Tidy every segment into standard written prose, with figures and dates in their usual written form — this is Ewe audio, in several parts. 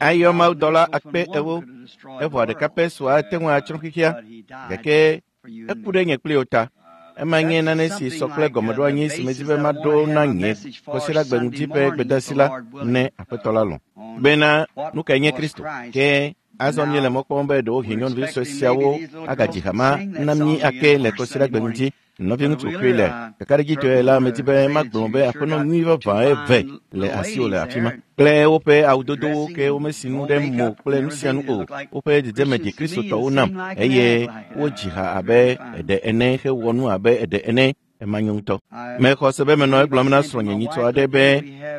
Ayɔ mawudɔla akpe ewo, evɔ ɖeka pɛ sua ate ŋu atsrɔ̃ xexea, gake eku ɖe nye kpli wò ta. Ema nye nane si sɔ kple gɔmeɖoanyi si medi be maɖo na nye Kɔsiɖagbe ŋdi ƒe gbedeasi la ne Aƒetɔ la lɔ̃. Bena nu kae nye Kristo? Ke azɔ míele mɔ kpɔm be ɖewohĩ nyɔnuvi sue siawo agadzi ha ma na mí ake le Kɔsiɖagbe ŋdi. Nɔviŋutsu Wheeler, kakaɖedzitɔe la, medi be magblɔ be aƒenɔ nyui vavã eve le asiwò le afi ma kple woƒe awudodowo ke womesi nu ɖe mo kple nu sia nu o. Woƒe dzedzeme ɖi Kristotɔwo nam eye wodzi ha abe eɖe ene hewɔ nu abe eɖe ene. Ema nyo ŋutɔ. Mexɔ se be menɔ egblɔm na srɔ̃nye nyitɔ aɖe be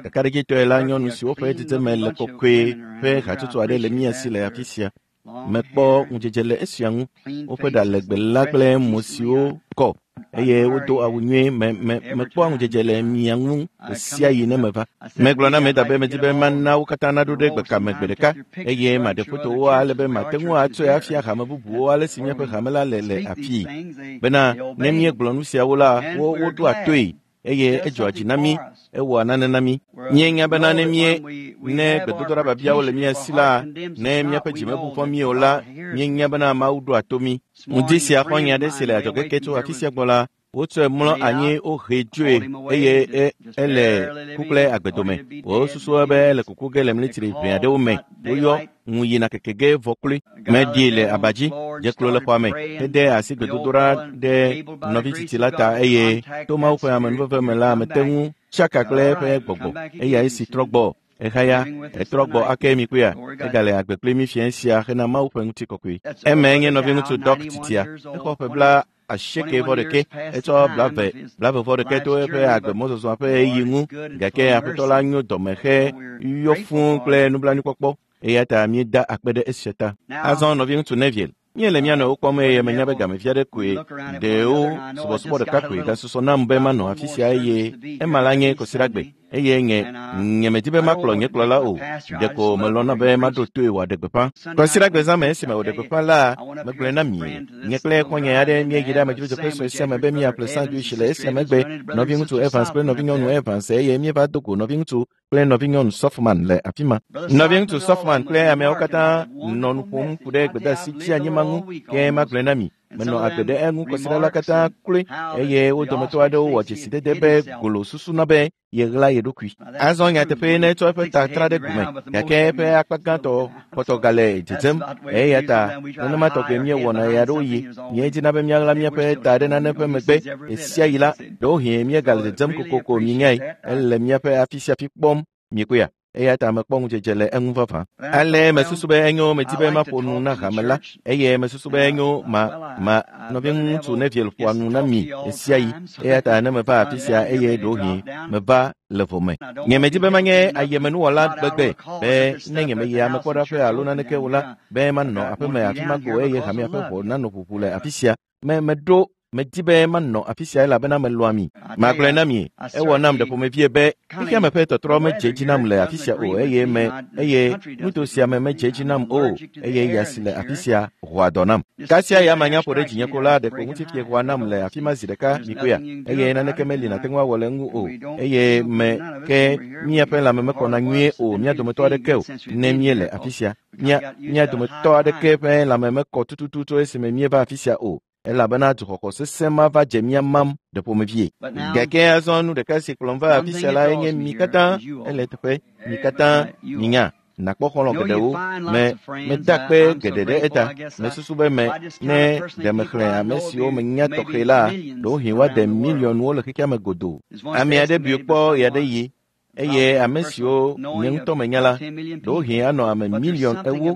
kakaɖedzitɔe la nyɔnu siwo ƒe dzedzeme le kɔkɔe ƒe hatsotso aɖe le mía si le afi sia. Mekpɔ ŋudzedze le esia ŋu. Woƒe ɖa legbe la kple mo siwo kɔ eye wodo awu nyuie. Me me mekpɔa ŋudzedze le mia ŋu ɣe sia ɣi ne meva. Megblɔ na Meda be medi be mana wo katã naɖo ɖe gbekame gbe ɖeka eye maɖe fotowo ale be mate ŋu atsɔe afia hame bubuwo ale si míaƒe hame la le le afii. Bena ne míegblɔ nu siawo la, wo woɖoa toe eye edzɔa dzi na mí, ewɔa nane na mí. Míenya bena ne mí ne gbedodoɖa biabiawo le mía si la, ne míaƒe dzi mebu fɔ mí o la, míenya bena Mawu ɖoa to mí. Ŋdi sia xɔ̃nye aɖe si le adzɔge ke tso afi sia gbɔ la, wotsɔe mlɔ anyi wohee dzoe eye e, ele ku kple agbe dome. Wosusua be ele kuku ge le mlitri ʋɛ aɖewo me. Woyɔ ŋu yina keke ge vɔ kloe. Meɖii le aba dzi, dze klo le xɔa me, hede asi gbedodoɖa ɖe nɔvi tsitsi la ta eye to Mawu ƒe amenuveve me la, mete ŋu tsaka kple eƒe gbɔgbɔ. Eyae si trɔ gbɔ. Exaya, etrɔ gbɔ ake mi kpɔea, egale agbe kpli mí fiẽ sia hena Mawu ƒe ŋutikɔkɔe. Emae nye nɔviŋutsu Doc titia. Exɔ ƒe bla asieke vɔ ɖeke, etsɔ blave blave vɔ ɖeke to eƒe agbemɔzɔzɔa ƒe ɣeyiɣi ŋu gake Aƒetɔ la nyo dɔme he yɔ fũu kple nublanuikpɔkpɔ eya ta míeda akpe ɖe esia ta. Azɔ nɔviŋutsu Neville, míele mía nɔewo kpɔm eye menya be gamevi aɖe koe ɖewo subɔsubɔ ɖeka koe gasusɔ nam be manɔ afi sia eye ema la nye Kɔsiɖagbe eye nye nye medi be makplɔ nye kplɔla o ɖeko melɔ̃na be maɖo toe wòaɖe gbeƒã. Kɔsiɖagbe zã me esime wòɖe gbeƒã la, megblɔe na mi. Nye kple xɔ̃nye aɖe míeyi ɖe amedzrodzeƒe sue sia me be míaƒle sandwich le esia megbe. Nɔviŋutsu Evans kple nɔvinyɔnu Evans eye míeva do go nɔviŋutsu kple nɔvinyɔnu Softman le afi ma. Nɔviŋutsu Softman kple ameawo katã nɔ nu ƒom ku ɖe gbedeasi dzianyi ma ŋu ke magblɔe na mi. Menɔ agbe ɖe eŋu kɔsiɖa la katã kloe eye wo dometɔ aɖewo wɔ dzesidede be golo susuna be yeɣla ye ɖokui. Azɔ nyateƒee ne etsɔ eƒe ta tra ɖe gume gake eƒe akpa gãtɔ kpɔtɔ gale dzedzem eya ta nenema tɔgbe míewɔna ɣeaɖewoɣi. Míedina be míaɣla míaƒe ta ɖe nane ƒe megbe ɣe sia ɣi la, ɖewohĩ míegale dzedzem kokoko míenyae ele míaƒe afi sia afi kpɔm miekpɔea? Eya ta mekpɔ ŋudzedze le eŋu vavã. Ale mesusu be enyo medi be maƒo nu na hame la eye mesusu be enyo ma ma nɔviŋutsu Neville ƒoa nu na mi ɣe sia ɣi eya ta ne meva afi sia eye ɖewohĩ meva le vo me. Nye medi be manye ayemenuwɔla gbegbe be ne nyemeyi amekpɔɖaƒe alo naneke o la be manɔ aƒeme afi ma ko eye hamea ƒe ʋɔ nanɔ ʋuʋu le afi sia. Me meɖo medi be manɔ afi sia elabena melɔ̃a mi. Magblɔe na mi, ewɔ nam ɖe ƒomevie be xexeame ƒe tɔtrɔ medze edzi nam le afi sia o eye me eye nuto sia me medze edzi nam o eye ya si le afi sia ʋua dɔ nam. Kasia ya manya ƒo ɖe dzinye ko la ɖeko ŋutifie ʋua nam le afi ma zi ɖeka mikpɔea eye naneke meli nàte ŋu awɔ le eŋu o eye me ke míaƒe lãme mekɔna nyuie o mía dometɔ aɖeke o ne míele afi sia. Mía mía dometɔ aɖeke ƒe lãme mekɔ tututu tso esime míeva afi sia o elabena dzuxɔxɔ sesẽ ma va dze mía mam ɖe ƒomevie. Gake azɔ nu ɖeka si kplɔm va afi sia lae nye mi katã ele teƒe mi katã minya nakpɔ xɔlɔ̃ geɖewo me meda kpe geɖe ɖe eta mesusu be me ne ɖe mexlẽ ame siwo menya tɔxɛ la ɖewohĩ woade miliɔnwo le xexea me godoo. Ame aɖe bui kpɔ ɣeaɖeɣi eye ame siwo nye ŋutɔ menya la ɖewohĩ anɔ ame miliɔn ewo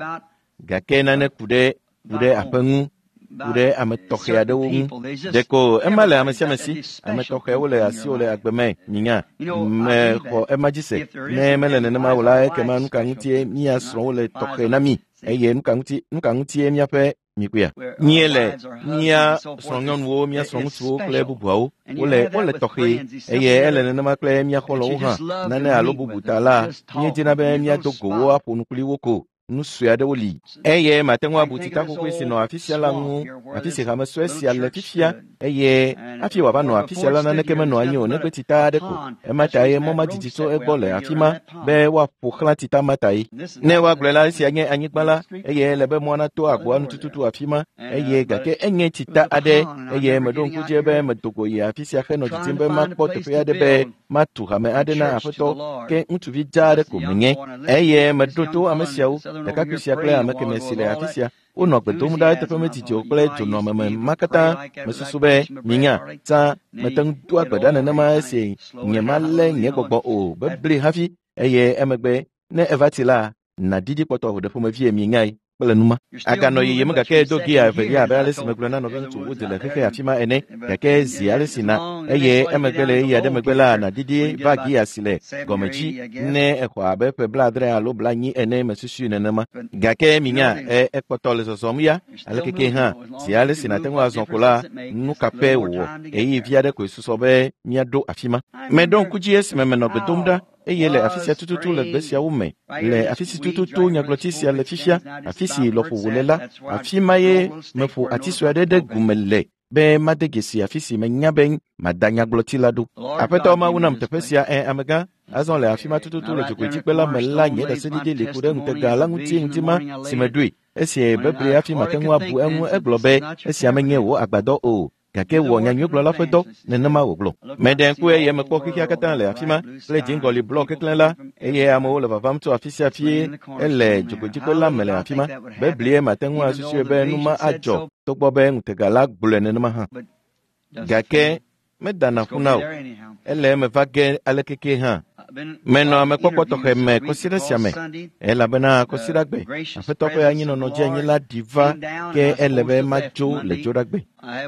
gake nane ku ɖe ku ɖe aƒe ŋu ku ɖe ame tɔxɛ aɖewo ŋu. Ɖeko ema le ame sia ame si. Ame tɔxɛwo le asiwò le agbe me minya. Mexɔ ema dzi se. Ne mele nenema o la, ekema nu ka ŋutie mía srɔ̃wo le tɔxɛ na mí eye nu ka ŋuti nu ka ŋutie míaƒe mikpɔea? Míele mía srɔ̃nyɔnuwo, mía srɔ̃ŋutsuwo kple bubuawo wole wole tɔxɛ eye ele nenema kple mía xɔlɔ̃wo hã. Nane alo bubu ta la, míedina be míado go wo aƒo nu kpli wo ko. Nu sue aɖewo li eye mate ŋu abu tsita xoxoe si nɔ afi sia la ŋu, afi si hame sue sia le fifia, eye hafi wòava nɔ afi sia la naneke menɔ anyi o negbe tsita aɖe ko. Ema tae mɔ ma didi tso egbɔ le afi ma be woaƒo xlã tsita ma tae. Ne woagblɔe la, esia nye anyigba la, eye ele be mɔa nato agboa nu tututu afi ma, eye gake enye tsita aɖe, eye meɖo ŋku dzi be medo go yi afi sia henɔ didim be makpɔ teƒe aɖe be matu hame aɖe na Aƒetɔ, ke ŋutsuvi dzaa aɖe ko menye. Eye meɖo to ame siawo, ɖekakpui sia kple ame kemɛ si le afi sia. Wonɔ gbe dom ɖa eteƒe medidi o kple dzonɔameme ma katã. Mesusu be minya, tsã mete ŋu doa gbe ɖa nenema esi nyemalé nye gbɔgbɔ o bebli hafi, eye emegbe ne eva tsi la, nàɖiɖi kpɔtɔ ɖe ƒomevie mienyae kple numa. Aganɔ yiyim gake do gia evelia abe ale si megblɔ na nɔviŋutsu Wood le xexe afi ma ene, gake zi ale si na, eye emegbe le ɣeyiɣi aɖe megbe la, nàɖiɖi va gia si le gɔme dzi ne exɔ abe ƒe 70 alo 90 ene mesusui nenema. Gake minya, ekpɔtɔ le zɔzɔm ya, alekeke hã, zi ale si nàte ŋu azɔ ko la, nu ka pɛ wòwɔ, ɣeyiɣi vi aɖe koe susɔ be míaɖo afi ma. Meɖo ŋku dzi esime menɔ gbe dom ɖa, eye le afi sia tututu le gbe siawo me, le afi si tututu nyagblɔti sia le fifia, afi si lɔƒo wòle la, afi ma ye meƒo ati sue aɖe ɖe gume le be made dzesi afi si menya be mada nyagblɔti la ɖo. Aƒetɔ Mawu nam teƒe sia, amegã, azɔ le afi ma tututu le dzogoedzikpe la me la, nye ɖaseɖiɖi li ku ɖe ŋutega la ŋuti ŋdi ma si meɖoe. Esi bebli hafi mate ŋu abu eŋu, egblɔ be esia menye wò agbadɔ o, gake wɔ nyanyuigblɔla ƒe dɔ, nenema wògblɔ. Meɖe ŋku eye mekpɔ xexea katã le afi ma kple dziŋgɔli blɔ keklẽ la, eye amewo le vavam tso afi sia afi ele dzogoedzikpe la me le afi ma. Beblie mate ŋu asusui be nu ma adzɔ togbɔ be ŋutega la gblɔe nenema hã. Gake medana ƒu na o, ele eme va ge alekeke hã. Menɔ amekpɔkpɔ tɔxɛ me kɔsiɖa sia me, elabena kɔsiɖagbe Aƒetɔ ƒe anyinɔnɔ dzi anyi la ɖi va, ke ele be madzo le dzoɖagbe.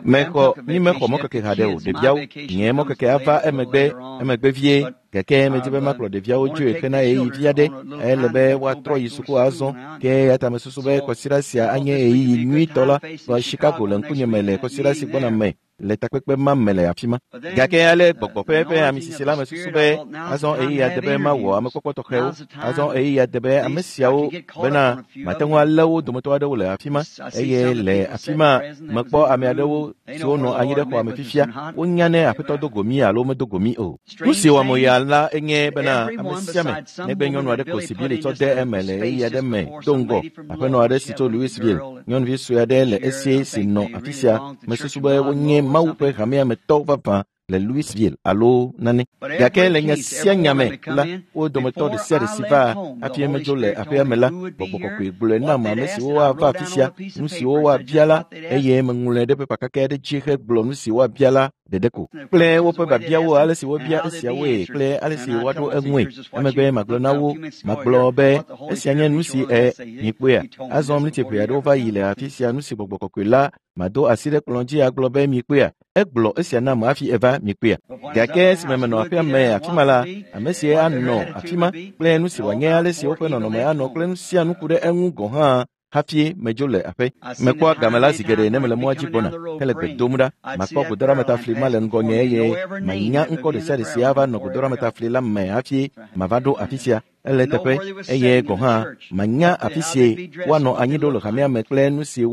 Mexɔ mi mexɔ mɔkeke haɖe o, ɖeviawo, nye mɔkeke ava emegbe vie, gake medzi be makplɔ ɖeviawo dzoe hena ɣeyiɣi vi aɖe, ele be woatrɔ yi suku azɔ, ke eya ta mesusu be kɔsiɖa sia anye ɣeyiɣi nyuitɔ la va Chicago le ŋkunye me le kɔsiɖa si gbɔna me le takpekpe ma me le afi ma. Gake ale gbɔgbɔ ƒe ame sisi la mesusu be azɔ ɣeyiɣi ade be mawɔ amekpɔkpɔ tɔxɛwo, azɔ ɣeyiɣi ade be ame siawo bena mate ŋu alé wo dometɔ aɖewo le afi ma, eye le afi ma mekpɔ ame aɖewo siwo nɔ anyi ɖe xɔa me fifia, wonya ne Aƒetɔ do go mí alo medo go mí o. Nu si wɔm ya la enye bena ame sia ame negbe nyɔnu aɖe ko si Billy tsɔ de eme le ɣeyiɣi aɖe me do ŋgɔ, aƒenɔ aɖe si tso Louisville, nyɔnuvi sue aɖe le esi si nɔ afi sia, mesusu be wonye Mawu ƒe hamea me tɔ vavã le Louisville alo nane. Gake le nya sia nya me la, wo dometɔ ɖe sia ɖe si va hafi medzo le aƒea me la, gbɔgbɔ kɔkɔe gblɔe nam ame siwo woava afi sia, nu siwo woabia la, eye meŋlɔe ɖe pepa kakɛ aɖe dzi hegblɔ nu si woabia la ɖeɖe ko. Kple woƒe biabiawo, ale si wobia esiawoe kple ale si woaɖo eŋue. Emegbe magblɔ na wo, magblɔ be esia nye nu si mikpɔea. Azɔ mliti ʋɛ aɖewo va yi le afi sia, nu si gbɔgbɔ kɔkɔe la mado asi ɖe kplɔ̃ dzi agblɔ be mikpɔea. Egblɔ esia nam hafi eva mikpɔea. Gake esime menɔ aƒea me afi ma la, ame si anɔ afi ma kple nu si wòanye, ale si woƒe nɔnɔme anɔ kple nu sia nu ku ɖe eŋu gɔ̃ hã hafi medzo le aƒe. Mekpɔa game la zi geɖe ne mele mɔa dzi gbɔna hele gbe dom ɖa. Makpɔ godoɖametafli ma le ŋgɔnye eye manya ŋkɔ ɖe sia ɖe si ava nɔ godoɖametafli la me hafi mava ɖo afi sia. Ele teƒe eye gɔ̃ hã manya afi si woanɔ anyi ɖo le hamea me kple nu si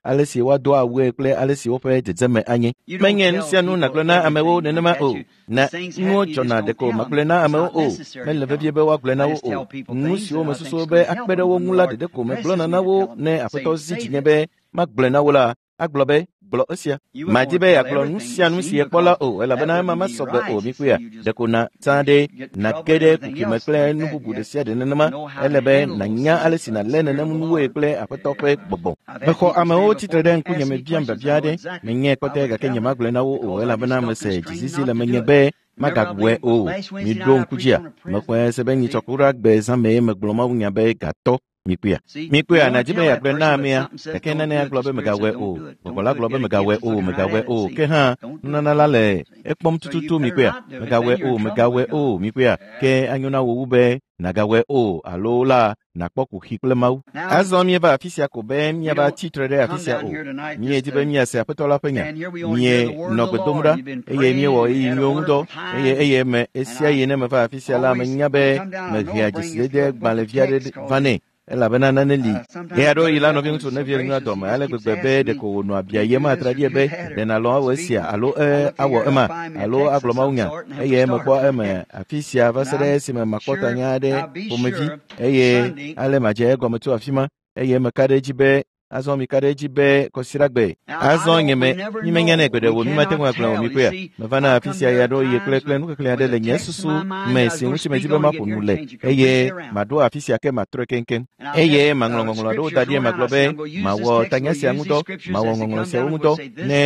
ale si woado awue kple ale si woƒe dzedzeme anye. Menye nu sia nu nàgblɔ na amewo nenema o. Na nuwo dzɔna ɖeko magblɔe na amewo o. Mele vevie be woagblɔe na wo o. Nu siwo mesusu be akpe ɖe wo ŋu la ɖeɖe ko megblɔna na wo ne Aƒetɔ zi dzinye be magblɔe na wo la, agblɔ be gblɔ esia. Madi be yeagblɔ nu sia nu si yekpɔ la o, elabena ema mesɔ gbe o mikpɔea. Ɖeko na tsã ɖe nàge ɖe kuxi me kple nu bubu ɖe sia ɖe nenema. Ele be nànya ale si nàlé nenem nuwoe kple Aƒetɔ ƒe gbɔgbɔ. Mexɔ amewo tsitre ɖe ŋkunye me biam biabia aɖe. Menyae kɔtɛ gake nyemagblɔe na wo o, elabena mese dzizizi le menye be magawɔe o. Miɖo ŋku dzia, mexɔe se be nyitsɔ kura gbe zã mee megblɔ mawunya be gatɔ. Mikpɔea. Mikpɔea, nàdi be yeagblɔe na amea, gake nane agblɔ be megawɔe o. Gbɔgbɔ la gblɔ be megawɔe o, megawɔe o. Ke hã, nunana la le ekpɔm tututu. Mikpɔea, megawɔe o, megawɔe o. Mikpɔea, ke anyo na wò wu be nàgawɔe o alo la nàkpɔ kuxi kple Mawu. Azɔ míeva afi sia ko be míava tsi tre ɖe afi sia o. Míedi be míase Aƒetɔ la ƒe nya. Míenɔ gbe dom ɖa eye míewɔ ɣeyiɣi nyuiwo ŋudɔ eye eye me esia yi ne meva afi sia la, menya be mehea dzesidede gbalẽvi aɖe vanɛ. Elabena nane li. Ɣe aɖewo yi la nɔviŋutsu Neville nyoa dɔme ale gbegbe be ɖeko wònɔa abia yem atraɖie be ɖe nàlɔ̃ awɔ esia alo awɔ ema alo agblɔ mawunya eye mekpɔ eme afi sia va se ɖe esime makpɔ tanya aɖe ƒomevi eye ale madze egɔme tso afi ma eye meka ɖe edzi be azɔ mika ɖe edzi be kɔsiɖagbe azɔ nye me mímenyanɛ gbe ɖe o mímate ŋu agblɔ o mikpɔea mevana afi sia ya ɖo eye kple nuxexlẽ aɖe le nye susu me si ŋuti medi be maƒo nu le eye maɖo afi sia ke matrɔe keŋkeŋ eye maŋlɔ ŋɔŋlɔ aɖewo da ɖi magblɔ be mawɔ tanya sia ŋudɔ mawɔ ŋɔŋlɔ siawo ŋudɔ ne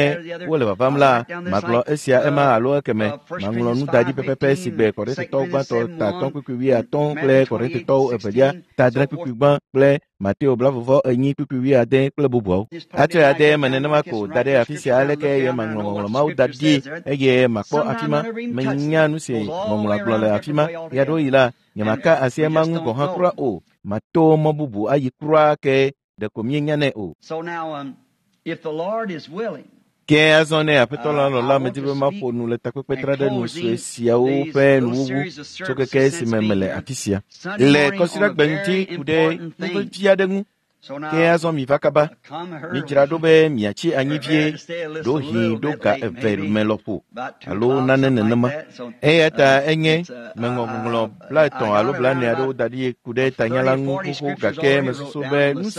wole vavam la magblɔ esia ema alo ekeme maŋlɔ nu da ɖi pɛpɛpɛ si gbe Korintetɔwo gbãtɔ ta 5:50 kple Korintetɔwo evelia ta 7:1 kple Mateo 24:40 kple bubuawo. Atsɔe ade eme nenema ko da ɖe afi sia aleke eye maŋlɔ ŋɔŋlɔ mawo da ɖi eye makpɔ afi ma. Menya nu si ŋɔŋlɔa gblɔ le afi ma. Ɣeaɖewoɣi la, nyemaka asi ema ŋu gɔ̃ hã kura o. Mato mɔ bubu ayi kura ke ɖeko míenyanɛ o. Ke azɔ ne Aƒetɔ la lɔ̃ la, medi be maƒo nu le takpekpe ɖe nu sue siawo ƒe nuwuwu tso keke esime mele afi sia. Le kɔsiɖagbe ŋuti ku ɖe nu vevi aɖe ŋu. Ke azɔ miva kaba. Midzra ɖo be miatsi anyi vie, ɖewohĩ ɖo ga 2 me lɔƒo alo nane nenema. Eya ta enye meŋlɔ ŋɔŋlɔ 50 alo 40 aɖewo da ɖi ku ɖe tanya la ŋu xoxo gake mesusu be nu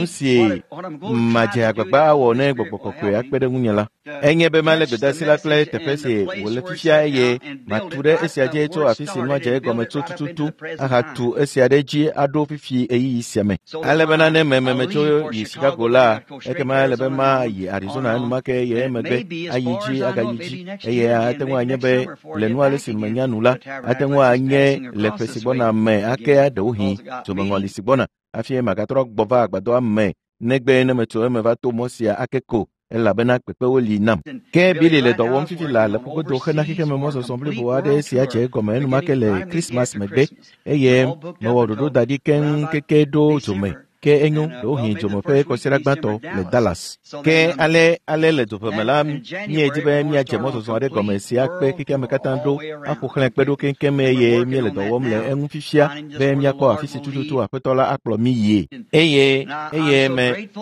si madze agbagba awɔ ne gbɔgbɔ kɔkɔe akpe ɖe ŋunye la, enye be malé gbedeasi la kple teƒe si wòle fifia eye matu ɖe esia dzi tso afi si nua dze egɔme tso tututu ahatu esia ɖe dzi aɖo fifi ɣeyiɣi sia me. Ale bena ne mememe tso yi Chicago la, ekema ele be mayi Arizona enumake eye emegbe ayi dzi agayi dzi eye ate ŋu anye be le nu ale si menya nu la, ate ŋu anye le ƒe si gbɔna me ake ɖewohĩ dzomeŋɔli si gbɔna hafi magatrɔ gbɔ va agbadɔa me negbe ne metso eme va to mɔ sia ake ko elabena kpekpewo li nam. Ke Billy le dɔ wɔm fifi la le ƒugodo hena xexeme mɔzɔzɔ blibo aɖe si adze egɔme enumake le Krismas megbe eye mewɔ ɖoɖo da ɖi keŋ keke ɖo dzome ke enyo ɖewohĩ dzome ƒe kɔsiɖa gbãtɔ le Dallas. Ke ale le dzoƒeme la míedi be míadze mɔzɔzɔ aɖe gɔme si akpe xexeame katã ɖo aƒo xlẽ kpe ɖo keŋkeŋ eye míele dɔ wɔm le eŋu fifia be míakpɔ afi si tututu Aƒetɔ la akplɔ mí yie. Eye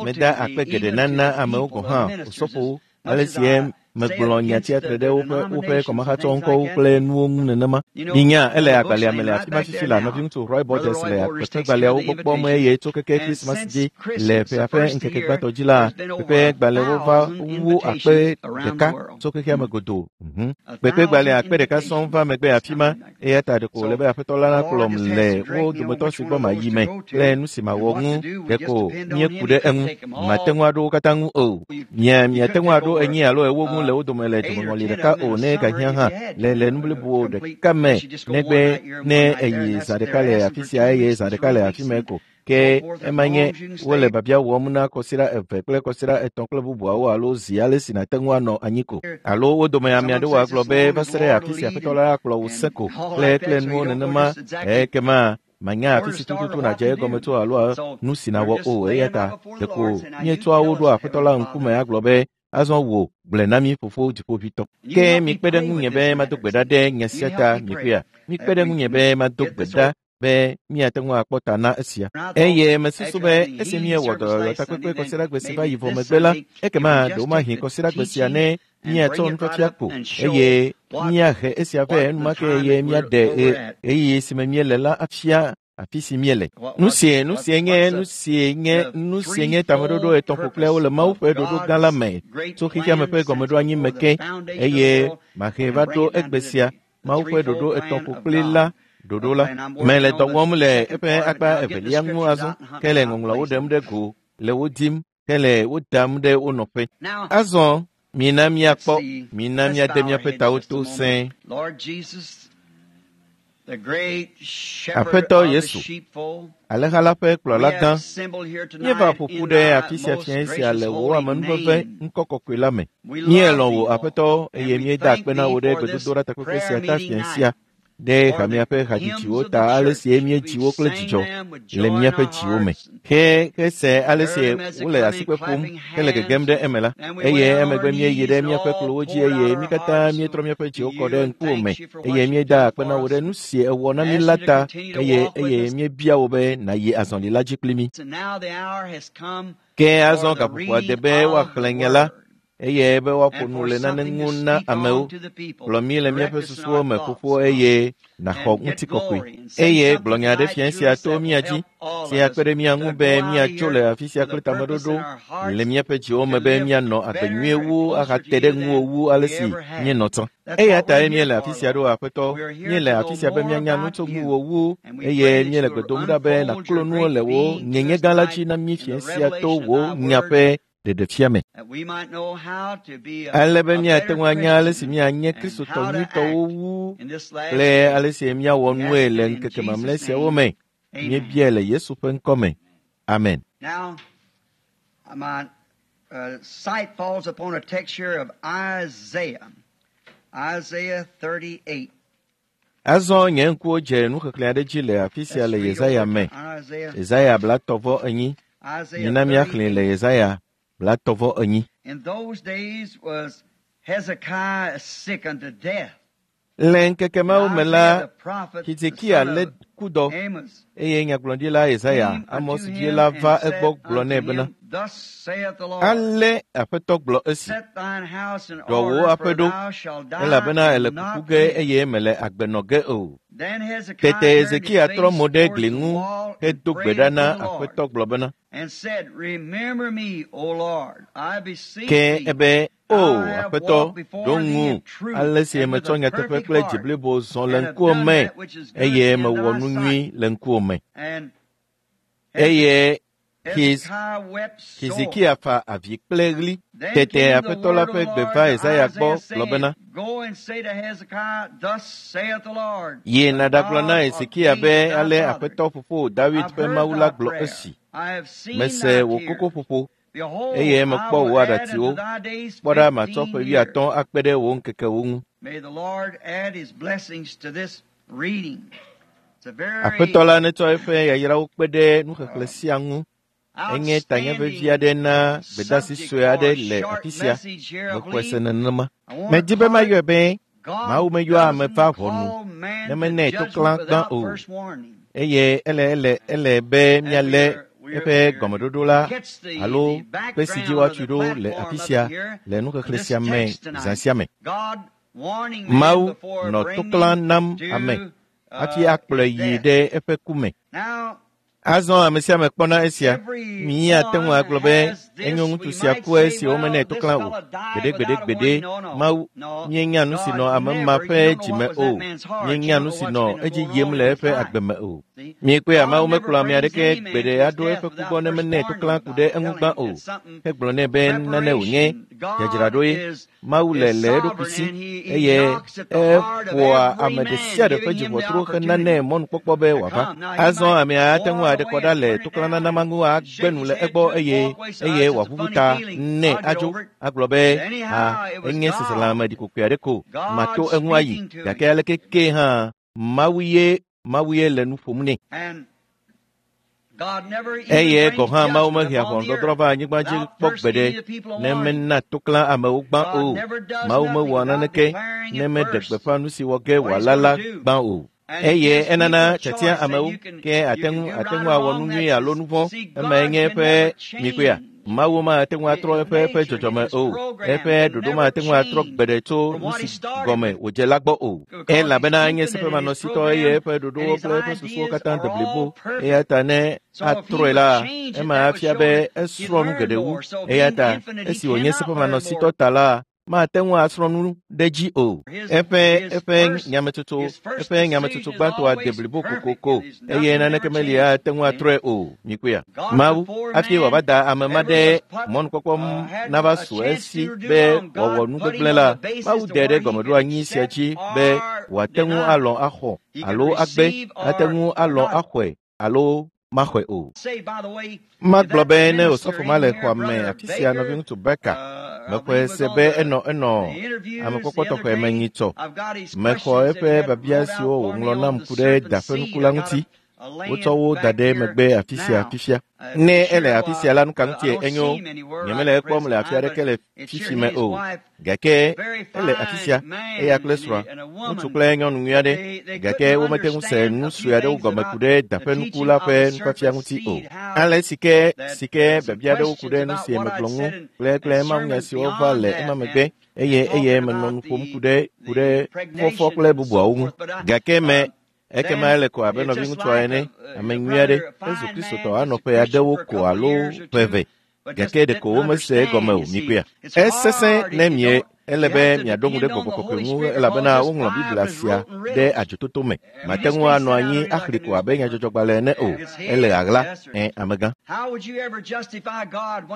meda akpe geɖe nana amewo gɔ̃ hã osɔfowo ale si megblɔ nya tsiatre ɖe woƒe kɔmahatsɔ ŋkɔwo kple nuwo ŋu nenema. Minya ele agbalẽa me le afi ma fifi la nɔviŋutsu Roy Borders le kpekpegbalẽawo gbɔ kpɔm eye tso keke Krismas dzi le ƒea ƒe ŋkeke gbãtɔ dzi la, kpekpegbalẽwo va wu 1,000 tso xexea me godoo. Kpekpegbalẽ 1,000 sɔŋ va megbe afi ma eya ta ɖeko wòle be Aƒetɔ la nakplɔm le wo dometɔ si gbɔ mayi me kple nu si mawɔ ŋu ɖeko míeku ɖe eŋu. Mate ŋu aɖo wo katã ŋu o. Miate ŋu aɖo 4 alo 8 ŋu le wo dome le dzomeŋɔli ɖeka o ne gahiã hã le nu blibo ɖeka me negbe ne eyi zã ɖeka le afi sia eye zã ɖeka le afi me ko. Ke ema nye wole biabia wɔm na kɔsiɖa 2 kple kɔsiɖa 3 kple bubuawo alo zi ale si nàte ŋu anɔ anyi ko. Alo wo dome ame aɖewo agblɔ be va se ɖe afi si Aƒetɔ la akplɔ wò sẽ ko kple nuwo nenema ekema manya afi si tututu nàdze egɔme tso alo nu si nàwɔ o eya ta ɖeko míetsɔa wo ɖoa Aƒetɔ la ŋkume agblɔ be azɔ wò gblɔe na mí fofo dziƒoʋĩtɔ. Ke mikpe ɖe ŋunye be mado gbe ɖa ɖe nya sia ta mikpɔea? Mikpe ɖe ŋunye be mado gbe ɖa be míate ŋu akpɔ ta na esia. Eye mesusu be esi míewɔ dɔyɔyɔ takpekpe kɔsiɖagbe si va yi vɔ megbe la, ekema ɖewomahi kɔsiɖagbe sia ne míatsɔ nufiafia ko eye míahe esia vɛ enumake eye míaɖe ɣeyiɣi si me míele la afia afi si míele. Nu sie nye tameɖoɖo 3 ƒokpliawo le Mawu ƒe ɖoɖo gã la me tso xexeame ƒe gɔmeɖoanyi me ke eye mahe va ɖo egbe sia Mawu ƒe ɖoɖo 3 ƒokpli la ɖoɖo la. Mele dɔ wɔm le eƒe akpa evelia ŋu azɔ ke le ŋɔŋlɔawo ɖem ɖe go le wo dim ke le wo dam ɖe wo nɔƒe. Azɔ mina míakpɔ, mina míade míaƒe tawo to sẽe. Aƒetɔ Yesu, alẽha la ƒe kplɔla gã, míeva ƒo ƒu ɖe afi sia fiẽ sia le wò amenuveve ŋkɔ kɔkɔe la me. Míelɔ̃ wò Aƒetɔ eye míeda akpe na wò ɖe gbedodoɖa takpekpe sia ta fiẽ sia. Ɖe hamea ƒe hadzidziwo ta ale si míedzi wo kple dzidzɔ le míaƒe dziwo me. Ke hese ale si wole asikpe ƒom hele gegem ɖe eme la, eye emegbe míeyi ɖe míaƒe kplɔwo dzi eye mí katã míetrɔ míaƒe dziwo kɔ ɖe ŋkuwò me eye míeda akpe na wò ɖe nu si èwɔ na mí la ta eye míebia wò be nàyi azɔli la dzi kpli mí. Ke azɔ gaƒoƒoa de be woaxlẽ nya la eye be woaƒo nu le nane ŋu na amewo. Gblɔ mí le míaƒe susuwo me xoxo eye nàxɔ ŋutikɔkɔe. Eye gblɔ nya ɖe fia sia to mía dzi, si akpe ɖe mía ŋu be míatso le afi sia kple tameɖoɖo le míaƒe dziwo me be míanɔ agbe nyuie wu ahate ɖe ŋuwò wu ale si míenɔ tsã. Eya tae míele afi sia ɖo Aƒetɔ, míele afi sia be míanya nu tso ŋuwò wu eye míele gbe dom ɖa be nàklo nuwo le wò nyenye gã la dzi na mí fia sia to wò nya ƒe ɖeɖefia me. Ale be míate ŋu anya ale si míanye Kristotɔ nyuitɔwo wu kple ale si míawɔ nue le ŋkeke mamlɛ siawo me. Míebiae le Yesu ƒe ŋkɔ me. Amen. Now, my sight falls upon a text here of Isaiah, Isaiah 38. Azɔ nye ŋkuwo dze nuxexlẽ aɖe dzi le afi sia le Yesaya me. Yesaya 34. Mina míaxlẽe le Yesaya 34. In those days was Hezekiah sick unto death. Le ŋkeke mawo me la, Hezekia lé kudɔ eye nyagblɔɖila Yesaya, Amos vi la va egbɔ gblɔ nɛ bena, Ale Aƒetɔ gblɔ esi, ɖɔ wò aƒe ɖo, elabena èle kuku ge eye mele agbe nɔ ge o. Tete Hezekia trɔ mo ɖe gli ŋu hedo gbe ɖa na Aƒetɔ gblɔ bena, Ke ebe, O Aƒetɔ, ɖo ŋu ale si metsɔ nyateƒe kple dzi blibo zɔ le ŋkuwò me eye mewɔ nu nyui le ŋkuwò me. Eye Hezekia fa avi kple ɣli. Tete Aƒetɔ la ƒe gbe va Yesaya gbɔ gblɔ bena, Yi nàɖagblɔ na Hezekia be ale Aƒetɔ fofo David ƒe Mawu la gblɔ esi, Mese wò kokoƒoƒo eye mekpɔ wò aɖatsiwo. Kpɔ ɖa matsɔ ƒe 50 akpe ɖe wò ŋkekewo ŋu. Aƒetɔ la netsɔ eƒe yayrawo kpe ɖe nuxexlẽ sia ŋu. Enye tanye vevi aɖe na gbedeasi sue aɖe le afi sia. Mexɔe se nenema. Medi be mayɔe be Mawu meyɔa ame va ʋɔnu ne menɛ to klã gbã o. Eye ele be míalé eƒe gɔmeɖoɖo la alo kpe si dzi woatui ɖo le afi sia le nuxexlẽ sia me zã sia me. Mawu nɔ to klã nam ame hafi akplɔe yi ɖe eƒe ku me. Azɔ ame sia ame kpɔna esia. Míate ŋu agblɔ be enyo ŋutsu sia ku esi womenɛ to klã o. Gbeɖegbeɖegbeɖe, Mawu, míenya nu si nɔ ame ma ƒe dzime o. Míenya nu si nɔ edzi yim le eƒe agbe me o. Míekpɔea Mawu mekplɔ ame aɖeke gbeɖe aɖo eƒe ku gbɔ ne menɛ to klã ku ɖe eŋu gbã o. Hegblɔ nɛ be nane wònye dzadzraɖoe. Mawu le eɖokui si eye eƒoa ame ɖe sia ɖe ƒe dziʋɔtro henanɛ mɔnukpɔkpɔ be wòava. Azɔ amea ate ŋu aɖe kɔ ɖa le toklãnana ma ŋu agbe nu le egbɔ eye wòaʋuʋu ta nɛ adzo agblɔ be ha enye seselãme ɖikokoe aɖe ko mato eŋu ayi gake aleke ke hã Mawu ye le nu ƒom nɛ. Eye gɔ̃ hã Mawu mehea ʋɔnudɔdrɔ̃ va anyigba dzi kpɔ gbeɖe ne mena toklã amewo gbã o. Mawu mewɔa naneke ne meɖe gbeƒã nu si wɔ ge wòala la gbã o. Eye enana tiatia amewo ke ate ŋu awɔ nu nyui alo nu vɔ̃. Emae nye eƒe mikpea. Mawu mate ŋu atrɔ eƒe dzɔdzɔme o. Eƒe ɖoɖo mate ŋu atrɔ gbeɖe tso nu si gɔme wòdze la gbɔ o. Elabena enye seƒemanɔsitɔ eye eƒe ɖoɖowo kple eƒe susuwo katã de blibo. Eya ta ne atrɔe la, ema afia be esrɔ̃ nu geɖe wu. Eya ta esi wònye seƒemanɔsitɔ ta la, mate ŋu asrɔ̃ nu ɖe dzi o. Eƒe nyametsotso gbãtɔa de blibo kokoko eye naneke meli ate ŋu atrɔe o. Mikpɔea? Mawu hafi wòava da ame ma ɖe mɔnukpɔkpɔ nava su esi be wòawɔ nu gbegblẽ la, Mawu de ɖe gɔmeɖoanyi sia dzi be wòate ŋu alɔ̃ axɔ alo agbe, ate ŋu alɔ̃ axɔe alo Maxɔe o. Magblɔ be ne osɔfo ma le xɔa me afi sia nɔviŋutsu Baker, mexɔe se be enɔ enɔ amekpɔkpɔ tɔxɛ me nyitsɔ. Mexɔ eƒe biabia siwo wòŋlɔ nam ku ɖe da ƒe nuku la ŋuti. Wotsɔ wo da ɖe megbe afi sia fifia. Ne ele afi sia la, nu ka ŋutie enyo? Nyemele ekpɔm le afi aɖeke le fifi me o. Gake ele afi sia, eya kple srɔ̃a, ŋutsu kple nyɔnu nyui aɖe, gake womete ŋu se nu sue aɖewo gɔme ku ɖe da ƒe nuku la ƒe nufiafia ŋuti o. Ale si ke si ke biabia aɖewo ku ɖe nu si megblɔ ŋu kple kple mawunya siwo va le ema megbe eye eye menɔ nu ƒom ku ɖe ku ɖe fɔfɔ kple bubuawo ŋu. Gake me ekema ele ko abe nɔviŋutsua ene, ame nyui aɖe, ezu Kristotɔ anɔ ƒe aɖewo ko alo ƒe eve, gake ɖeko womese egɔme o, mikpɔea. Esesẽ ne mie ele be miaɖo ŋu ɖe gbɔgbɔ kɔkɔe ŋu elabena woŋlɔ Biblia sia ɖe adzototo me. Mate ŋu anɔ anyi axli ko abe nyadzɔdzɔgbalẽ ene o. Ele ɣaɣla, ẽ, amegã.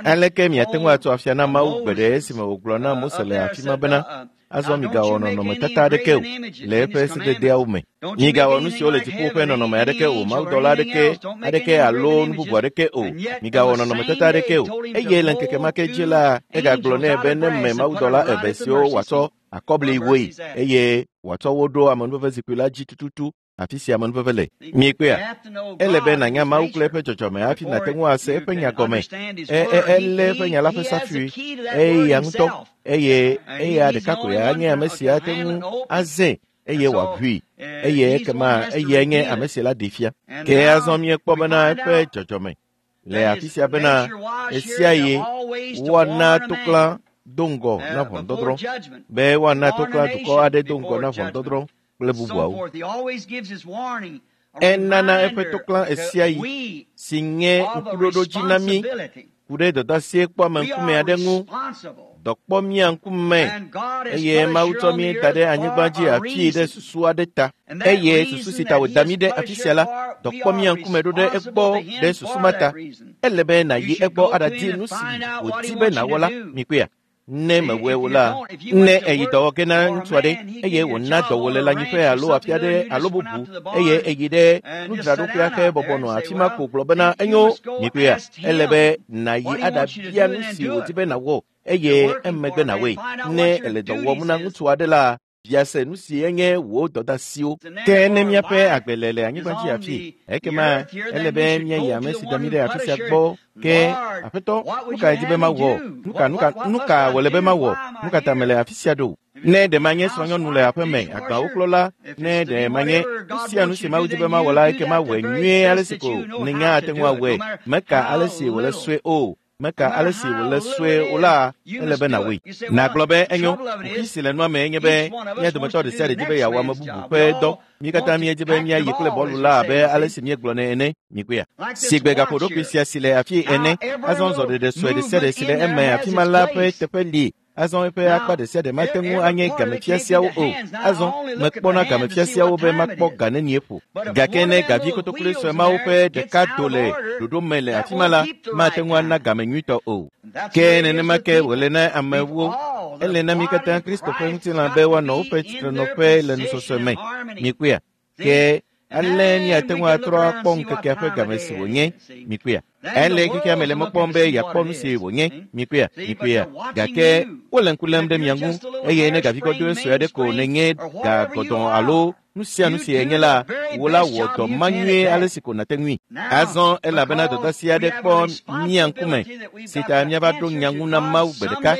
Aleke miate ŋu atso afia na Mawu gbe ɖe esime wògblɔ na Mose le afi ma bena, azɔ migawɔ nɔnɔmetata aɖeke o le eƒe sededeawo me. Migawɔ nu siwo le dziƒo ƒe nɔnɔme aɖeke o, mawudɔla aɖeke aɖeke alo nu bubu aɖeke o. Migawɔ nɔnɔmetata aɖeke o. Eye le ŋkeke ma ke dzi la, egagblɔ nɛ be ne me mawudɔla eve siwo wòatsɔ akɔbli woe eye wòatsɔ wo ɖo amenuveve zikpui la dzi tututu afi sia amenuveve le. Miekpɔea? Ele be nànya Mawu kple eƒe dzɔdzɔme hafi nàte ŋu ase eƒe nya gɔme. Elé eƒe nya la ƒe safui eya ŋutɔ eye eya ɖeka koe anye ame si ate ŋu azãe eye wòaʋui eye ekema eyae nye ame si la ɖee fia. Ke azɔ míekpɔ bena eƒe dzɔdzɔme le afi sia bena ɣesiaɣi woana toklã do ŋgɔ na ʋɔnudɔdrɔ̃ be woana toklã dukɔ aɖe do ŋgɔ na ʋɔnudɔdrɔ̃ kple bubuawo. Enana eƒe toklã ɣesiaɣi si nye ŋkuɖoɖodzi na mí ku ɖe dɔdeasie kpɔame ŋkume aɖe ŋu. Dɔ kpɔ mía ŋkume eye Mawu tsɔ mí da ɖe anyigba dzi afii ɖe susu aɖe ta. Eye susu si ta wòda mí ɖe afi sia la, dɔ kpɔ mía ŋkume ɖo ɖe egbɔ ɖe susu ma ta. Ele be nàyi egbɔ aɖadi nu si wòdi be nàwɔ la, mikpɔea? Ne mewɔe o la, ne èyi dɔwɔ ge na ŋutsu aɖe eye wòna dɔ wò le lãnyiƒe alo afi aɖe alo bubu eye èyi ɖe nudzraɖoƒea ke bɔbɔ nɔ afi ma ko gblɔ bena enyo, mikpɔea? Ele be nàyi aɖabia nu si wòdi be nàwɔ eye emegbe nàwɔe. Ne èle dɔ wɔm na ŋutsu aɖe la, bia se nu si enye wò dɔdeasiwo. Ke ne míaƒe agbe le le anyigba dzi afi, ekema ele be míayi ame si da mí ɖe afi sia gbɔ. Ke Aƒetɔ, nu kae di be mawɔ? Nu ka, nu ka, nu ka wòle be mawɔ? Nu ka ta mele afi sia ɖo? Ne ɖe manye srɔ̃nyɔnu le aƒe me, agbawo klɔla, ne ɖe manye nu sia nu si Mawu di be mawɔ la, ekema wɔe nyuie ale si ko nènya ate ŋu awɔe. Meka ale si wòle sue o. Meka ale si wòle sue o la, ele be nàwɔe. Nàgblɔ be enyo, kuxi si le nua mee nye be mía dometɔ ɖe sia ɖe di be yeawɔ ame bubu ƒe dɔ. Mí katã míedi be míayi kple bɔlu la abe ale si míegblɔnɛ ene. Mikpɔea? Sigbe gaƒoɖokui sia si le afii ene, azɔ zɔɖeɖe sue ɖe sia ɖe si le eme afi ma la ƒe teƒe li. Azɔ eƒe akpa ɖe sia ɖe mate ŋu anye gamefiasiawo o. Azɔ mekpɔna gamefiasiawo be makpɔ ga nenie ƒo. Gake ne gavi kotokloe sue mawo ƒe ɖeka do le ɖoɖo me le afi ma la, mate ŋu ana game nyuitɔ o. Ke nenema ke wòle na amewo. Ele na mí katã Kristo ƒe ŋutilã be woanɔ woƒe tsitrenɔƒe le nusɔsɔe me. Mikpɔea? Ke ale míate ŋu atrɔ akpɔ ŋkekea ƒe game si wònye. Mikpɔea? Ele xexea me le mɔ kpɔm be yeakpɔ nu si wònye. Mikpɔea? Mikpɔea? Gake wole ŋku lém ɖe mia ŋu eye ne gavi gɔdɔe sue aɖe ko nènye ga gɔdɔ̃ alo nu sia nu si enye la, wò la wɔ dɔ ma nyuie ale si ko nàte ŋui. Azɔ elabena dɔdeasi aɖe kpɔ mía ŋkume si ta míava ɖo nya ŋu na Mawu gbe ɖeka.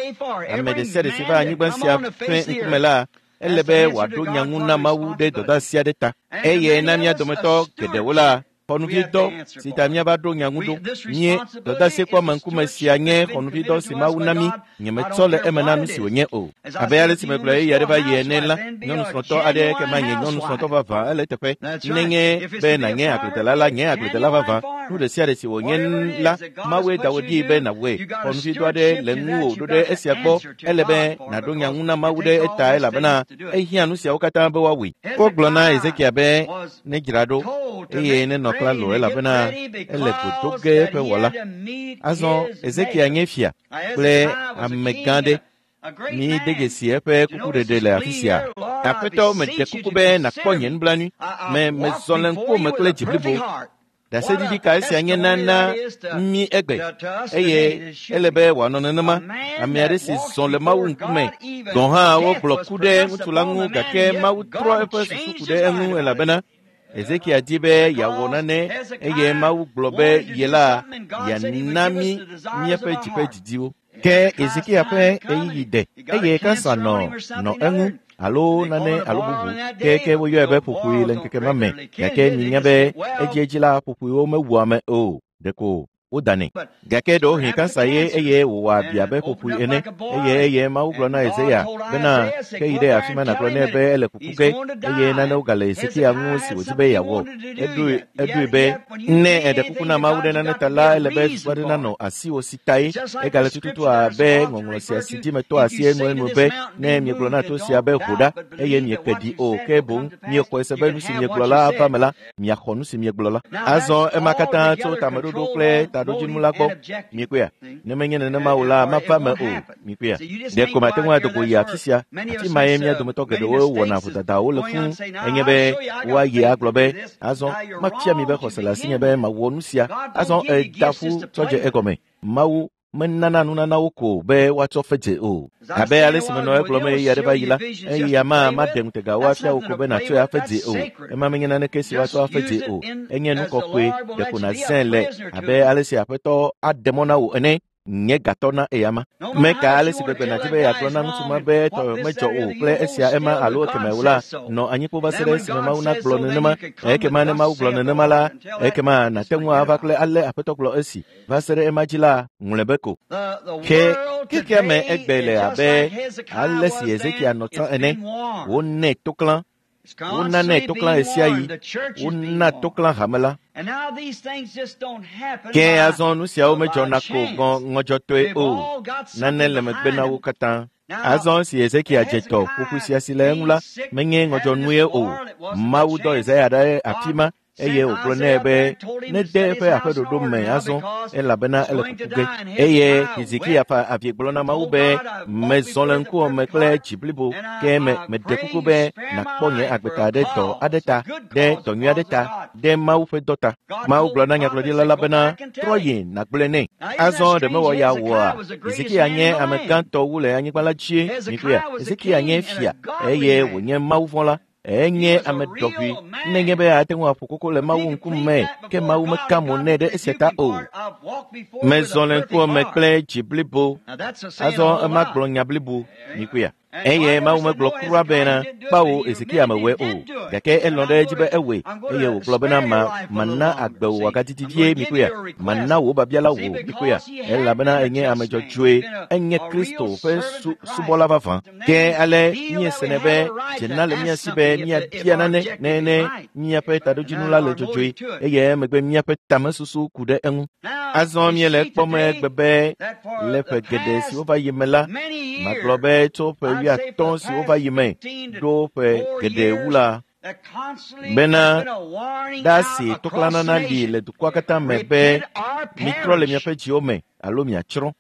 Ame ɖe sia ɖe si va anyigba sia ƒe ŋkume la, ele be wòaɖo nya ŋu na Mawu ɖe dɔdeasi aɖe ta. Eye na mía dometɔ geɖewo la, xɔnuvidɔ si ta míava ɖo nya ŋu ɖo. Nye dɔdeasi kpɔ ame ŋkume sia nye xɔnuvidɔ si Mawu na mí. Nyemetsɔ le eme na nu si wònye o. Abe ale si megblɔ ɣeyiɣi aɖe va yi ene la, nyɔnu srɔ̃tɔ aɖe ke manye nyɔnu srɔ̃tɔ vavã ele eteƒe. Nenye be nànye agbledela la, nye agbledela vavã. Nu ɖe sia ɖe si wònye la, Mawue da wò ɖi be nàwɔe. Xɔnuvidɔ aɖe le ŋuwò ɖo ɖe esia gbɔ. Ele be nàɖo nya ŋu na Mawu ɖe eta elabena ehiã nu siawo katã be woawɔe. Wogblɔ na Ezekiel be nedzra ɖo eye nenɔ klalo elabena ele go do ge eƒe wɔla. Azɔ Ezekiel nye fia kple amegã ɖe. Mi de dzesi eƒe kukuɖeɖe le afi sia. Aƒetɔ, meɖe kuku be nàkpɔ nye nublanui. Me mezɔ le ŋkuwòme kple dzi blibo. Ɖaseɖiɖi ka esia nye nana mí egbe eye ele be wòanɔ nenema. Ame aɖe si zɔ le Mawu ŋkume gɔ̃ hã wogblɔ ku ɖe ŋutsu la ŋu gake Mawu trɔ eƒe susu ku ɖe eŋu elabena Ezekiel di be yeawɔ nane eye Mawu gblɔ be ye la yeana mí míaƒe dzi ƒe didiwo. Ke Ezekiel ƒe ɣeyiɣi de eye kansa nɔ eŋu alo nane alo bubu ke woyɔe be ƒoƒoe le ŋkeke ma me gake minya be edziedzi la ƒoƒoewo mewua ame o ɖeko wodanɛ. Gake ɖewohĩ kansa ye eye wòwɔ abi abe ƒoƒoe ene eye Mawu gblɔ na Yesaya bena ke yi ɖe afi ma nàgblɔ nɛ be ele kuku ge eye nanewo gale Hezekia ŋu si wòdi be yeawɔ. Eɖoe be ne eɖe kuku na Mawu ɖe nane ta la ele be susu aɖe nanɔ asiwò si tae. Egale tututu abe ŋɔŋlɔ sia si dzi metɔ asi enuenu be ne miegblɔ na to sia be ho ɖa eye mieke ɖi o ke boŋ miexɔe se be nu si miegblɔ la ava me la miaxɔ nu si miegblɔ la. Azɔ ema katã tso tameɖoɖo kple taɖodzinu la gbɔ. Miekpɔea? Ne menye nenema o la mava me o. Miekpɔea? Ɖeko mate ŋu ado go yi afi sia. Afi mae mía dometɔ geɖewo wɔna vodadawo le fũu enye be woayi agblɔ be azɔ mafia mi be xɔse le asinye be mawɔ nu sia. Azɔ eda ƒu tsɔ dze egɔme. Mawu menana nunanawo ko be woatsɔ fe dze o. Abe ale si menɔ egblɔm ɣeyiɣi aɖe va yi la, eya ma maɖe ŋutegawo afia wò ko be nàtsɔe afe dze o. Ema menye naneke si woatsɔ afe dze o. Enye nu kɔkɔe ɖeko nàzãe le abe ale si Aƒetɔ aɖe mɔ na wò ene. Nye gatɔ na eyama. Meka ale si gbegbe nàdi be yeagblɔ na ŋutsu ma be etɔ medzɔ o kple esia ema alo ekeme o la, nɔ anyi kpo va se ɖe esime Mawu nagblɔ nenema. Ekema ne Mawu gblɔ nenema la, ekema nàte ŋu ava kple ale Aƒetɔ gblɔ esi. Va se ɖe ema dzi la, ŋlɔe be ko. Ke xexea me egbe le abe ale si Hezekia nɔ tsã ene. Wonɛ toklã. Wonanɛ toklã ɣesiaɣi. Wona toklã hame la. Ke azɔ nu siawo medzɔna ko ŋɔdzɔtɔe o. Nane le megbe na wo katã. Azɔ si Hezekia dze tɔ ƒoƒoe sia si le eŋu la, menye ŋɔdzɔnue o. Mawu dɔ Yesaya ɖe afi ma eye wògblɔ nɛ be nede eƒe aƒeɖoɖo me azɔ elabena ele kuku ge. Eye Hezekia fa avi gblɔ na Mawu be mezɔ le ŋkuwò me kple dzi blibo ke meɖe kuku be nàkpɔ nye agbeta ɖe dɔ aɖe ta, ɖe dɔ nyui aɖe ta, ɖe Mawu ƒe dɔ ta. Mawu gblɔ na nyagblɔɖila la bena trɔ yi nàgblɔe nɛ. Azɔ ɖe mewɔ ya wɔa? Hezekia nye ame gãtɔ wu le anyigba la dzie. Mikpɔea? Hezekia nye fia eye wònye Mawu vɔ̃la. Enye ame ɖɔʋui nenye be ate ŋu aƒo koko le Mawu ŋkume ke Mawu meka mo nɛ ɖe esia ta o. Mezɔ le ŋkuwò me kple dzi blibo. Azɔ ema gblɔ nya blibo. Mikpɔea? Eye Mawu megblɔ kura bena kpawo Hezekia mewɔe o gake elɔ̃ ɖe edzi be ewɔe eye wògblɔ bena mana agbe wò wòagadidi vie. Mikpɔea? Mana wò biabia la wò. Mikpɔea? Elabena enye ame dzɔdzɔe, enye Kristo ƒe subɔla vavã. Ke ale míesenɛ be dzena le mía si be míabia nane ne míaƒe taɖodzinu la le dzɔdzɔe eye emegbe míaƒe tamesusu ku ɖe eŋu. Azɔ míele ekpɔm egbe be le ƒe geɖe siwo va yi me la, magblɔ be tso ƒe 50 siwo va yi me ɖo ƒe geɖe wu la, bena ɖasi toklãnana li le dukɔa katã me be mitrɔ le miaƒe dziwo me alo miatsrɔ̃.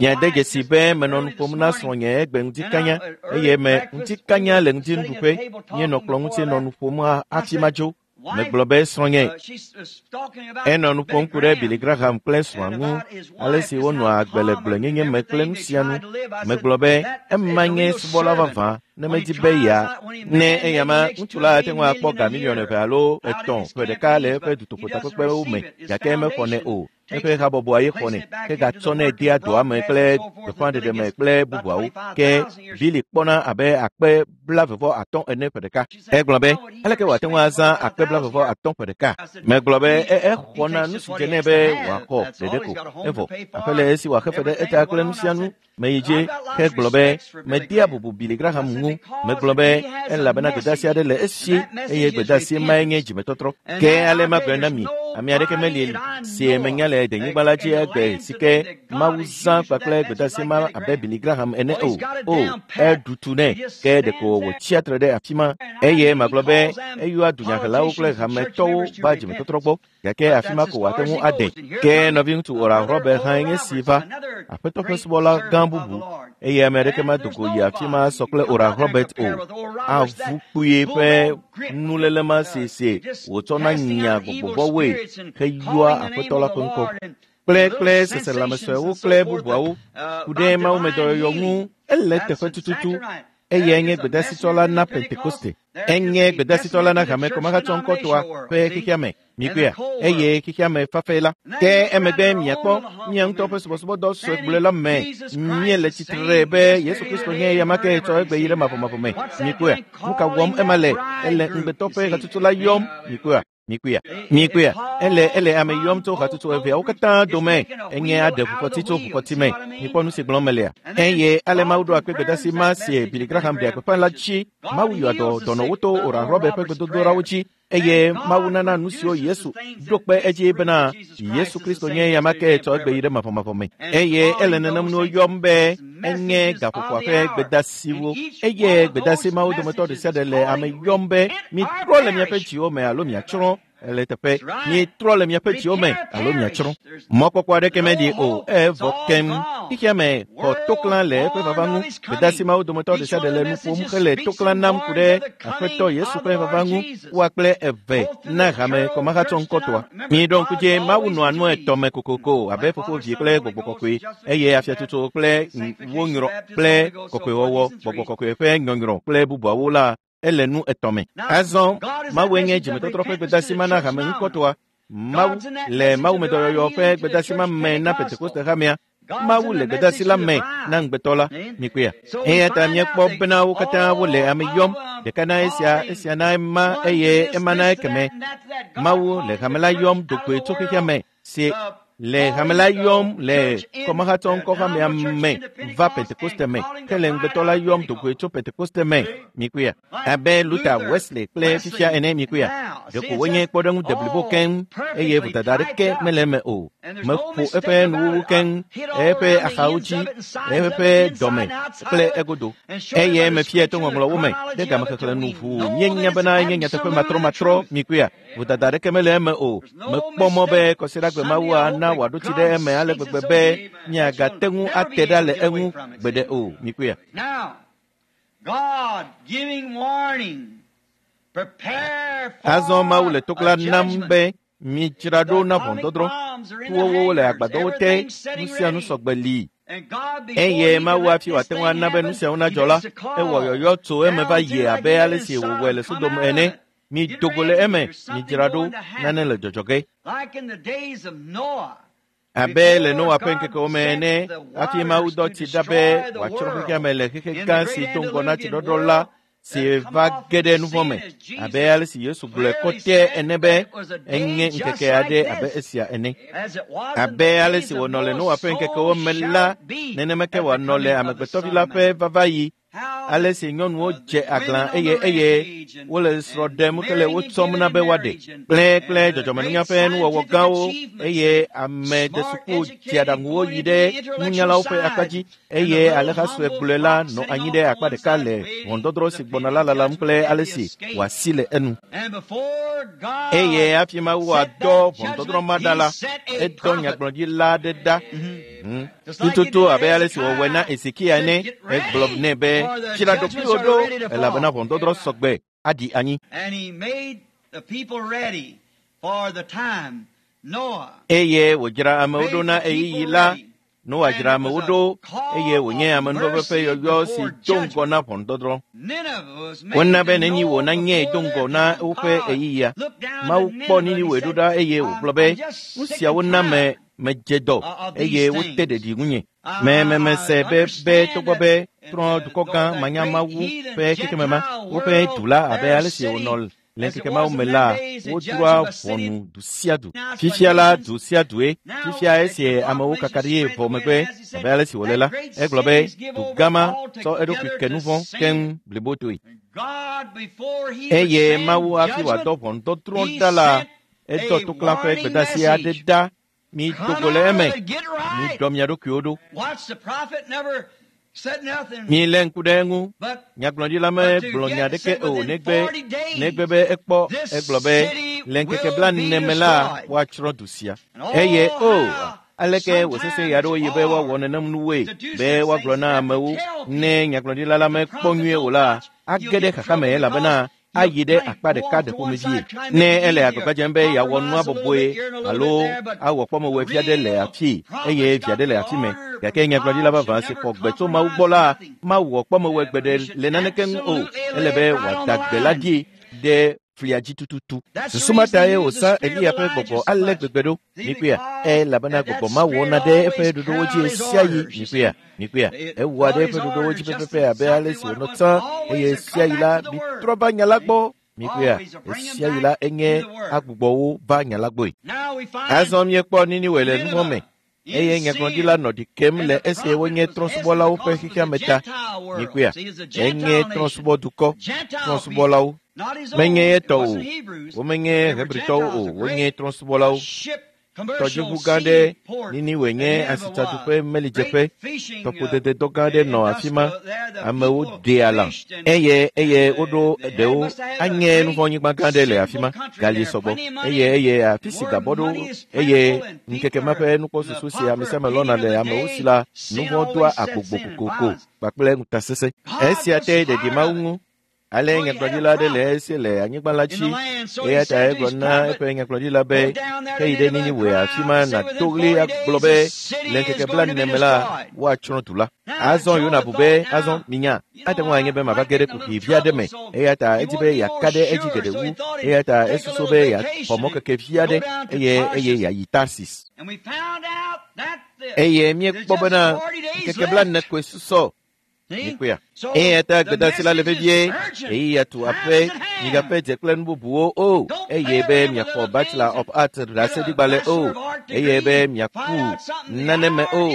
Miade dzesi be menɔ nu ƒom na srɔ̃nye egbe ŋutikanya eye me ŋutikanya le ŋutinuɖuƒe míenɔ kplɔ̃ ŋuti nɔ nu ƒom hafi madzo. Megblɔ be srɔ̃nye enɔ nu ƒom ku ɖe Billy Graham kple srɔ̃a ŋu ale si wonɔa agbe le gblɔenyenye me kple nu sia nu. Megblɔ be ema nye subɔla vavã ne medi be ya ne eyama ŋutsu la ate ŋu akpɔ ga miliɔn 2 alo 3 ƒe ɖeka le eƒe dutoƒotakpekpewo me gake mexɔnɛ o. Eƒe habɔbɔa ye xɔnɛ ke gatsɔnɛ dea dɔa me kple gbeƒãɖeɖe me kple bubuawo. Ke Billy kpɔna abe akpe 25 ene ƒe ɖeka. Egblɔ be aleke wòate ŋu azã akpe 25 ƒe ɖeka? Megblɔ be exɔna nu si dze nɛ be wòaxɔ ɖeɖe ko. Evɔ aƒe le esi wòaxe fe ɖe eta kple nu sia nu. Meyi dzi ke gblɔ be medea bubu Billy Graham ŋu. Megblɔ be elabena gbedeasi aɖe le esi eye gbedeasi mae nye dzimetɔtrɔ. Ke ale magblɔe na mi, ame aɖeke meli si menya le denyigba la dzi egbe si ke Mawu zã kpakple gbedeasi ma abe Billy Graham ene o. O, eɖu tu nɛ ke ɖeko wòtsia tre ɖe afi ma. Eye magblɔ be eyɔa dunyahelawo kple hametɔwo va dzimetɔtrɔ gbɔ. Gake afi ma ko wòate ŋu ade. Ke nɔviŋutsu Oral Robert hãe nye si va, Aƒetɔ ƒe subɔla gã bubu, eye ame aɖeke medo go yi afi ma sɔ kple Oral Robert o. Avu kpuie ƒe nuléle ma si wòtsɔna nya gbɔgbɔvɔ̃woe heyɔa Aƒetɔ la ƒe ŋkɔ. Kple seselãmesuewo kple bubuawo ku ɖe mawumedɔyɔyɔ ŋu ele teƒe tututu. Eyae nye gbedasitsɔla na Pentekoste. Enye gbedasitsɔla na hame kɔmahatsɔŋkɔtɔa ƒe xexea me. Mikpɔea? Eye xexea me fafɛ la. Ke emegbe miakpɔ mia ŋutɔ ƒe subɔsubɔdɔ sue gblɔe la me. Míele tsitre be Yesu Kristo nye eya ke tsɔ egbe yi ɖe mavɔmavɔ me. Mikpɔea? Nu ka wɔm ema le? Ele ŋugbetɔ ƒe hatsotso la yɔm. Mikpɔea? Mikpɔea? Ele ame yɔm tso hatsotso eveawo katã dome. Enye aɖe ʋukɔti tso ʋukɔti me. Mikpɔ nu si gblɔm melea. Eye ale Mawu ɖo akpe gbedasi ma si Billy Graham ɖe gbeƒã la dzi. Mawu yɔa dɔ dɔnɔwo to Oral Robert ƒe gbedodoɖawo dzi. Eye Mawu nana nu siwo Yesu ɖo kpe edzi bena Yesu Kristo nye eya ma ke tsɔ egbe yi ɖe mavɔmavɔ me. Eye ele nenem nuwo yɔm be enye gaƒoƒoa ƒe gbedasiwo. Eye gbedasi mawo dometɔ ɖe sia ɖe le ame yɔm be mitrɔ le miaƒe dziwo me alo miatsrɔ̃ le teƒe. Mitrɔ le miaƒe dziwo me alo miatsrɔ̃. Mɔkpɔkpɔ aɖeke meɖi o, evɔ keŋ. Xexea me xɔ toklã le eƒe vava ŋu. Gbedasi mawo dometɔ ɖe sia ɖe le nu ƒom hele toklã nam ku ɖe Aƒetɔ Yesu ƒe vava ŋu. Woa kple eve na hame kɔmahatsɔŋkɔtɔa. Miɖo ŋku dzi Mawu nɔa nu etɔ̃ me kokoko abe Fofo, Vi kple Gbɔgbɔ Kɔkɔe, eye afiatsotso kple wo nyrɔ kple kɔkɔewɔwɔ, Gbɔgbɔ Kɔkɔe ƒe nyɔnyrɔ kple bubuawo la ele nu etɔ̃ me. Azɔ Mawue nye dzimetɔtrɔ ƒe gbedasi ma na hame ŋkɔtɔa. Mawu le mawumedɔyɔyɔ ƒe gbedasi ma me na Pentekoste hamea. Mawu le gbedasi la me na ŋugbetɔ la. Mikpɔea? Eya ta míekpɔ bena wo katã wole ame yɔm, ɖeka na esia, esia na ema, eye ema na ekeme. Mawu le hame la yɔm do goe tso xexea me si le hame la yɔm le kɔmahatsɔŋkɔhamea me va Pentekoste me, ke le ŋugbetɔ la yɔm do goe tso Pentekoste me. Mikpɔea? Abe Luther, Wesley kple fifia ene. Mikpɔea? Ɖeko wonye kpɔɖeŋu deblibo keŋ, eye vodada aɖeke mele eme o. Meƒo eƒe nuwuwu keŋ, eƒe axawo dzi, eƒe dɔme kple egodo. Eye mefia to ŋɔŋlɔwo me ɖe gamexexlẽ nu ʋuu. Míenya bena enye nyateƒe matrɔmatrɔ. Mikpɔea? Vodada aɖeke mele eme o. Mekpɔ mɔ be kɔsiɖagbe Mawua na wòaɖo tsi ɖe eme ale gbegbe be miagate ŋu ate ɖa le eŋu gbeɖe o. Mikpɔea? Azɔ Mawu le toklã nam be midzra ɖo na ʋɔnudɔdrɔ̃. Tuwowo le agbadɔwo te, nu sia nu sɔgbe li. Eye Mawu hafi wòate ŋu ana be nu siawo nadzɔ la, ewɔ yɔyɔ tso eme va yi abe ale si wòwɔe le Sodom ene. Mido go le eme, midzra ɖo, nane le dzɔdzɔ ge. Abe le Noa ƒe ŋkekewo me ene, hafi Mawu dɔ tsi ɖa be wòatsrɔ̃ xexea me le xexe gã si do ŋgɔ na tsiɖɔɖɔ la, si va ge ɖe nu vɔ̃ me, abe ale si Yesu gblɔe kɔtɛ ene be enye ŋkeke aɖe abe esia ene. Abe ale si wònɔ le Noa ƒe ŋkekewo me la, nenema ke wòanɔ le Amegbetɔvi la ƒe vavaɣi. Ale si nyɔnuwo dze aglã eye wole srɔ̃ ɖem hele wo tsɔm na be woaɖe kple dzɔdzɔmenunya ƒe nuwɔwɔ gãwo, eye ame desuku dzeaɖaŋuwo yi ɖe nunyalawo ƒe akpa dzi, eye aleha sue gblɔe la nɔ anyi ɖe akpa ɖeka le ʋɔnudɔdrɔ̃ si gbɔna la lalam kple ale si wòasi le enu. Eye hafi Mawu wòadɔ ʋɔnudɔdrɔ̃ ma ɖa la, edɔ nyagblɔɖila aɖe ɖa. Tututu abe ale si wòwɔe na Ezekiya ene, egblɔ nɛ be dzra ɖokuiwò ɖo, elabena ʋɔnudɔdrɔ̃ sɔgbe aɖi anyi. Eye wòdzra amewo ɖo na ɣeyiɣi la. Noa dzra amewo ɖo, eye wònye amenuveve ƒe yɔyɔ si do ŋgɔ na ʋɔnudɔdrɔ̃. Wona be Niniwe nanye do ŋgɔ na woƒe ɣeyiɣia. Mawu kpɔ Niniwe ɖo ɖa eye wògblɔ be, nu siawo na me medze dɔ, eye wote ɖeɖi ŋunye. Memese be togbɔ be trɔ̃ dukɔ gã manyamawu ƒe xexeme ma, woƒe du la abe ale si wònɔ le ŋkeke mawo me la, wodroa ʋɔnu du sia du. Fifia la, du sia due. Fifia esi amewo kaka ɖi vɔ megbe abe ale si wòle la, egblɔ be du gã ma tsɔ eɖokui ke nu vɔ̃ keŋ blibotoe. Eye Mawu hafi wòadɔ ʋɔnudɔdrɔ̃ ɖa la, edɔ toklã ƒe gbedasi aɖe ɖa. Mido go le eme, miɖɔ mia ɖokuiwo ɖo. Milé ŋku ɖe eŋu. Nyagblɔɖila megblɔ nya aɖeke o negbe be ekpɔ egblɔ be le ŋkeke 40 me la woatsrɔ̃ du sia. Eye o aleke wòsesẽ ɣe aɖewo yi be woawɔ nenem nuwoe be woagblɔ na amewo ne nyagblɔɖila la mekpɔ nyuie o la age ɖe xaxa me elabena ayi ɖe akpa ɖeka ɖe ƒomevie. Ne ele agbagba dzem be yeawɔ nua bɔbɔe alo awɔ kpɔmewɔe vi aɖe le afii eye vi aɖe le afi mɛ gake nyagblɔɖila vavã si xɔ gbe tso Mawu gbɔ la mawɔ kpɔmewɔe gbeɖe le naneke ŋu o. Ele be wòada gbe la dzi ɖe flia dzi tututu. Susu ma tae wòzã Eliya ƒe gbɔgbɔ ale gbegbe ɖo. Mikpɔea? Elabena gbɔgbɔ ma wɔna ɖe eƒe ɖoɖowo dzi ɣesiaɣi. Mikpɔea? Mikpɔea? Ewɔa ɖe eƒe ɖoɖowo dzi pɛpɛpɛ abe ale si wònɔ tsã eye ɣesiaɣi la mitrɔ va nya la gbɔ. Mikpɔea? Ɣesiaɣi la enye agbugbɔwo va nya la gbɔe. Azɔ míekpɔ Niniwe le nuvɔ̃ me eye nyagblɔɖila nɔ ɖi kem le esi wonye trɔ̃subɔlawo ƒe xexea me ta. Mikpɔea? Enye trɔ̃subɔdukɔ, trɔ̃subɔlawo. Menye ye tɔ o, womenye Hebritɔwo o, wonye trɔ̃subɔlawo. Tɔdziʋu gã aɖe Niniwe nye asitsaduƒe melidzeƒe. Tɔƒodededɔ gã aɖe nɔ afi ma. Amewo ɖea lã eye eye woɖo ɖewo anye nuvɔ̃nyigba gã aɖe le afi ma. Gali sɔgbɔ eye eye afi si gabɔ ɖo eye ŋkeke ma ƒe nukpɔsusu si ame sia ame lɔ̃na le amewo si la, nuvɔ̃ doa agbogbo kokoko kpakple ŋutasesẽ. Esia te ɖeɖi Mawu ŋu. Ale nyagblɔɖila aɖe le esi le anyigba la dzi eya ta egblɔ na eƒe nyagblɔɖila be heyi ɖe Niniwe afi ma nàdo ɣli agblɔ be le ŋkeke 40 me la woatsrɔ̃ du la. Azɔ Yona bu be azɔ minya ate ŋu anye be mava ge ɖe kuxi vi aɖe me eya ta edi be yeaka ɖe edzi geɖe wu eya ta esusu be yeaxɔ mɔkeke vi aɖe eye eye yeayi Tarsis. Eye míekpɔ bena ŋkeke 40 koe susɔ. Mikpɔea? Eya ta gbedasi la le vevie ɣeyiɣia tu aƒe migaƒe dze kple nu bubuwo o eye be miaxɔ Bachelor of Arts ɖaseɖigbalẽ o eye be miaku nane me o.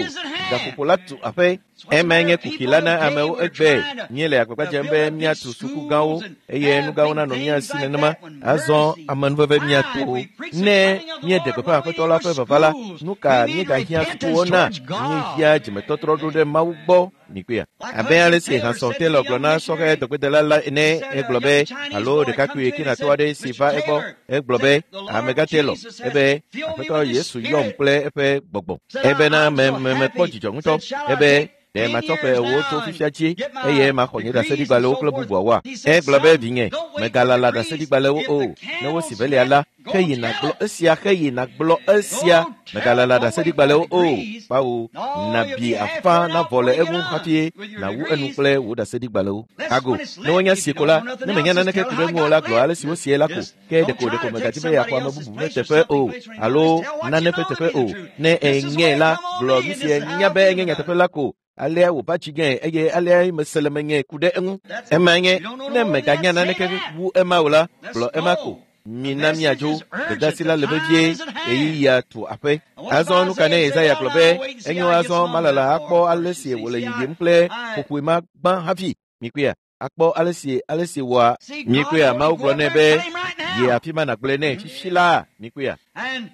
Gaƒoƒo la tu aƒe. Emae nye kuxi la na amewo egbe. Míele agbagba dzem be míatu suku gãwo eye nu gãwo nanɔ mía si nenema. Azɔ amenuveve míato. Ne míeɖe gbeƒã Aƒetɔ la ƒe vava la, nu ka míegahiã sukuwo na? Míehiã dzimetɔtrɔ ɖo ɖe Mawu gbɔ. Mikpɔea? Abe ale si Hanson Taylor gblɔ na sɔhɛ dɔgbedela la ene, egblɔ be alo ɖekakpui Kinatɔ aɖe si va egbɔ, egblɔ be, Amegã Taylor, ebe Aƒetɔ Yesu yɔm kple eƒe gbɔgbɔ. Ebena mekpɔ dzidzɔ ŋutɔ. Ebe ɖe matsɔ ƒe 4 tso fifia dzi eye maxɔ nye ɖaseɖigbalẽwo kple bubuawoa? Egblɔ be, vinye, megalala ɖaseɖigbalẽwo o. Ne wosi velia la, heyi nàgblɔ esia, heyi nàgblɔ esia. Megalala ɖaseɖigbalẽwo o. Kpawo, nàbi afã navɔ le eŋu hafi nàwu enu kple wò ɖaseɖigbalẽwo. Ago, ne wonya sie ko la, ne menya naneke ku ɖe ŋu o la, gblɔ ale si wosie la ko. Ke ɖeko megadi be yeaxɔ ame bubu ƒe teƒe o alo nane ƒe teƒe o. Ne ènyɛ la, gblɔ nu si ènya be enye nyateƒe la ko. Alea wòva dzi nye eye alea mese le menye ku ɖe eŋu. Ema nye, ne meganya naneke wu ema o la, gblɔ ema ko. Mina míadzo. Gbedasi la le vevie ɣeyiɣia tu aƒe. Azɔ nu ka ne Yesaya gblɔ be enyo azɔ malala akpɔ ale si wòle yiyim kple ƒoƒoe ma gbã hafi. Mikpɔea? Akpɔ ale si wòa. Mikpɔea? Mawu gblɔ nɛ be yi afi ma nàgblɔe nɛ fifi la. Mikpɔea?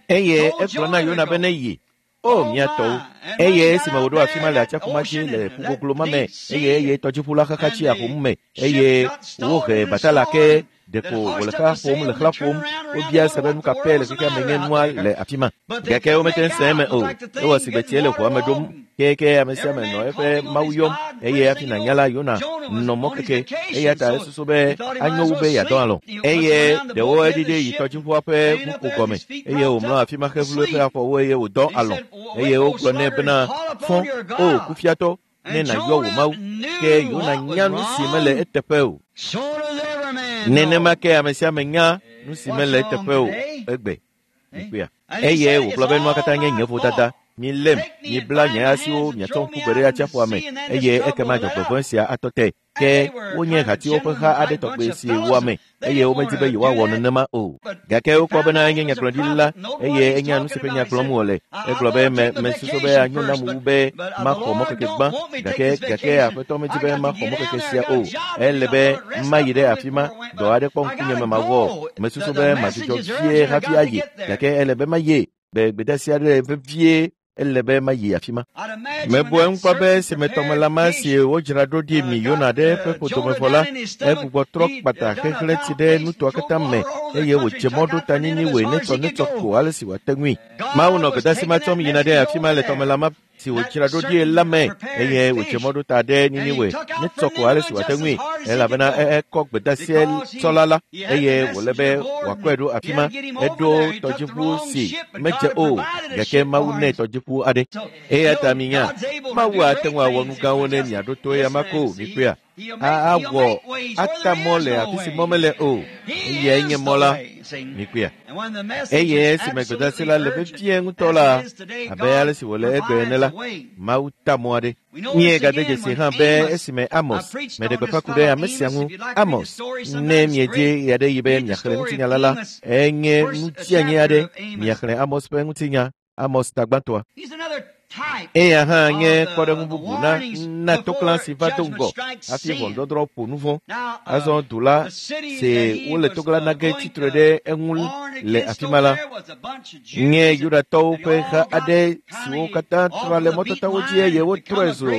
Eye egblɔ na Yona be ne yi. O mía tɔwo. Eye esime wòɖo afi ma le atsiaƒu ma dzi le ƒugoglo ma me eye eye tɔdziʋu la xaxa tsi ahom me eye wohe batala ke ɖeko wòle xlã ƒom le xlã ƒom. Wobia se be nu ka pɛ le xexea me nye nua le afi ma. Gake womete ŋu se eme o. Ewɔ si gbe tsie le ʋua me ɖom keke ame sia ame nɔ eƒe Mawu yɔm eye hafi nànya la Yona nɔ mɔkeke eya ta esusu be anyo wu be yeadɔ alɔ̃. Eye ɖewo eɖiɖi yi tɔdziʋua ƒe ʋuƒo gɔme eye wòmlɔ afi ma hevlu eƒe afɔwo eye wòdɔ alɔ̃ eye wogblɔ nɛ bena fɔ o kufiatɔ ne nàyɔ wò Mawu. Ke Yona nya nu si mele eteƒe o. Nenema ke ame sia ame nya nu si mele eteƒe o egbe. Mikpɔea? Eye wògblɔ be nua katã nye nye vodada. Milém, mibla nye asiwo miatsɔ ŋku gbe ɖe atsiaƒua me eye ekema dzɔgbevɔ̃e sia atɔ te. Ke wonye hatiwo ƒe ha aɖe tɔgbe si wua me eye womedi be yewoawɔ nenema o. Gake wokpɔ bena enye nyagblɔɖila la eye enya nu si ƒe nya gblɔm wòle. Egblɔ be mesusu be anyo nam wu be maxɔ mɔkeke gbã gake Aƒetɔ medi be maxɔ mɔkeke sia o. Ele be mayi ɖe afi ma, dɔ aɖe kpɔ ŋkunye me mawɔ. Mesusu be madzudzɔ vie hafi ayi gake ele be mayi. Be gbedasi aɖe vevie. Ele be mayi afi ma. Mebu eŋu kpɔ be esime tɔmelã ma si wodzra ɖo ɖi mi Yona ɖe eƒe ƒodome vɔ la, egbugbɔ trɔ kpata xexlẽ tsi ɖe nutoa katã me eye wòdze mɔ ɖo ta Niniwe netsɔnetsɔ ko ale si wòate ŋui. Mawu nɔ gbedeasi ma tsɔm yina ɖe afi ma le tɔmelã ma si wòdzra ɖo ɖi la me eye wòdze mɔ ɖo ta ɖe Niniwe netsɔ ko ale si wòate ŋui elabena ekɔ gbedeasie tsɔla la eye wòle be wòakɔe ɖo afi ma. Eɖo tɔdziʋu si medze o gake Mawu nɛ tɔdziʋu aɖe. Eya ta minya, Mawu ate ŋu awɔ nu gãwo ne miaɖo to eya ma ko mikpɔea. Awɔ ata mɔ le afi si mɔ mele o. Eyae nye mɔ la. Mikpɔea. Eye esime gbedeasi la le vevie ŋutɔ la, abe ale si wòle egbe ene la, Mawu ta mɔ aɖe. Míegade dzesi hã be esime Amos, meɖe gbeƒã ku ɖe ame sia ŋu, Amos, ne miedzi ɣeaɖeɣi be miaxlẽ ŋutinya la la, enye nutsianyi aɖe miaxlẽ Amos ƒe ŋutinya, Amos tagbãtɔa. Eya hã nye kpɔɖeŋu bubu na na toklã si va do ŋgɔ hafi ʋɔnudɔdrɔ̃ ƒo nu vɔ̃. Azɔ du la si wole toklã na ge tsitre ɖe eŋu le afi ma la nye Yudatɔwo ƒe ha aɖe siwo katã tra le mɔtatawo dzi eye wotrɔe zu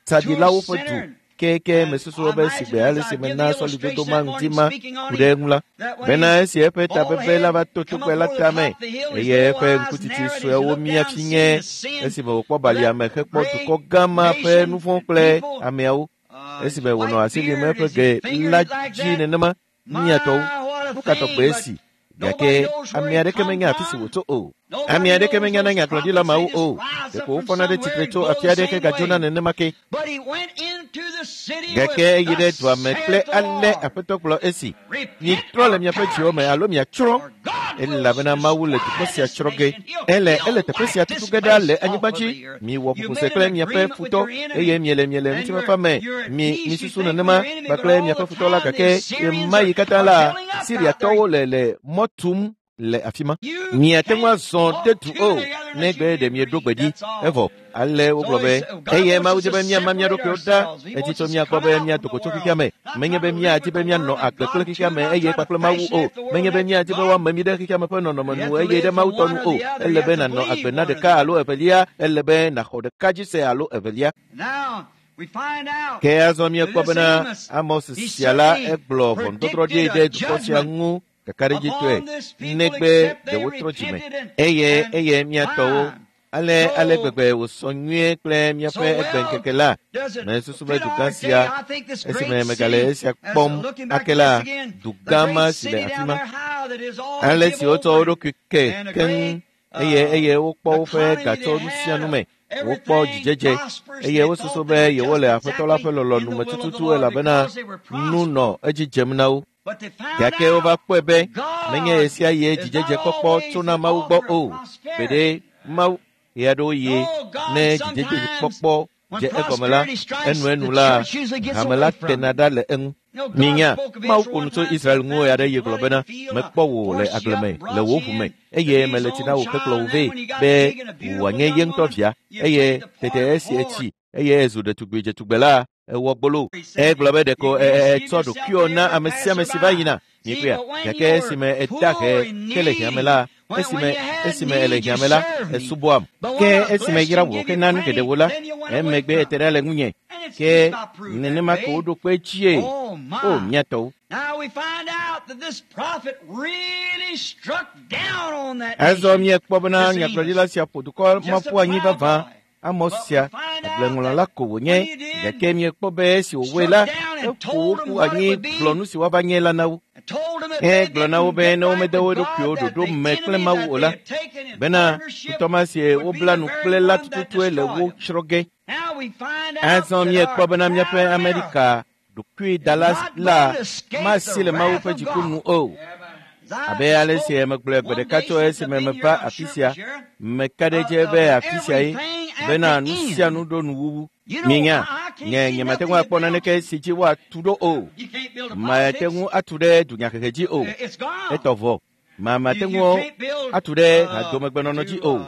tsaɖilawo ƒe du. Keke mesusu be sigbe ale si mena sɔlidodo ma ŋdi ma ku ɖe eŋu la, bena esi eƒe tabebe la va to togbɛ la tame eye eƒe ŋkutsitsi suewo mia fi nye esime wòkpɔ balia me hekpɔ dukɔ gã ma ƒe nu vɔ̃ kple ameawo. Esime wònɔ asi lim eƒe ge la dzi nenema, miatɔwo, nu ka tɔgbe esi? Gake ame aɖeke menya afi si wòtso o. Ame aɖeke menya na nyagblɔɖila mawo o. Ɖeko wofɔna ɖe tsitre tso afi aɖe ke gadzona nenema ke. Gake eyi ɖe dua me kple ale Aƒetɔ gblɔ esi, mitrɔ le miaƒe dziwo me alo miatsrɔ̃, elabena Mawu le dukɔ sia tsrɔ̃ ge. Ele ele teƒe sia tutu ge ɖa le anyigba dzi. Miwɔ ƒuƒose kple miaƒe futɔ eye miele miele ŋutifafa me. Mi misusu nenema kpakple miaƒe futɔ la gake ɣemaɣi katã la, Siriatɔwo le le mɔ tum le afi ma. Miate ŋu azɔ ɖe du o negbe ɖe mieɖo gbe ɖi. Evɔ ale wogblɔ be eye Mawu di be míama mía ɖokuiwo ɖa edzi tso mía gbɔ be míado go tso xexea me. Menye be míadi be míanɔ agbe kple xexea me eye kpakple Mawu o. Menye be míadi be woame mí ɖe xexea me ƒe nɔnɔme nu eye ɖe Mawu tɔ nu o. Ele be nànɔ agbe na ɖeka alo evelia. Ele be nàxɔ ɖeka dzi se alo evelia. Ke azɔ míekpɔ bena Amos sia la egblɔ ʋɔnudɔdrɔ̃ ɖi ɖe dukɔ sia ŋu kakaɖedzitɔe negbe ɖe wotrɔ dzime eye eye míatɔwo ale ale gbegbe wòsɔ nyuie kple míaƒe egbeŋkeke la. Mesusu be dugã sia esime megale esia kpɔm ake la, dugã ma si le afi ma, ale si wotsɔ wo ɖokui ke keŋ eye eye wokpɔ woƒe gatsɔ nu sia nu me, wokpɔ dzidzedze eye wosusu be yewole Aƒetɔ la ƒe lɔlɔ̃nu me tututu elabena nu nɔ edzi dzem na wo. Gake wova kpɔe be menye ɣesia ɣie dzidzedze kpɔkpɔ tsona Mawu gbɔ o. Gbeɖe Mawu ɣeaɖewoɣi ne dzidzedze kpɔkpɔ dze egɔme la, enuenu la, hame la tena ɖa le eŋu. Minya, Mawu ƒo nu tso Israel ŋu ɣeaɖeɣi gblɔ bena, mekpɔ wò le agble me le wò ʋu me eye mele tsi na wò hekplɔ wò vɛ be wòanye ye ŋutɔ via eye tete esi etsi eye ezu ɖetugbui dzetugbe la, ewɔ gbolo. Egblɔ be ɖeko etsɔ ɖokuiwò na ame sia ame si va yina. Mikpɔea, gake esime eda he ke le hiã me la, esime esime ele hiã me la, esubɔam. Ke esime yra wò hena nu geɖewo la, emegbe ete ɖa le ŋunye. Ke nenema ke woɖo kpe edzie. O, mía tɔwo. Azɔ míekpɔ bena nyagblɔɖila sia ƒo dukɔ ma ƒu anyi vavã. Amos sia, agbleŋlɔla la ko wònye, gake míekpɔ be esi wòwɔe la, eƒo wo ƒu anyi gblɔ nu si woava nye la na wo. Egblɔ na wo be ne womede wo ɖokuiwo ɖoɖo me kple Mawu o la, bena futɔ ma si wobla nu kple la tututue le wo tsrɔ̃ ge. Azɔ míekpɔ bena míaƒe Amerika ɖokuidala la masi le Mawu ƒe dziku nu o. Abe ale si megblɔe gbe ɖeka tso esime meva afi sia, meka ɖe edzi be afi sia ye bena nu sia nu ɖo nuwuwu. Minya, nye nyemate ŋu akpɔ naneke si dzi woatu ɖo o. Mate ŋu atu ɖe dunyahehe dzi o. Etɔ vɔ. Mate ŋu atu ɖe hadomegbenɔnɔ dzi o.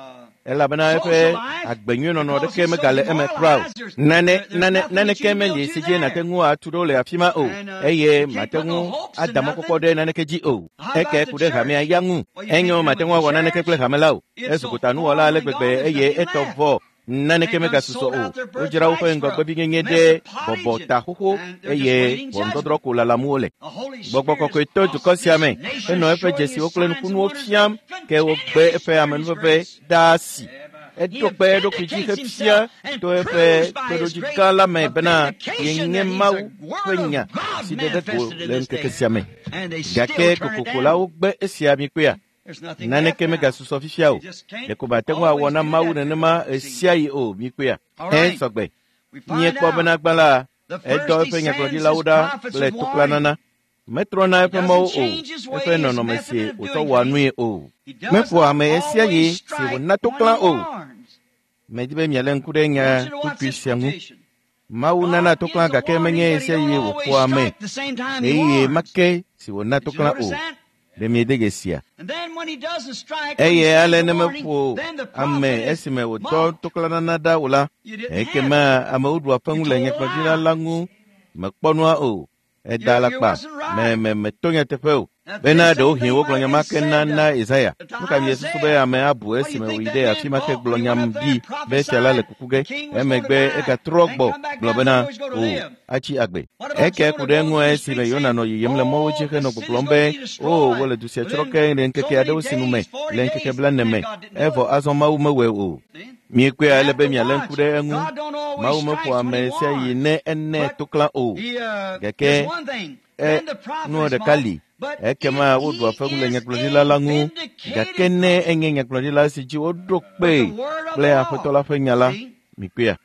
Elabena eƒe agbenyuienɔnɔ ɖeke megale eme kura o. Naneke meli si dzi nàte ŋu atu ɖo le afi ma o, eye màte ŋu ada mɔkpɔkpɔ ɖe naneke dzi o. Eke ku ɖe hamea ya ŋu. Enyo màte ŋu awɔ naneke kple hame la o. Ezu gotanuwɔla ale gbegbe eye etɔ vɔ. Naneke megasusɔ o. Wodzra woƒe ŋgɔgbevinyenye ɖe bɔbɔ ta xoxo eye ʋɔnudɔdrɔ̃ ko lalam wole. Gbɔgbɔ kɔkɔe to dukɔ sia me henɔ eƒe dzesiwo kple nukunuwo fiam ke wogbe eƒe amenuveve ɖaa si. Eɖo kpe eɖokui dzi hefia to eƒe kpeɖodzi gã la me bena yenye Mawu ƒe nya si ɖe ɖe go le ŋkeke sia me. Gake kokoko la wogbe esia mikpea. Naneke megasusɔ fifia o. Ɖeko mate ŋu awɔ na Mawu nenema ɣesiaɣi o mikpea. Hẽ sɔgbe. Míekpɔ bena gbã la, edɔ eƒe nyagblɔɖilawo ɖa kple tokplanana. Metrɔna eƒe mɔwo o, eƒe nɔnɔme si wòtsɔ wɔa nui o. Meƒoa ame ɣesiaɣi si wòna toklã o. Medi be mialé ŋku ɖe nya kpukpui sia ŋu. Mawu nana toklã gake menye ɣesiaɣi wòƒoa ame ɣeyiɣi ma ke si wòna toklã o. Ɖe miede dzesi Eye ale ne meƒo ame esime wòdɔ toklanana ɖa o la, ekema amewo ɖua feŋu le nyagblɔɖila la ŋu mekpɔ nua o. Eda alakpa, meto nyateƒe o. Bena ɖewohĩ wogblɔ nya ma ke na Yesaya. Nu ka miesusu be ame abu esime wòyi ɖe afi ma ke gblɔ nyam ɖi be fia la le kuku ge. Emegbe egatrɔ gbɔ gblɔ bena o atsi agbe. Eke ku ɖe eŋu esime Yona nɔ yiyim le mɔwo dzi henɔ gbɔgblɔm be o wole du sia tsrɔ̃ ke le ŋkeke aɖewo sinu me le ŋkeke 40 me. Evɔ azɔ Mawu mewɔe o. Miekpɔea ele be mialé ŋku ɖe eŋu. Mawu meƒoa ame sia yi ne ene toklã o. Gake nua ɖeka li. Ekema woɖua feŋu le nyagblɔɖila la ŋu. Gake ne enye nyagblɔɖila si dzi woɖo kpee kple Aƒetɔ la ƒe nya la, mikpɔea.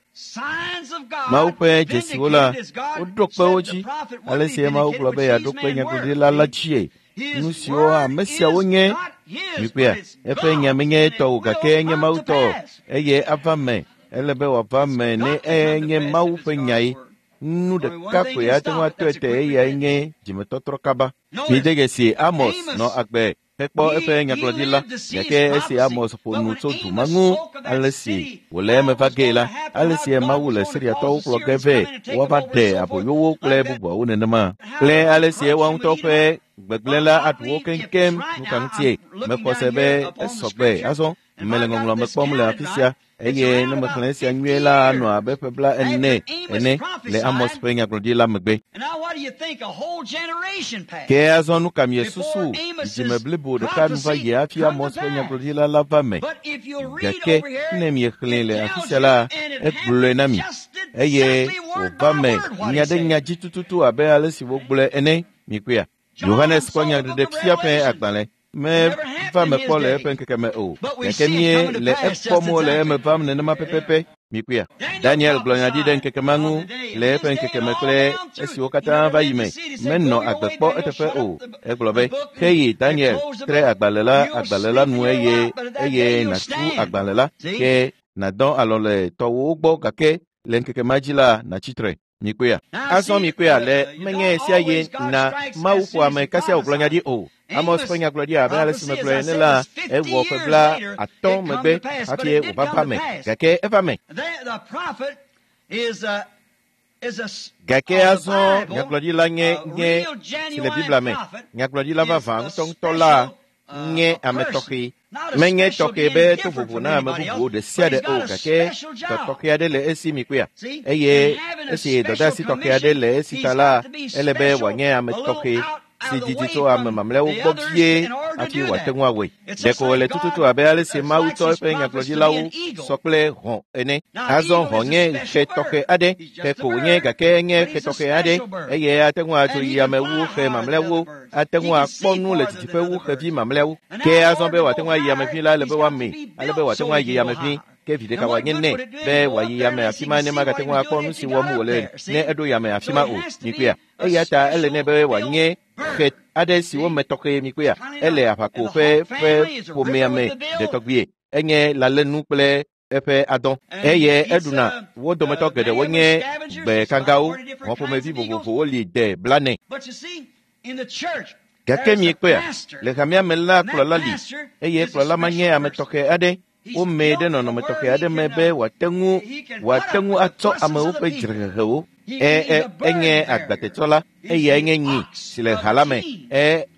Mawu ƒe dzesiwo la, woɖo kpe wo dzi. Ale si Mawu gblɔ be yeaɖo kpe nyagblɔɖila la dzie. Nu siwo ame siawo nye, mikpɔea, eƒe nya menye etɔ o gake enye Mawu tɔ eye ava me. Ele be wòava me ne enye Mawu ƒe nyae. Nu ɖeka koe ate ŋu atɔe te eyae nye dzimetɔtrɔ kaba. Mide dzesi Amos nɔ agbe hekpɔ eƒe nyagblɔɖi la, gake esi Amos ƒo nu tso du ma ŋu, ale si wòle eme va gee la, ale si Mawu le Siriatɔwo kplɔ ge vɛ woava ɖe aboyowo kple bubuawo nenema, kple ale si woa ŋutɔ ƒe gbegblẽ la aɖu wo keŋkeŋ. Nu ka ŋutie? Mexɔ se be esɔgbe azɔ. Mele ŋɔŋlɔ me kpɔm le afi sia. Eye ne mexlẽ esia nyuie la anɔ abe ƒe 40 ene le Amos ƒe nyagblɔɖi la megbe. Ke azɔ nu ka miesusu? Dzidzime blibo ɖeka nu va yi hafi Amos ƒe nyagblɔɖila la va me. Gake ne miexlẽe le afi sia la, egblɔe na mi. Eye wòva me nya ɖe nya dzi tututu abe ale si wogblɔe ene. Mikpɔea? Yohanes kpɔ nyaɖeɖefia ƒe agbalẽ. Meva me kpɔ le eƒe ŋkeke me o. Gake mie le ekpɔm wole eme vam nenema pɛpɛpɛ. Mikpɔea? Daniel gblɔ nya ɖi ɖe ŋkeke ma ŋu le eƒe ŋkeke me kple esiwo katã va yi me. Menɔ agbe kpɔ eteƒe o. Egblɔ be, heyi Daniel, tre agbalẽ la nu eye nàtu agbalẽ la ke nàdɔ alɔ le tɔwòwo gbɔ gake le ŋkeke ma dzi la nàtsi tre. Mikpɔea? Azɔ mikpɔea le menye sia ye na Mawu ƒo ame kasia wògblɔ nya ɖi o. Amos ƒe nyagblɔɖi abe ale si megblɔe ene la, ewɔ ƒe 50 megbe hafi wòva va me. Gake eva me. Gake azɔ nyagblɔɖila nye si le Biblia me. Nyagblɔɖila vavã ŋutɔŋutɔ la nye ame tɔxɛ. Menye tɔxɛ be to vovo na ame bubuwo ɖe sia ɖe o, gake dɔ tɔxɛ aɖe le esi mikpɔea. Eye esi dɔdeasi tɔxɛ aɖe le esi ta la, ele be wòanye ame tɔxɛ si didi tso ame mamlɛawo gbɔ vie hafi wòate ŋu awɔe. Ɖeko wòle tututu abe ale si Mawu tsɔ eƒe nyagblɔɖilawo sɔ kple hɔ̃ ene. Azɔ hɔ̃ nye xe tɔxɛ aɖe, xe ko wònye gake enye xe tɔxɛ aɖe eye ate ŋu adzo yi ame wu xe mamlɛawo, ate ŋu akpɔ nu le didiƒe wu xevi mamlɛawo. Ke azɔ be wòate ŋu ayi ame vi la, ele be woamee, ale be wòate ŋu ayi ame vi. Ke vi ɖeka wòanye nɛ be wòayi yame afi ma ne magate ŋu akpɔ nu si wɔm wòle ne eɖo yame afi ma o. Mikpɔea? Eya ta ele nɛ be wòanye xe aɖe si wome tɔxɛ. Mikpɔea? Ele aʋako ƒe ƒomea me ɖetɔgbie. Enye lalenu kple eƒe adɔ eye eɖuna. Wo dometɔ geɖewo nye gbekagawo. Hɔ̃ ƒomevi vovovowo li de 40. Gake miekpɔea? Le hamea me la kplɔla li eye kplɔla ma nye ame tɔxɛ aɖe. Womee ɖe nɔnɔme tɔxɛ aɖe me be wòate ŋu atsɔ amewo ƒe dzrehehewo. Enye agbatetsɔla, eyae nye nyi si le ha la me.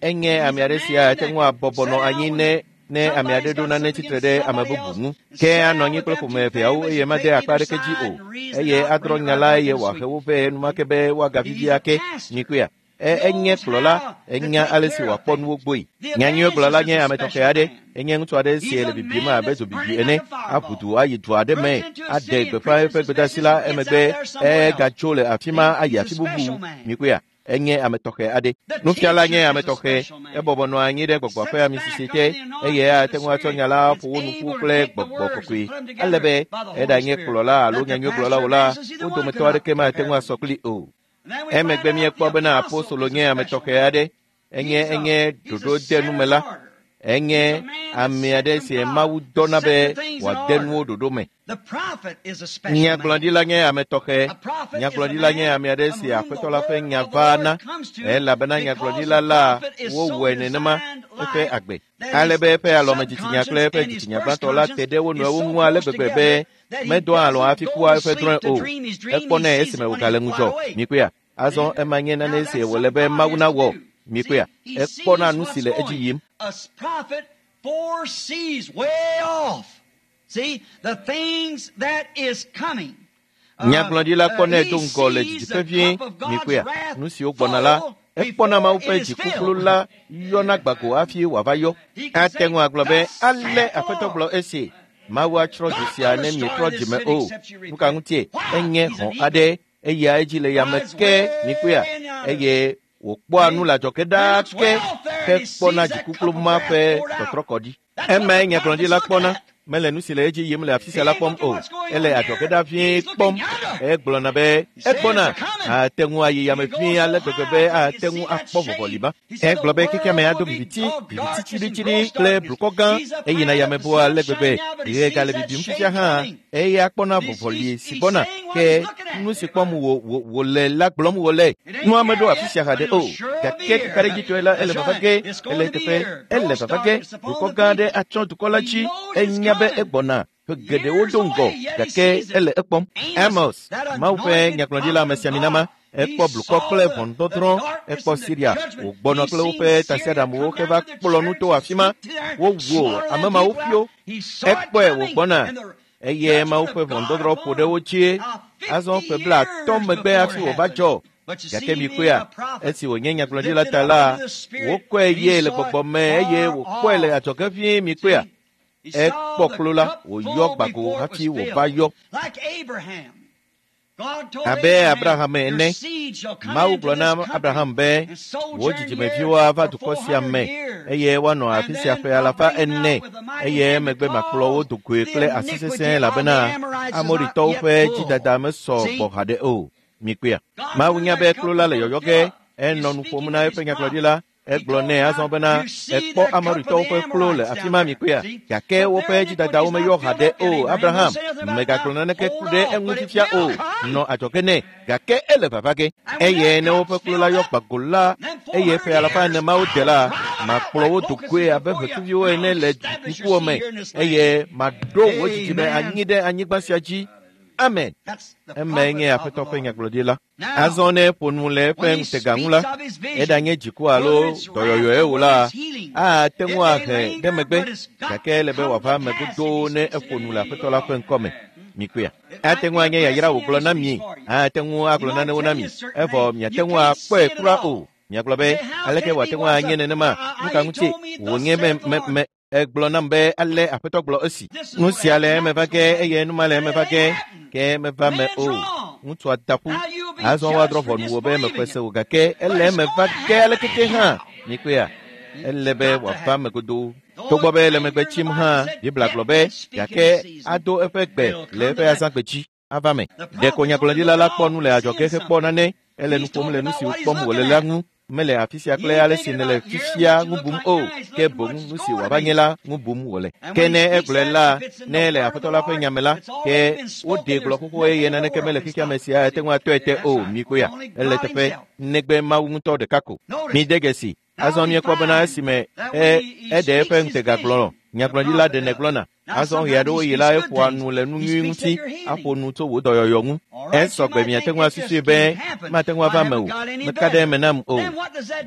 Enye ame aɖe si ate ŋu abɔbɔ nɔ anyi ne ame aɖe ɖo nane tsitre ɖe ame bubu ŋu. Ke anɔ anyi kple ƒome eveawo eye made akpa aɖeke dzi o. Eye adrɔ̃ nya la eye wòahe wo vɛ enumake be woagavivi ake. Mikpɔea? Enye kplɔla, enya ale si wòakpɔ nuwo gbɔe. Nyanyuiegblɔla nye ame tɔxɛ aɖe. Enye ŋutsu aɖe si le bibim abe dzobibi ene, aʋu du ayi du aɖe me, aɖe gbeƒã eƒe gbedeasi la emegbe egatso le afi ma ayi afi bubu. Mikpɔea? Enye ame tɔxɛ aɖe. Nufiala nye ame tɔxɛ. Ebɔbɔ nɔ anyi ɖe gbɔgbɔ ƒe amisisi te eye ate ŋu atsɔ nya la ƒo wo nu ƒu kple gbɔgbɔ kɔkɔe. Ale be eɖanye kplɔla alo nyanyuiegblɔla o la, wo dometɔ aɖeke mate ŋu asɔ kpli o. Emegbe míekpɔ bena apostolo nye ame tɔxɛ aɖe. Enye ɖoɖo de numela. Enye ame aɖe si Mawu dɔna be wòade nuwo ɖoɖo me. Nyagblɔɖila nye ame tɔxɛ. Nyagblɔɖila nye ame aɖe si Aƒetɔ la ƒe nya vaa na, elabena nyagblɔɖila la wowɔe nenema eƒe agbe. Ale be eƒe alɔmedzitsinya kple eƒe dzitsinya gbãtɔ la te ɖe wo nɔewo ŋu ale gbegbe be medɔa alɔ hafi kua eƒe drɔ̃e o. Ekpɔnɛ esime wògale ŋudzɔ. Mikpɔea? Azɔ ema nye nane si wòle be Mawu nawɔ. Mikpɔea? Ekpɔna nu si le edzi yim. Nyagblɔɖila kpɔnɛ do ŋgɔ le didiƒe vie. Mikpɔea? Nu siwo gbɔna la, ekpɔna Mawu ƒe dzikuklu la yɔna gbago hafi wòava yɔ. Ate ŋu agblɔ be, ale Aƒetɔ gblɔ esi. Mawu atsrɔ̃ du sia ne mietrɔ dzime o. Nu ka ŋutie? Enye hɔ̃ aɖe eya edzi le yame ke. Mikpɔea? Eye wòkpɔa nu le adzɔge ɖaa ke hekpɔna dzikuklu ma ƒe tɔtrɔkɔɖi. Emae nyagblɔɖila kpɔna. Mele nu si le edzi yim le afi sia la kpɔm o. Ele adzɔge ɖa vie kpɔm. Egblɔna be egbɔna. Ate ŋu ayi yame vie ale gbegbe be ate ŋu akpɔ vɔvɔli ma. Egblɔ be xexeame ado viviti, viviti tsiɖitsiɖi kple blukɔ gã. Eyina yame boa ale gbegbe. Ɣe gale bibim fifia hã. Eya kpɔna vɔvɔli si gbɔna. Ke nu si kpɔm wòle la gblɔm wòle. Nua meɖo afi sia haɖe o. Gake kakaɖedzitɔe la ele vava ge. Ele teƒe. Ele vava ge. Dukɔ gã aɖe atsɔ dukɔ la dzi. Enya be egbɔna. Ƒe geɖewo do ŋgɔ gake ele ekpɔm. Amos, Mawu ƒe nyagblɔɖila amesiamina ma, ekpɔ blukɔ kple ʋɔnudɔdrɔ̃. Ekpɔ Siria wògbɔna kple woƒe tasiaɖamwo heva kplɔ nu to afi ma. Wowu ame mawo ƒio. Ekpɔe wògbɔna eye Mawu ƒe ʋɔnudɔdrɔ̃ ƒo ɖe wo dzie. Azɔ ƒe 50 megbe hafi wòva dzɔ. Gake mikpɔea, esi wònye nyagblɔɖila ta la, wokɔe ye le gbɔgbɔ me eye wòkpɔe le adzɔge vie. Mikpɔea? Ekpɔ klo la wòyɔ gbago hafi wòva yɔ. Abe Abraham ene, Mawu gblɔ na Abraham be, wò dzidzimeviwo ava dukɔ sia me eye woanɔ afi sia ƒe 400 eye emegbe makplɔ wo do goe kple asi sesẽ elabena Amoritɔwo ƒe dzidada mesɔ gbɔ haɖe o. Mikpɔea? Mawu nya be klo la le yɔyɔ ge. Enɔ nu ƒom na eƒe nyagblɔɖila. Egblɔ nɛ azɔ bena ekpɔ Amoritɔwo ƒe klo le afi ma. Mikpɔea? Gake woƒe dzidadawo meyɔ haɖe o. Abraham, megagblɔ naneke ku ɖe eŋu fifia o. Nɔ adzɔge nɛ, gake ele vava ge. Eye ne woƒe klo la yɔ gbago la, eye ƒe 400 mawo de la, makplɔ wo do goe abe ʋetsuviwo ene le ŋkuwò me, eye maɖo wò dzidzime anyi ɖe anyigba sia dzi. Amen. Emae nye Aƒetɔ ƒe nyagblɔɖila. Azɔ ne eƒo nu le eƒe ŋutega ŋu la, eɖanye dziku alo dɔyɔyɔe o la, ate ŋu ahe ɖe megbe, gake ele be wòava eme godoo ne eƒo nu le Aƒetɔ la ƒe ŋkɔme. Mikpɔea? Ate ŋu anye yayra wògblɔ na mi, ate ŋu agblɔ nanewo na mi, evɔ miate ŋu akpɔe kura o. Miagblɔ be, aleke wòate ŋu anye nenema? Nu ka ŋutie wònye me egblɔ nam be ale Aƒetɔ gblɔ esi. Nu sia le eme va ge eye nu ma le eme va ge, ke meva me o. Ŋutsua da ƒu. Azɔ woadrɔ̃ ʋɔnu wò be meƒe se o gake ele eme va ge alekeke hã. Mikpɔea? Ele be wòava eme godoo. Togbɔ be ele megbe tsim hã, Biblia gblɔ be gake ado eƒe gbe le eƒe azãgbe dzi ava me. Ɖeko nyagblɔɖila la kpɔ nu le adzɔge hekpɔ nane. Ele nu ƒom le nu si kpɔm wòle la ŋu. Mele afi sia kple ale si nèle fifia ŋu bum o, ke boŋ nu si wòava nye la ŋu bum wòle. Ke ne egblɔe la, ne le Aƒetɔ la ƒe nya me la, ke woɖee gblɔ xoxo eye naneke mele xexeame sia ate ŋu atɔe te o. Mikpɔea? Ele teƒe negbe Mawu ŋutɔ ɖeka ko. Mide dzesi. Azɔ míekpɔ bena esime eɖe eƒe ŋutega gblɔ Nyagblɔɖila ɖe nègblɔna. Azɔ ɣe aɖewo yi la eƒoa nu le nu nyui ŋuti, aƒo nu tso wò dɔyɔyɔ ŋu. Esɔgbe miate ŋu asusui be mate ŋu ava eme o, meka ɖe eme nam o.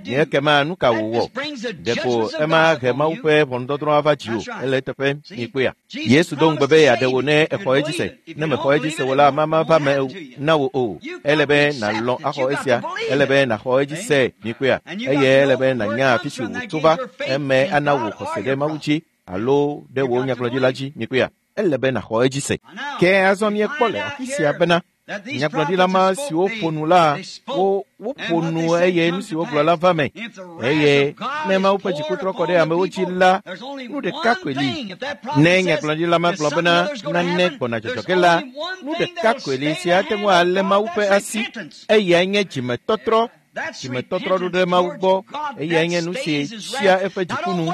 Nye ekema nu ka wòwɔ? Ɖeko ema he Mawu ƒe ʋɔnudɔdrɔ̃ ava dziwò. Ele eteƒe, mikpɔea. Yesu do ŋugbe be yeaɖe wò ne exɔ edzi se. Ne mexɔ edzi se o la, mama va me na wò o. Ele be nàlɔ̃ axɔ esia. Ele be nàxɔ edzi se, mikpɔea. Eye ele be nànya afi si wòtso va. Eme ana wò xɔse ɖe Mawu dzi alo ɖe wò nyagblɔɖila dzi, mikpɔea. Ele be nàxɔ edzi se. Ke azɔ míekpɔ le afi sia bena nyagblɔɖila ma siwo ƒo nu la, woƒo nu eye nu si wogblɔ la va me. Eye ne Mawu ƒe dziku trɔ kɔ ɖe amewo dzi la, nu ɖeka koe li. Ne nyagblɔɖila ma gblɔ bena nane gbɔna dzɔdzɔ ge la, nu ɖeka koe li si ate ŋu alé Mawu ƒe asi. Eyae nye dzimetɔtrɔ. Dzimetɔtrɔ ɖo ɖe Mawu gbɔ. Eyae nye nu si tsia eƒe dziku nu.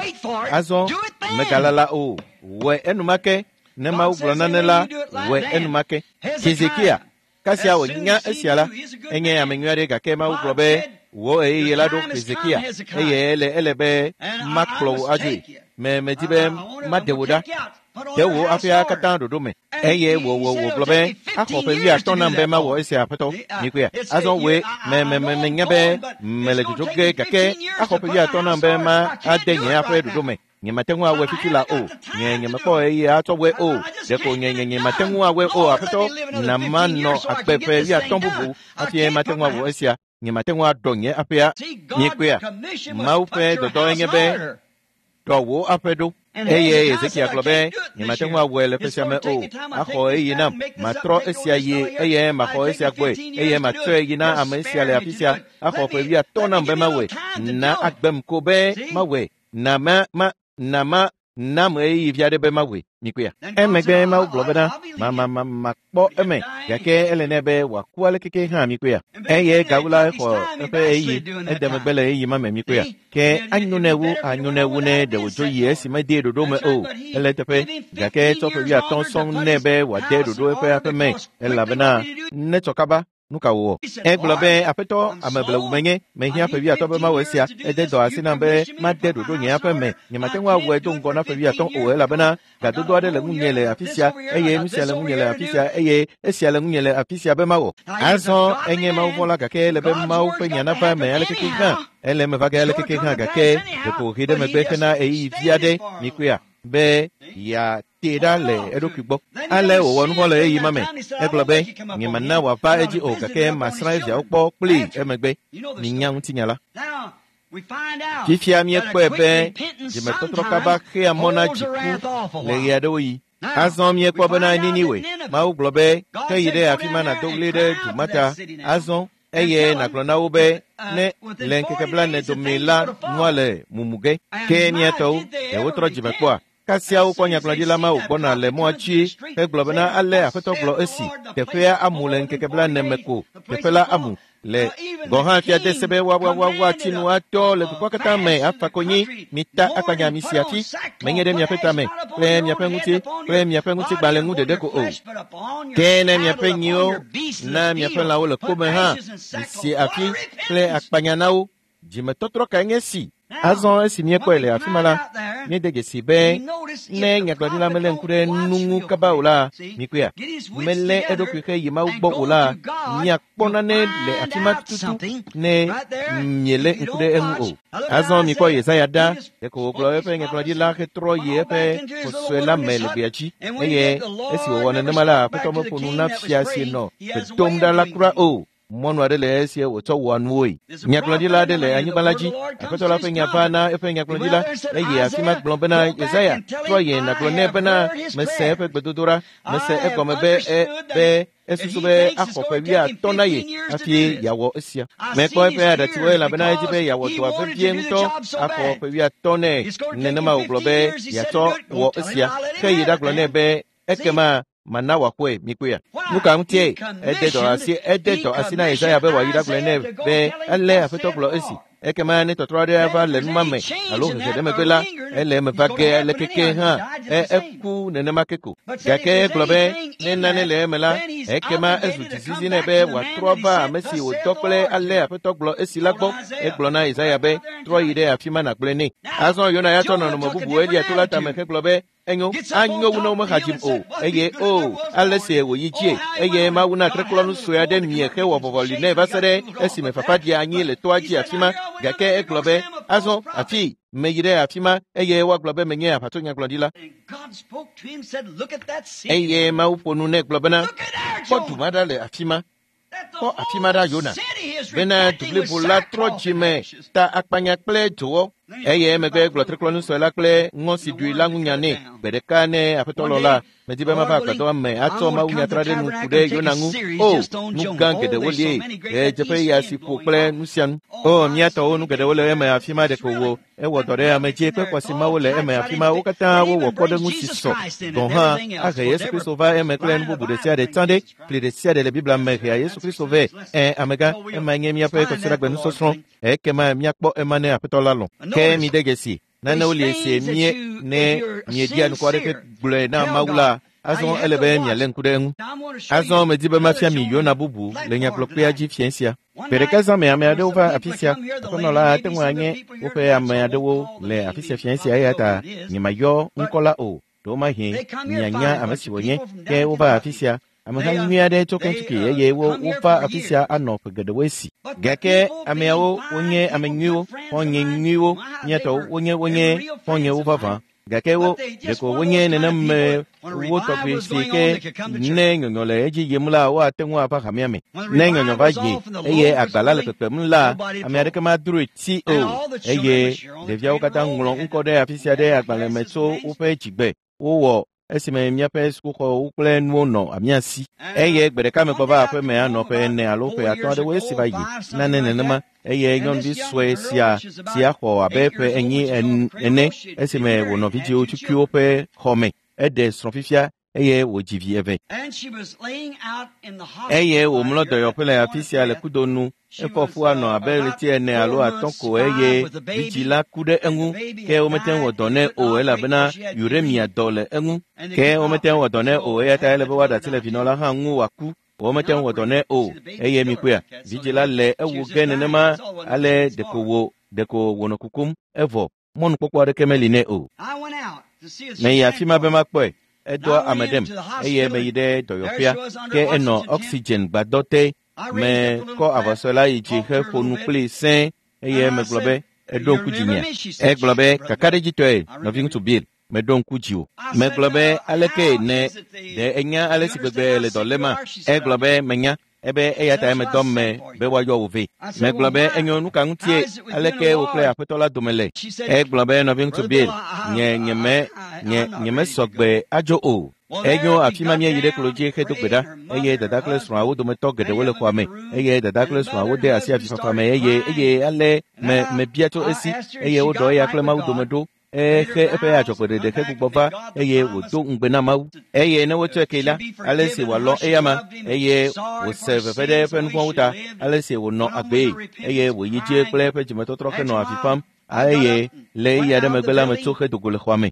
Azɔ megalala o, wɔe enumake. Ne Mawu gblɔ nane la, wɔe enumake. Hezekia, kasia wònya esia la, enye ame nyui aɖe gake Mawu gblɔ be wò ɣeyiɣi la ɖo Hezekia, eye ele be makplɔ wò adzoe. Medi be maɖe wò ɖa. Ɖe wò aƒea katã ɖoɖo me. Eye wògblɔ be axɔ ƒe 50 nam be mawɔ esia aƒetɔ. Mikpɔea? Azɔ wòe menya be mele dzodzo ge gake axɔ ƒe 50 nam be ma ade nye aƒe ɖoɖo me. Nye mate ŋu awɔe fifi la o. Nye mekpɔ ɣeyiɣi atsɔ wɔe o. Ɖeko nye mate ŋu awɔe o aƒetɔ. Na manɔ agbe ƒe 50 bubu hafi mate ŋu awɔ esia. Nye mate ŋu aɖɔ nye aƒea. Mikpɔea? Mawu ƒe dɔdɔ enye be ɖɔ wò aƒe ɖo. Eye Hezekia gblɔ be nye mate ŋu awɔe le ƒe sia me o. Axɔ ɣeyiɣi nam. Matrɔ esia yi eye maxɔ esia gbɔe eye matsɔe yi na ame sia le afi sia. Axɔ ƒe 50 nam be mawɔe. Na agbem ko be mawɔe. Na nam ɣeyiɣi vi aɖe be mawɔe. Mikpɔea? Emegbe Mawu gblɔ bena makpɔ eme gake ele nɛ be wòaku ale keke hã. Mikpɔea? Eye gawu la exɔ eƒe ɣeyiɣi ede megbe le ɣeyiɣi ma me. Mikpɔea? Ke anyo nɛ wu ne ɖe wòdzo yi esi mede ɖoɖo me o. Ele eteƒe gake etsɔ ƒe 50 sɔŋ nɛ be wòade ɖoɖo eƒe aƒe me elabena netsɔ kaba. Nu ka wòwɔ? Egblɔ be aƒetɔ ame blewu menye, mehiã ƒe 50 be mawɔ esia. Ede dɔ asi nam be made ɖoɖo nye aƒe me. Nye mate ŋu awɔe do ŋgɔ na ƒe 50 o elabena gadodo aɖe le ŋunye le afi sia eye nu sia le ŋunye le afi sia eye esia le ŋunye le afi sia be mawɔ. Azɔ enye Mawuvɔ̃la gake ele be Mawu ƒe nya nava eme ale keke hã. Ele eme va ge ale keke hã gake ɖeko wòhe ɖe megbe hena ɣeyiɣi vi aɖe. Mikpɔea? Be yeate ɖa le eɖokui gbɔ. Ale wòwɔ nu vɔ̃ le ɣeyiɣi ma me. Egblɔ be nye mana wòava edzi o gake masrã eviawo kpɔ kplii emegbe. Minya ŋutinya la. Fifia míekpɔe be dzimetɔtrɔ kaba xea mɔ na dziku le ɣe aɖewo ɣi. Azɔ míekpɔ bena Niniwe, Mawu gblɔ be ke yi ɖe afi ma nàdo ɣli ɖe du ma ta. Azɔ eye nàgblɔ na wo be ne le ŋkeke 40 dome la nua le mumu ge. Ke mía tɔwo ɖe wotrɔ dzime kpɔa? Kasia wokpɔ nyagblɔɖila ma wògbɔna le mɔa dzi hegblɔ bena ale aƒetɔ gblɔ esi teƒea amu le ŋkeke 40 me ko. Teƒe la amu le gɔ̃ hã fia de se be woatsi nu atɔ le dukɔa katã me afa konyi. Mita akpanya mi si afi menye ɖe miaƒe tame kple miaƒe ŋuti kple miaƒe ŋutigbalẽ ŋu ɖeɖe ko o. Ke ne miaƒe nyiwo na miaƒe lãwo le kome hã misi afi kple akpanya na wo. Dzimetɔtrɔ kae nye esi? Azɔ esi míekpɔe le afi ma la, míede dzesi be ne nyagblɔɖila melé ŋku ɖe nu ŋu kaba o la, mikpɔea, melé eɖokui xe yi Mawu gbɔ o la, miakpɔ nane le afi ma tututu ne mielé ŋku ɖe eŋu o. Azɔ mikpɔ Yesaya ɖa, ɖeko wògblɔ eƒe nyagblɔɖila hetrɔ yi eƒe xɔ sue la me le gbea dzi. Eye esi wòwɔ nenema la, aƒetɔ meƒo nu na fia si nɔ gbe dom ɖa la kura o. Mɔnu aɖe le esie wòtsɔ wɔa nuwoe. Nyagblɔɖila aɖe le anyigba la dzi. Aƒetɔ la ƒe nya va na eƒe nyagblɔɖila eye afi ma gblɔ bena Yesaya trɔ yi nàgblɔ nɛ bena mese eƒe gbedodoɖa. Mese egɔme be esusu be axɔ ƒe 50 na ye hafi yeawɔ esia. Mekpɔ eƒe aɖatsiwo elabena edzi be yeawɔ dɔa vevie ŋutɔ axɔ ƒe 50 nɛ. Nenema wògblɔ be yeatsɔ wɔ esia. Ke yi ɖagblɔ nɛ be ekema mana wòaxɔe. Mikpɔea? Nu ka ŋutie ede dɔ asi na Yesaya be wòayi ɖagblɔe nɛ be ele aƒetɔ gblɔ esi. Ekema ne tɔtrɔ aɖe ava le numa me alo hehe ɖe megbe la, ele eme va ge aleke hã eku nenema ke ko. Gake egblɔ be ne nane le eme la, ekema ezu dzizizi nɛ be wòatrɔ va ame si wòdɔ kple ale Aƒetɔ gblɔ esi la gbɔ. Egblɔ na Yesaya be trɔ yi ɖe afi ma nàgblɔe nɛ. Azɔ Yona ya tsɔ nɔnɔme bubu Elia to la tame hegblɔ be enyo anyo wu ne womehadzim o eye o ale si wòyi dzie eye Mawu na treklɔnu sue aɖe mie hewɔ vɔvɔli nɛ va se ɖe esime fafa ɖi anyi le toa dzi afi ma. Gake egblɔ be azɔ afi meyi ɖe afi ma eye woagblɔ be menye aʋatsonyagblɔɖila. Eye Mawu ƒo nu nɛ gblɔ bena kpɔ du ma ɖa le afi ma. Kpɔ afi ma ɖa Yona bena du blibo la trɔ dzime ta akpanya kple dzowɔ. Eye emegbe gblɔ treklɔnu sue la kple ŋɔ si ɖui la ŋu nya nɛ. Gbe ɖeka ne Aƒetɔ lɔ la, medi be mava agbadɔa me atsɔ mawunyatra ɖe nu ku ɖe Yona ŋu. O, nu gã geɖewo lie, ɣedzeƒe ya si ƒo kple nu sia nu. O, mía tɔwo nu geɖewo le eme afi ma ɖeko wo. Ewɔ dɔ ɖe ame dzi kple xɔasi mawo le eme afi ma. Wo katã wowɔ kpɔɖeŋu si sɔ gɔ̃ hã ahe Yesu Kristo va eme kple nu bubu ɖe sia ɖe tsã ɖe. Fli ɖe sia ɖe le Biblia me hea Yesu Kristo vɛ. Ẽ, amegã, emae nye míaƒe kɔsiɖagbe nusɔsrɔ̃. Ekema míakpɔ ema ne Aƒetɔ la lɔ̃. Ke mide dzesi, nanewo li esi mie ne mieɖia nukɔ aɖeke gblɔe na Mawu la, azɔ ele be mialé ŋku ɖe eŋu. Azɔ medi be mafia mi Yona bubu le nyagblɔkpea dzi fiẽ sia. Gbe ɖeka zã me ame aɖewo va afi sia. Aƒenɔ la ate ŋu anye woƒe ame aɖewo le afi sia fiẽ sia eya ta nyemayɔ ŋkɔ la o. Ɖewomahi mianya ame si wònye. Ke wova afi sia. Ameha nyui aɖe tso Kentucky eye wova afi sia anɔ ƒe geɖewo esi. Gake ameawo wonye ame nyuiwo, xɔ̃nye nyuiwo, mía tɔwo wonye wonye xɔ̃nyewo vavã. Gake wo ɖeko wonye neneme wo tɔgbi si ke ne nyɔnyɔ le edzi yim la woate ŋu ava hamea me. Ne nyɔnyɔ va yi eye agba la le kpekpem la, ame aɖeke madroe ti o. Eye ɖeviawo katã ŋlɔ ŋkɔ ɖe afi sia ɖe agbalẽ me tso woƒe dzigbe. Wowɔ esime míaƒe sukuxɔwo kple nuwo nɔ mía si. Eye gbe ɖeka megbɔ va aƒeme anɔ ƒe 4 alo ƒe 5 aɖewo esi va yi nane nenema. Eye nyɔnuvi sue sia si axɔ abe ƒe 4 ene esime wònɔ vidzĩwo tukuiwo ƒe xɔ me. Eɖe srɔ̃ fifia eye wòdzi vi 2. Eye wòmlɔ dɔyɔƒe le afi sia le kudo nu. Efɔ fu anɔ abe ɣleti 4 alo 5 ko eye vidzĩ la ku ɖe eŋu. Ke womete ŋu wɔ dɔ nɛ o elabena uremia dɔ le eŋu. Ke womete ŋu wɔ dɔ nɛ o eya ta ele be woaɖe asi le vinɔ la hã ŋu wòaku. Womete ŋu wɔ dɔ nɛ o eye mikpɔea, vidzĩ la le ewu ge nenema ale ɖeko wònɔ kukum evɔ mɔnukpɔkpɔ aɖeke meli nɛ o. Meyi afi ma be makpɔe. Edɔa ame ɖem eye meyi ɖe dɔyɔƒea ke enɔ oxygen gbadɔ te. Mekɔ avɔsɔe la yi dzi heƒo nu kplii sẽe eye megblɔ be eɖo ŋku dzinyea. Egblɔ be kakaɖedzitɔe nɔviŋutsu Bill, meɖo ŋku dziwò. Megblɔ be aleke ne ɖe enya ale si gbegbe le dɔ léma? Egblɔ be menya. Ebe eya ta medɔ me be woayɔ wò vɛ. Megblɔ be enyo nu ka ŋutie aleke wò kple Aƒetɔ la dome le? Egblɔ be nɔviŋutsu Bill, nye mesɔ gbe adzo o. Enyo afi ma míeyi ɖe klo dzi hedo gbe ɖa eye dada kple srɔ̃awo dometɔ geɖewo le xɔa me eye dada kple srɔ̃awo de asi avifafa me eye ale mebia tso esi eye woɖɔ eya kple Mawu dome ɖo. Exe eƒe adzɔgbeɖeɖe hegbugbɔ va eye wòdo ŋugbe na Mawu. Eye ne wotsɔe kee la, ale si wòalɔ̃ eyama eye wòse veve ɖe eƒe nu vɔ̃wo ta, ale si wònɔ agbee eye wòyi dzi kple eƒe dzimetɔtrɔ henɔ avi fam eye le ɣeyiɣi aɖe megbe la metso hedo go le xɔa me.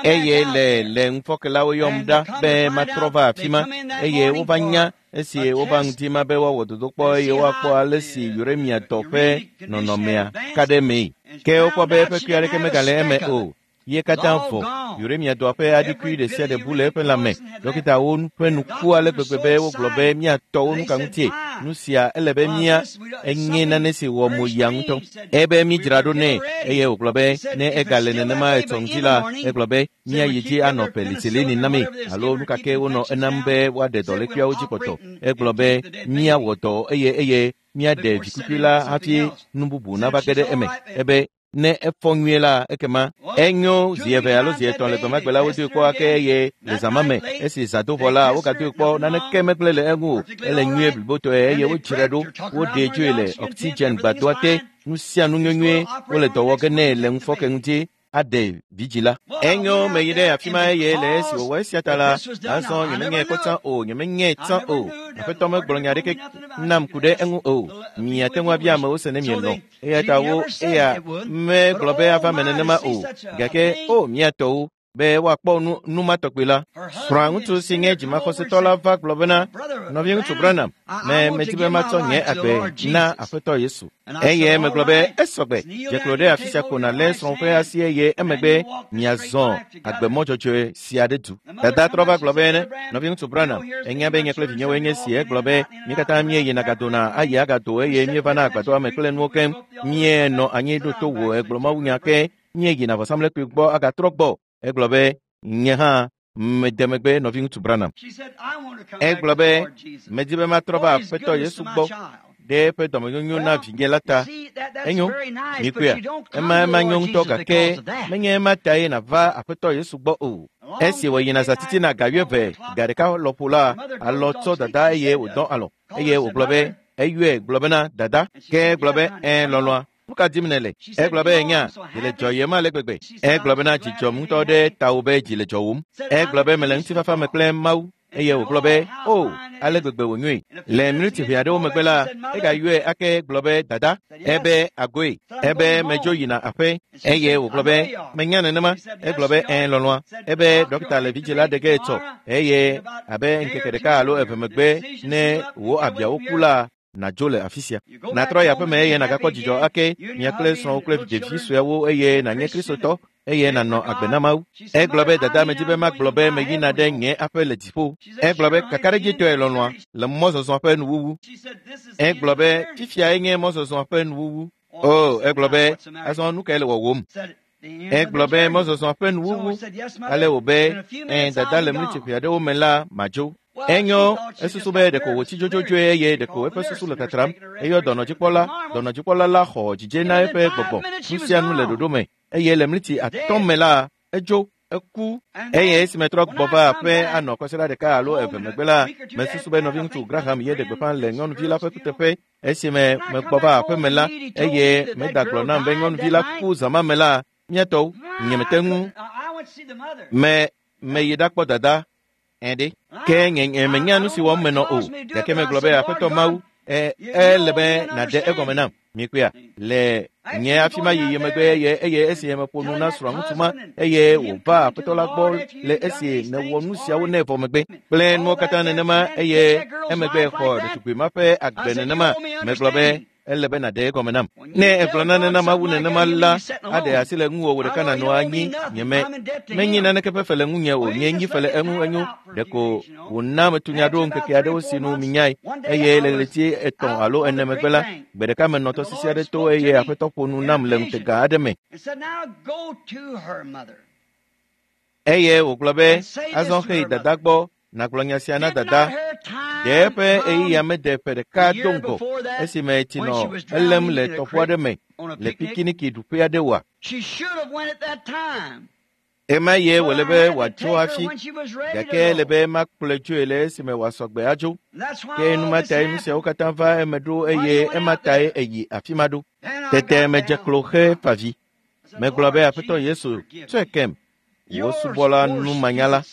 Eye le ŋufɔke la woyɔm ɖa be matrɔ va afi ma eye wova nya esi wova ŋdi ma be woawɔ dodokpɔ eye woakpɔ ale si uremia dɔ ƒe nɔnɔmea ka ɖe emee. Ke wokpɔ be eƒe kui aɖeke megale eme o. Ye katã vɔ. Uremia dɔa ƒe aɖikui ɖe sia ɖe bu le eƒe lãme. Dɔkitawo ƒe nu ku ale gbegbe be wogblɔ be míatɔwo nu ka ŋutie. Nu sia ele be mía enye nane si wɔ mo yia ŋutɔ. Ebe mídzra ɖo nɛ eye wògblɔ be ne egale nenema etsɔ ŋdi la, egblɔ be míayi dzi anɔ penisilini nami alo nu ka ke wonɔ enam be woaɖe dɔlékuiawo dzi kpɔtɔ. Egblɔ be míawɔ dɔ eye míaɖe vikukui la hafi nu bubu nava ge ɖe eme. Ebe ne efɔ nyuie la ekema enyo zi 2 alo zi 3 le gbemagbe la wodoe kpɔ ake eye le zã ma me esi zã do vɔ la wogadoe kpɔ naneke megblẽ le eŋu o. Ele nyuie blibotɔe eye wodzrae ɖo. Woɖee dzoe le oxygen gbadɔa te. Nu sia nu nyuinyuie wole dɔ wɔ ge nɛ le ŋufɔke ŋuti. aɖe vidzĩ la. Enyo meyi ɖe afi ma eye le esi wòwɔ esia ta la, azɔ nyemenyae kpɔ tsã o, nyemenyae tsã o. Aƒetɔ megblɔ nya aɖeke nam ku ɖe eŋu o. Miate ŋu abia amewo se ne mielɔ̃. Eya ta wo eya megblɔ be ava me nenema o. Gake o mía tɔwo be woakpɔ nu ma tɔgbi la. Srɔ̃a ŋutsu si nye dzimaxɔsetɔ la va gblɔ bena, nɔviŋutsu Branham, me medi be matsɔ nye agbe na Aƒetɔ Yesu. Eye megblɔ be esɔgbe, dze klo ɖe afi sia ko nàlé srɔ̃wò ƒe asi eye emegbe miazɔ agbemɔ dzɔdzɔe sia ɖe du. Dada trɔ va gblɔ be, nɔviŋutsu Branham, ènya be nye kple vinyewoe nye esi. Egblɔ be mí katã míeyina gadona ayi agado eye míevana agbadɔa me kple nuwo keŋ. Míenɔ anyi ɖo to wò egblɔ mawunya ke míeyina vɔsamlekpui gbɔ agatrɔ gbɔ. Egblɔ be nye hã mede megbe nɔviŋutsu Branham. Egblɔ be medi be matrɔ va Aƒetɔ Yesu gbɔ ɖe eƒe dɔmenyonyo na vinye la ta. Enyo, mikpɔea, ema nyo ŋutɔ gake menye ema tae nàva Aƒetɔ Yesu gbɔ o. Esi wòyina zã titina ga 11 ga 1 lɔƒo la, alɔ tsɔ dada eye wòdɔ alɔ eye wògblɔ be eyɔe gblɔ bena dada. Ke egblɔ be ẽ lɔlɔ̃a. Nu ka dim nèle? Egblɔ be nya dzi le dzɔyem ale gbegbe. Egblɔ bena dzidzɔm ŋutɔ ɖe tawò be dzi le dzɔwòm. Egblɔ be mele ŋutifafa me kple Mawu. Eye wògblɔ be o ale gbegbe wònyoe. Le minuti ʋɛ aɖewo megbe la, egayɔe ake gblɔ be dada. Ebe agoe. Ebe medzo yina aƒe. Eye wògblɔ be menya nenema. Egblɔ be ẽ lɔlɔ̃a. Ebe ɖɔkita le vidzĩ la ɖe ge etsɔ. Eye abe ŋkeke 1 alo 2 megbe ne wò abiawo ku la, nàdzo le afi sia. Nàtrɔ yi aƒeme eye nàgakpɔ dzidzɔ ake mia kple srɔ̃wò kple ɖevi suewo eye nànye Kristotɔ eye nànɔ agbe na Mawu. Egblɔ be dada medi be magblɔ be meyina ɖe nye aƒe le dziƒo. Egblɔ be kakaɖedzitɔe lɔlɔ̃a le mɔzɔzɔ ƒe nuwuwu. Egblɔ be fifiae nye mɔzɔzɔ ƒe nuwuwu. O, egblɔ be azɔ nu kae le wɔwòm? Egblɔ be mɔzɔzɔ ƒe nuwuwu. Ale wò be ẽ dada le mlitsi ʋɛ aɖewo me la madzo. Enyo, esusu be ɖeko wòtsi dzodzodzoe eye ɖeko eƒe susu le tatram. Eyɔ dɔnɔdzikpɔla la xɔ dzidze na eƒe gbɔgbɔ. Nu sia nu le ɖoɖo me eye le mlitsi 5 me la, edzo, eku. Eye esime trɔ gbɔ va aƒe anɔ kɔsiɖa 1 alo 2 megbe la, mesusu be nɔviŋutsu Graham ye ɖe gbeƒã le nyɔnuvi la ƒe kuteƒe. Esime megbɔ va aƒe me la, eye meda gblɔ nam be nyɔnuvi la ku zã ma me la, mía tɔwo, nyemete ŋu. Meyi ɖakpɔ dada. Ɛɖe. Ke nye menya nu si wɔm menɔ o. Gake megblɔ be Aƒetɔ Mawu, ele be nàɖe egɔme nam. Mikpɔea, le nye afi ma yiyi megbe eye esi meƒo nu na srɔ̃ŋutsu ma eye wòva Aƒetɔ la gbɔ le esi nèwɔ nu siawo nɛ vɔ megbe kple nuwo katã nenema eye emegbe xɔ ɖetugbui ma ƒe agbe nenema. Megblɔ be ele be nàɖe egɔme nam. Ne egblɔ nane na Mawu nenema la, aɖe asi le ŋuwò wò ɖeka nànɔ anyi. Nyeme menyi naneke ƒe fe le ŋunye o. Nye nyi fe le eŋu enyo. Ɖeko wòna metu nya ɖo ŋkeke aɖewo si nu minyae. Eye le ɣleti 3 alo 4 megbe la, gbe ɖeka menɔ tɔsisi aɖe to eye Aƒetɔ ƒo nu nam le ŋutega aɖe me. Eye wògblɔ be azɔ xeyi dada gbɔ nàgblɔ nya sia na dada. Ɖe eƒe ɣeyiɣia mede ƒe 1 do ŋgɔ esime tsi nɔ elém le tɔƒo aɖe me le pikiniki ɖuƒe aɖe oa? Ema ye wòle be wòatso hafi, gake ele be makplɔe dzoe le esime wòasɔ gbe adzo. Ke nu ma tae nu siawo katã va eme ɖo eye ema tae eyi afi ma ɖo. Tete medze klo xe fa vi. Megblɔ be Aƒetɔ Yesu, tsɔe kem. Wò subɔla numanyala.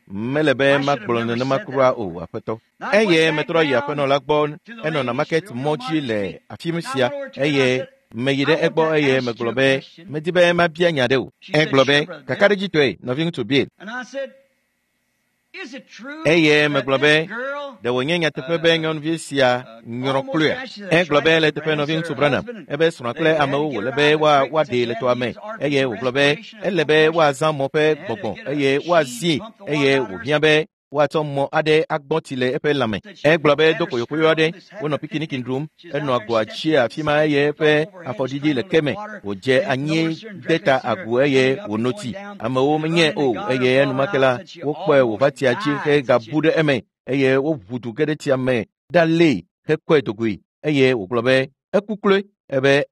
Mele be magblɔ nenema kura o, Aƒetɔ. Eye metrɔ yi aƒenɔ la gbɔ, enɔ Namaket mɔ dzi le afi sia eye meyi ɖe egbɔ eye megblɔ be medi be mabia nya ɖe o. Egblɔ be kakaɖedzitɔe nɔviŋutsu Bill. Eye megblɔ be ɖe wònye nyateƒe be nyɔnuvi sia nyrɔ kloea? Egblɔ be le teƒe nɔviŋutsu Branham ebe srɔ̃a kple amewo wòle be woaɖee le tɔa me eye wògblɔ be ele be woazã mɔ ƒe gbɔgbɔ eye woazie eye wòhiã be woatsɔ mɔ aɖe agbɔ tsi le eƒe lãme. Egblɔ be do koyokoyo aɖe wonɔ pikiniki ɖum enɔ agoa tsi afi ma eye eƒe afɔɖiɖi le ke me wòdze anyi de ta agu eye wòno tsi. Amewo menyae o eye enumake la wokpɔe wòva tsia dzi hegabu ɖe eme eye woʋu du ge ɖe tsia me ɖalée hekɔe dogoe eye wògblɔ be eku kloe. Ebe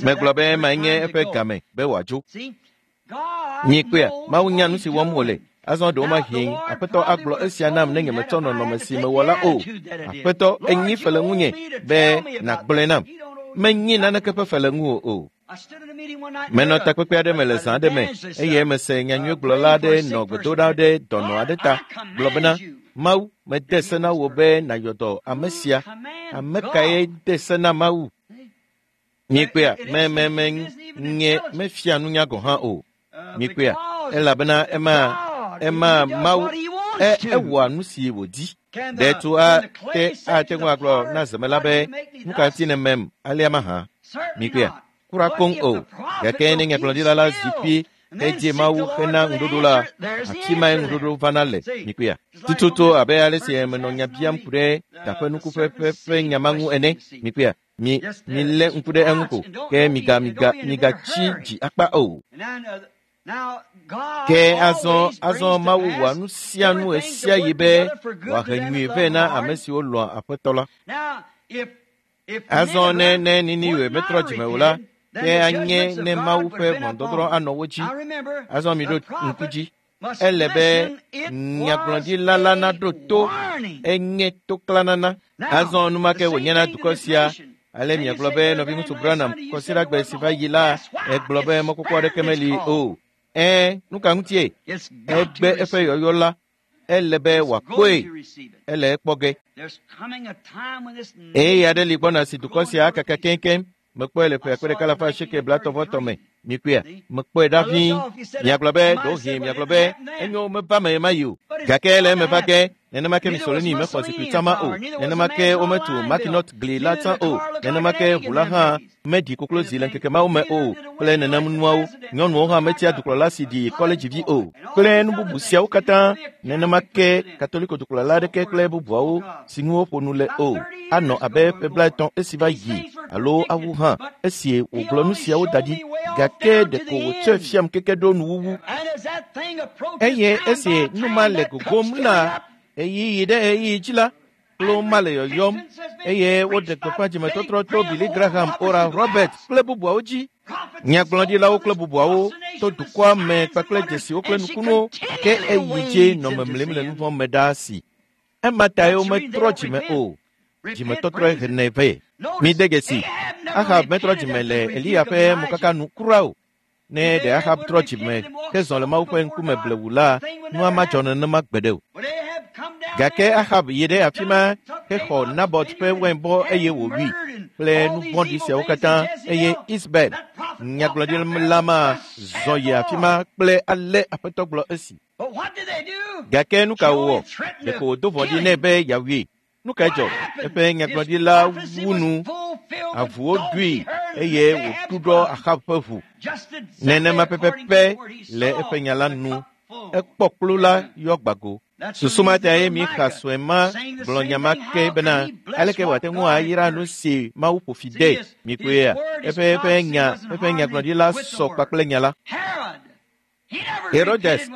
megblɔ be emae nye eƒe game be wòadzo. Nyikpea, Mawu nya nu si wɔm wòle. Azɔ ɖewomahi Aƒetɔ agblɔ esia nam ne nyemetsɔ nɔnɔme si mewɔ la o. Aƒetɔ, enyi fe le ŋunye be nàgblɔe nam. Menyi naneke ƒe fe le ŋuwò o. Menɔ takpekpe aɖe me le zã aɖe me eye mese nyanyuigblɔla aɖe nɔ gbedoɖa ɖe dɔnɔ aɖe ta gblɔ bena, Mawu, mede se na wò be nàyɔ dɔ ame sia. Ame kae de se na Mawu? Mikpea, me nye mefia nunya gɔ̃ hã o. Mikpea, elabena ema Mawu ewɔa nu si wòdi. Ɖe tu ate ŋu agblɔ na zemela be, nu ka ŋuti nèmem alea mahã? Mikpea, kura koŋ o. Gake ne nyagblɔɖila la zi kpi hedze Mawu hena ŋuɖoɖo la, afi mae ŋuɖoɖo vana le. Mikpea, tututu abe ale si menɔ nya biam ku ɖe taƒenukuƒe ƒe nya ma ŋu ene. Mikpea, milé ŋku ɖe eŋu ko, ke migatsi dzi akpa o. Ke azɔ Mawu wɔa nu sia nu ɣesiaɣi be wòahe nyui vɛ na ame siwo lɔ̃a Aƒetɔ la. Azɔ ne Niniwe metrɔ dzime o la, ke anye ne Mawu ƒe ʋɔnudɔdrɔ̃ anɔ wo dzi. Azɔ miɖo ŋku dzi. Ele be nyagblɔɖila la naɖo to, enye toklanana. Azɔ enumake wònye na dukɔ sia. Ale miagblɔ be nɔviŋutsu Branham kɔsiɖagbe si va yi la, egblɔ be mɔkpɔkpɔ aɖeke meli o. Nu ka ŋutie? Egbe eƒe yɔyɔ la. Ele be wòakpɔe. Ele ekpɔ ge. Eye aɖe li gbɔna si dukɔ sia akaka keŋkeŋ. Mekpɔe le ƒe 1980 me. Mikpɔea, mekpɔe ɖa ʋĩi. Miagblɔ be, ɖewohĩ miagblɔ be, enyo meva me ɣemaɣi o. Gake le eme va ge, nenema ke Mussolini mexɔ zikpui tsã ma o. Nenema ke wometu Mackinac gli la tsã o. Nenema ke ʋu la hã meɖi koklozi le ŋkeke mawo me o kple nenem nuawo. Nyɔnuwo hã metia dukplɔla si ɖi kɔledzivi o kple nu bubu siawo katã. Nenema ke Katoliko dukplɔla aɖeke kple bubuawo si ŋu woƒo nu le o anɔ abe ƒe 30 esi va yi alo awu hã esi wògblɔ nu siawo da ɖi. Gake ɖeko wòtsɔe fiam keke ɖo nuwuwu. Eye esi nu ma le gogom la ɣeyiɣi ɖe ɣeyiɣi dzi la, klo ma le yɔyɔm eye woɖe gbeƒã dzimetɔtrɔ to Billy Graham, Oral Roberts kple bubuawo dzi. Nyagblɔɖilawo kple bubuawo to dukɔa me kpakple dzesiwo kple nukunuwo, ke eyi dzi nɔ memlim le nuvɔ̃ me ɖaa si. Ema tae wometrɔ dzime o. Dzimetɔtrɔe henɛ vɛ. Mide dzesi, Ahab metrɔ dzime le Eliya ƒe mokaka nu kura o. Ne ɖe Ahab trɔ dzime hezɔ le Mawu ƒe ŋkume blewu la, nua madzɔ nenema gbeɖe o. Gake Ahab yi ɖe afi ma hexɔ Nabot ƒe wainbɔ eye wòwui kple nu vɔ̃ɖi siawo katã eye Isabel, nyagblɔɖila ma, zɔ yi afi ma kple ale Aƒetɔ gblɔ esi. Gake nu ka wòwɔ? Ɖeko wòdo vɔ̃ɖi nɛ be yeawui. Nu kae dzɔ? Eƒe nyagblɔɖila wu nu, avuwo ɖui eye wòɖuɖɔ Ahab ƒe ʋu. Nenema pɛpɛpɛ le eƒe nya la nu. Ekpɔ kplu la yɔ gbago. Susu ma tae Mika sue ma gblɔ nya ma ke bena aleke wòate ŋu ayra nu si Mawu ƒo fi de. Mikpɔea, eƒe nyagblɔɖila sɔ kpakple nya la. Herodes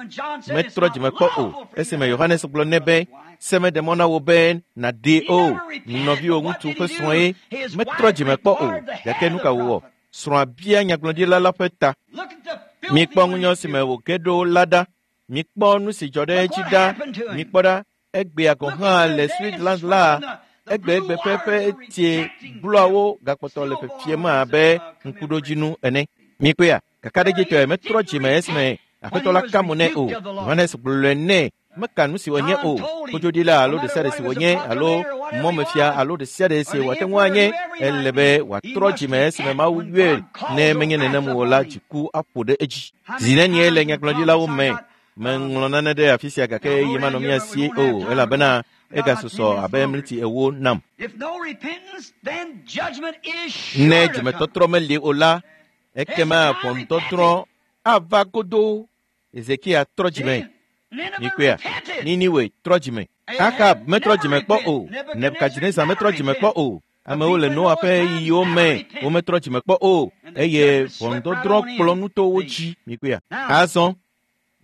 metrɔ dzime kpɔ o esime Yohanes gblɔ nɛ be se meɖe mɔ na wò be nàɖee o, nɔviwò ŋutsu ƒe srɔ̃e. Metrɔ dzime kpɔ o, gake nu ka wòwɔ? Srɔ̃a bia nyagblɔɖila la ƒe ta. Mikpɔ ŋunyɔ si me wòge ɖo la ɖa. Mikpɔ nu si dzɔ ɖe edzi ɖa. Mikpɔ ɖa, egbea gɔ̃ hã le Switzerland la, egbegbe ƒe tie bluawo gakpɔtɔ le fefiem abe ŋkuɖodzinu ene. Mikpɔea, kakaɖedzitɔe metrɔ dzime esime Aƒetɔ la ka mo nɛ o. Yohanes gblɔe nɛ meka nu si wònye o. Kodzoɖila alo ɖe sia ɖe si wònye alo mɔmefia alo ɖe sia ɖe si wòate ŋu anye, ele be wòatrɔ dzime esime Mawu yɔe. Ne menye nenem o la, dziku aƒo ɖe edzi. Zi nenie le nyagblɔɖilawo me meŋlɔ nane ɖe afi sia gake ɣeyiɣi manɔ mía si o elabena egasusɔ abe mliti 40 nam. Ne dzimetɔtrɔ meli o la, ekema ʋɔnudɔdrɔ̃ ava godoo. Ezekia trɔ dzime. Mikpɔea, Niniwe trɔ dzime. Ahab metrɔ dzime kpɔ o. Nebukadnezar metrɔ dzime kpɔ o. Amewo le Noa ƒe ɣeyiɣiwo me wometrɔ dzime kpɔ o eye ʋɔnudɔdrɔ̃ kplɔ nu to wo dzi. Mikpɔea, azɔ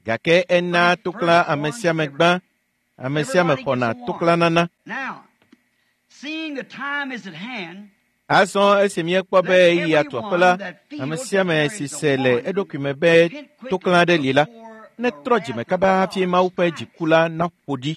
gake ena tokla ame sia ame gbã. Ame sia ame xɔna toklanana. Azɔ esi míekpɔ be ɣeyiɣi atu aƒe la, ame sia ame si se le eɖokui me be tokla aɖe li la, netrɔ dzime kaba hafi Mawu ƒe dziku la naƒo ɖi.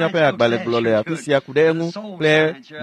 ŋutinunya ƒe agbalẽ gblɔ le afi sia ku ɖe eŋu kple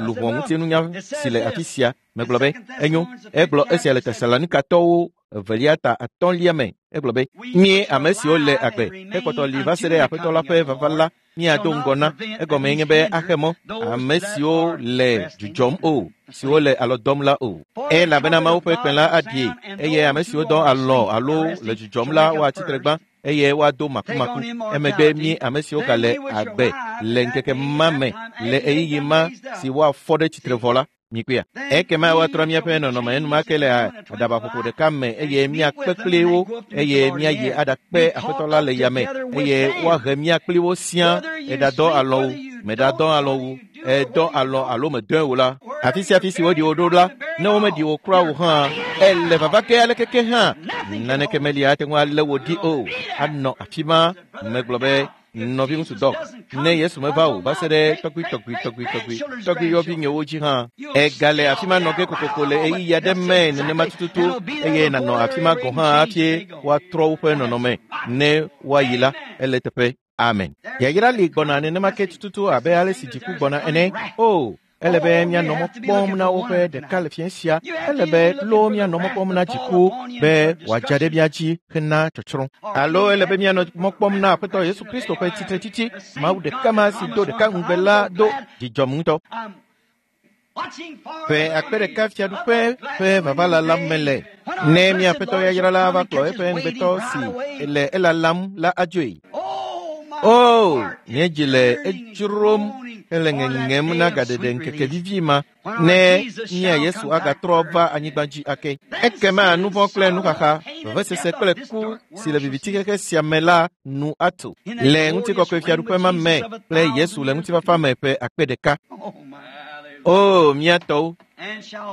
luʋɔ ŋutinunya si le afi sia. Megblɔ be, enyo, egblɔ esia le Tesalonikatɔwo evelia ta atɔ̃lia me. Egblɔ be, mí ame siwo le agbe hekpɔtɔ li va se ɖe Aƒetɔ la ƒe vava la, míado ŋgɔ na. Egɔmee nye be axe mɔ ame siwo le dzudzɔm o, siwo le alɔ dɔm la o. Elabena Mawu ƒe kpẽ la aɖi eye ame siwo dɔ alɔ alo le dzudzɔm la woatsi tre gbã eye woado makumaku. Emegbe mí ame siwo gale agbe le ŋkeke ma me le ɣeyiɣi ma si woafɔ ɖe tsitre vɔ la, mikpɔea. Ekema woatrɔ míaƒe nɔnɔme enumake le aɖabaƒoƒo ɖeka me eye míakpe kpli wo eye míayi aɖakpe Aƒetɔ la le yame eye woahe mía kpli wo siaa. Eɖadɔ alɔ wu, meɖadɔ alɔ wu, Èdɔ alɔ alo medɔe o la, afi sia afi si woɖi wò ɖo la, ne womeɖi wò kura o hã, ele vava ke alekeke hã, naneke meli ate ŋu alé wò ɖi o. Anɔ afi ma. Megblɔ be, nɔviŋutsu Dɔk, ne Yesu meva o va se ɖe tɔgbui tɔgbui tɔgbui tɔgbui tɔgbui yɔvi nyewo dzi hã, egale afi ma nɔ ge kokoko le ɣeyiɣi aɖe me nenema tututu, eye nànɔ afi ma gɔ̃ hã hafi woatrɔ woƒe nɔnɔme ne woayi la, ele teƒe. Amen. Yayra li gbɔna nenema ke tututu abe ale si dziku gbɔna ene. O, ele be míanɔ mɔ kpɔm na woƒe ɖeka le fiẽ sia. Ele be loo míanɔ mɔ kpɔm na dziku be wòadza ɖe mía dzi hena tsɔtsrɔ̃. Alo ele be míanɔ mɔ kpɔm na Aƒetɔ Yesu Kristo ƒe tsitretsitsi, Mawu ɖeka ma si do ɖeka ŋugbe la do. Dzidzɔm ŋutɔ. Ƒe akpe ɖeka fiaɖuƒe ƒe vava lalam mele. Ne mía Aƒetɔ yayra la va kplɔ eƒe ŋugbetɔ si le elalam la adzoe. O, nye dzi le edzrom hele ŋeŋem na gaɖeɖe ŋkeke vivi ma, ne mía Yesu agatrɔ va anyigba dzi ake. Ekema nu vɔ̃ kple nuxaxa, vevesese kple ku si le viviti xexe sia me la nu atso le ŋutikɔkɔe fiaɖuƒe ma me kple Yesu le ŋutifafa me ƒe akpe ɖeka. O, mía tɔwo,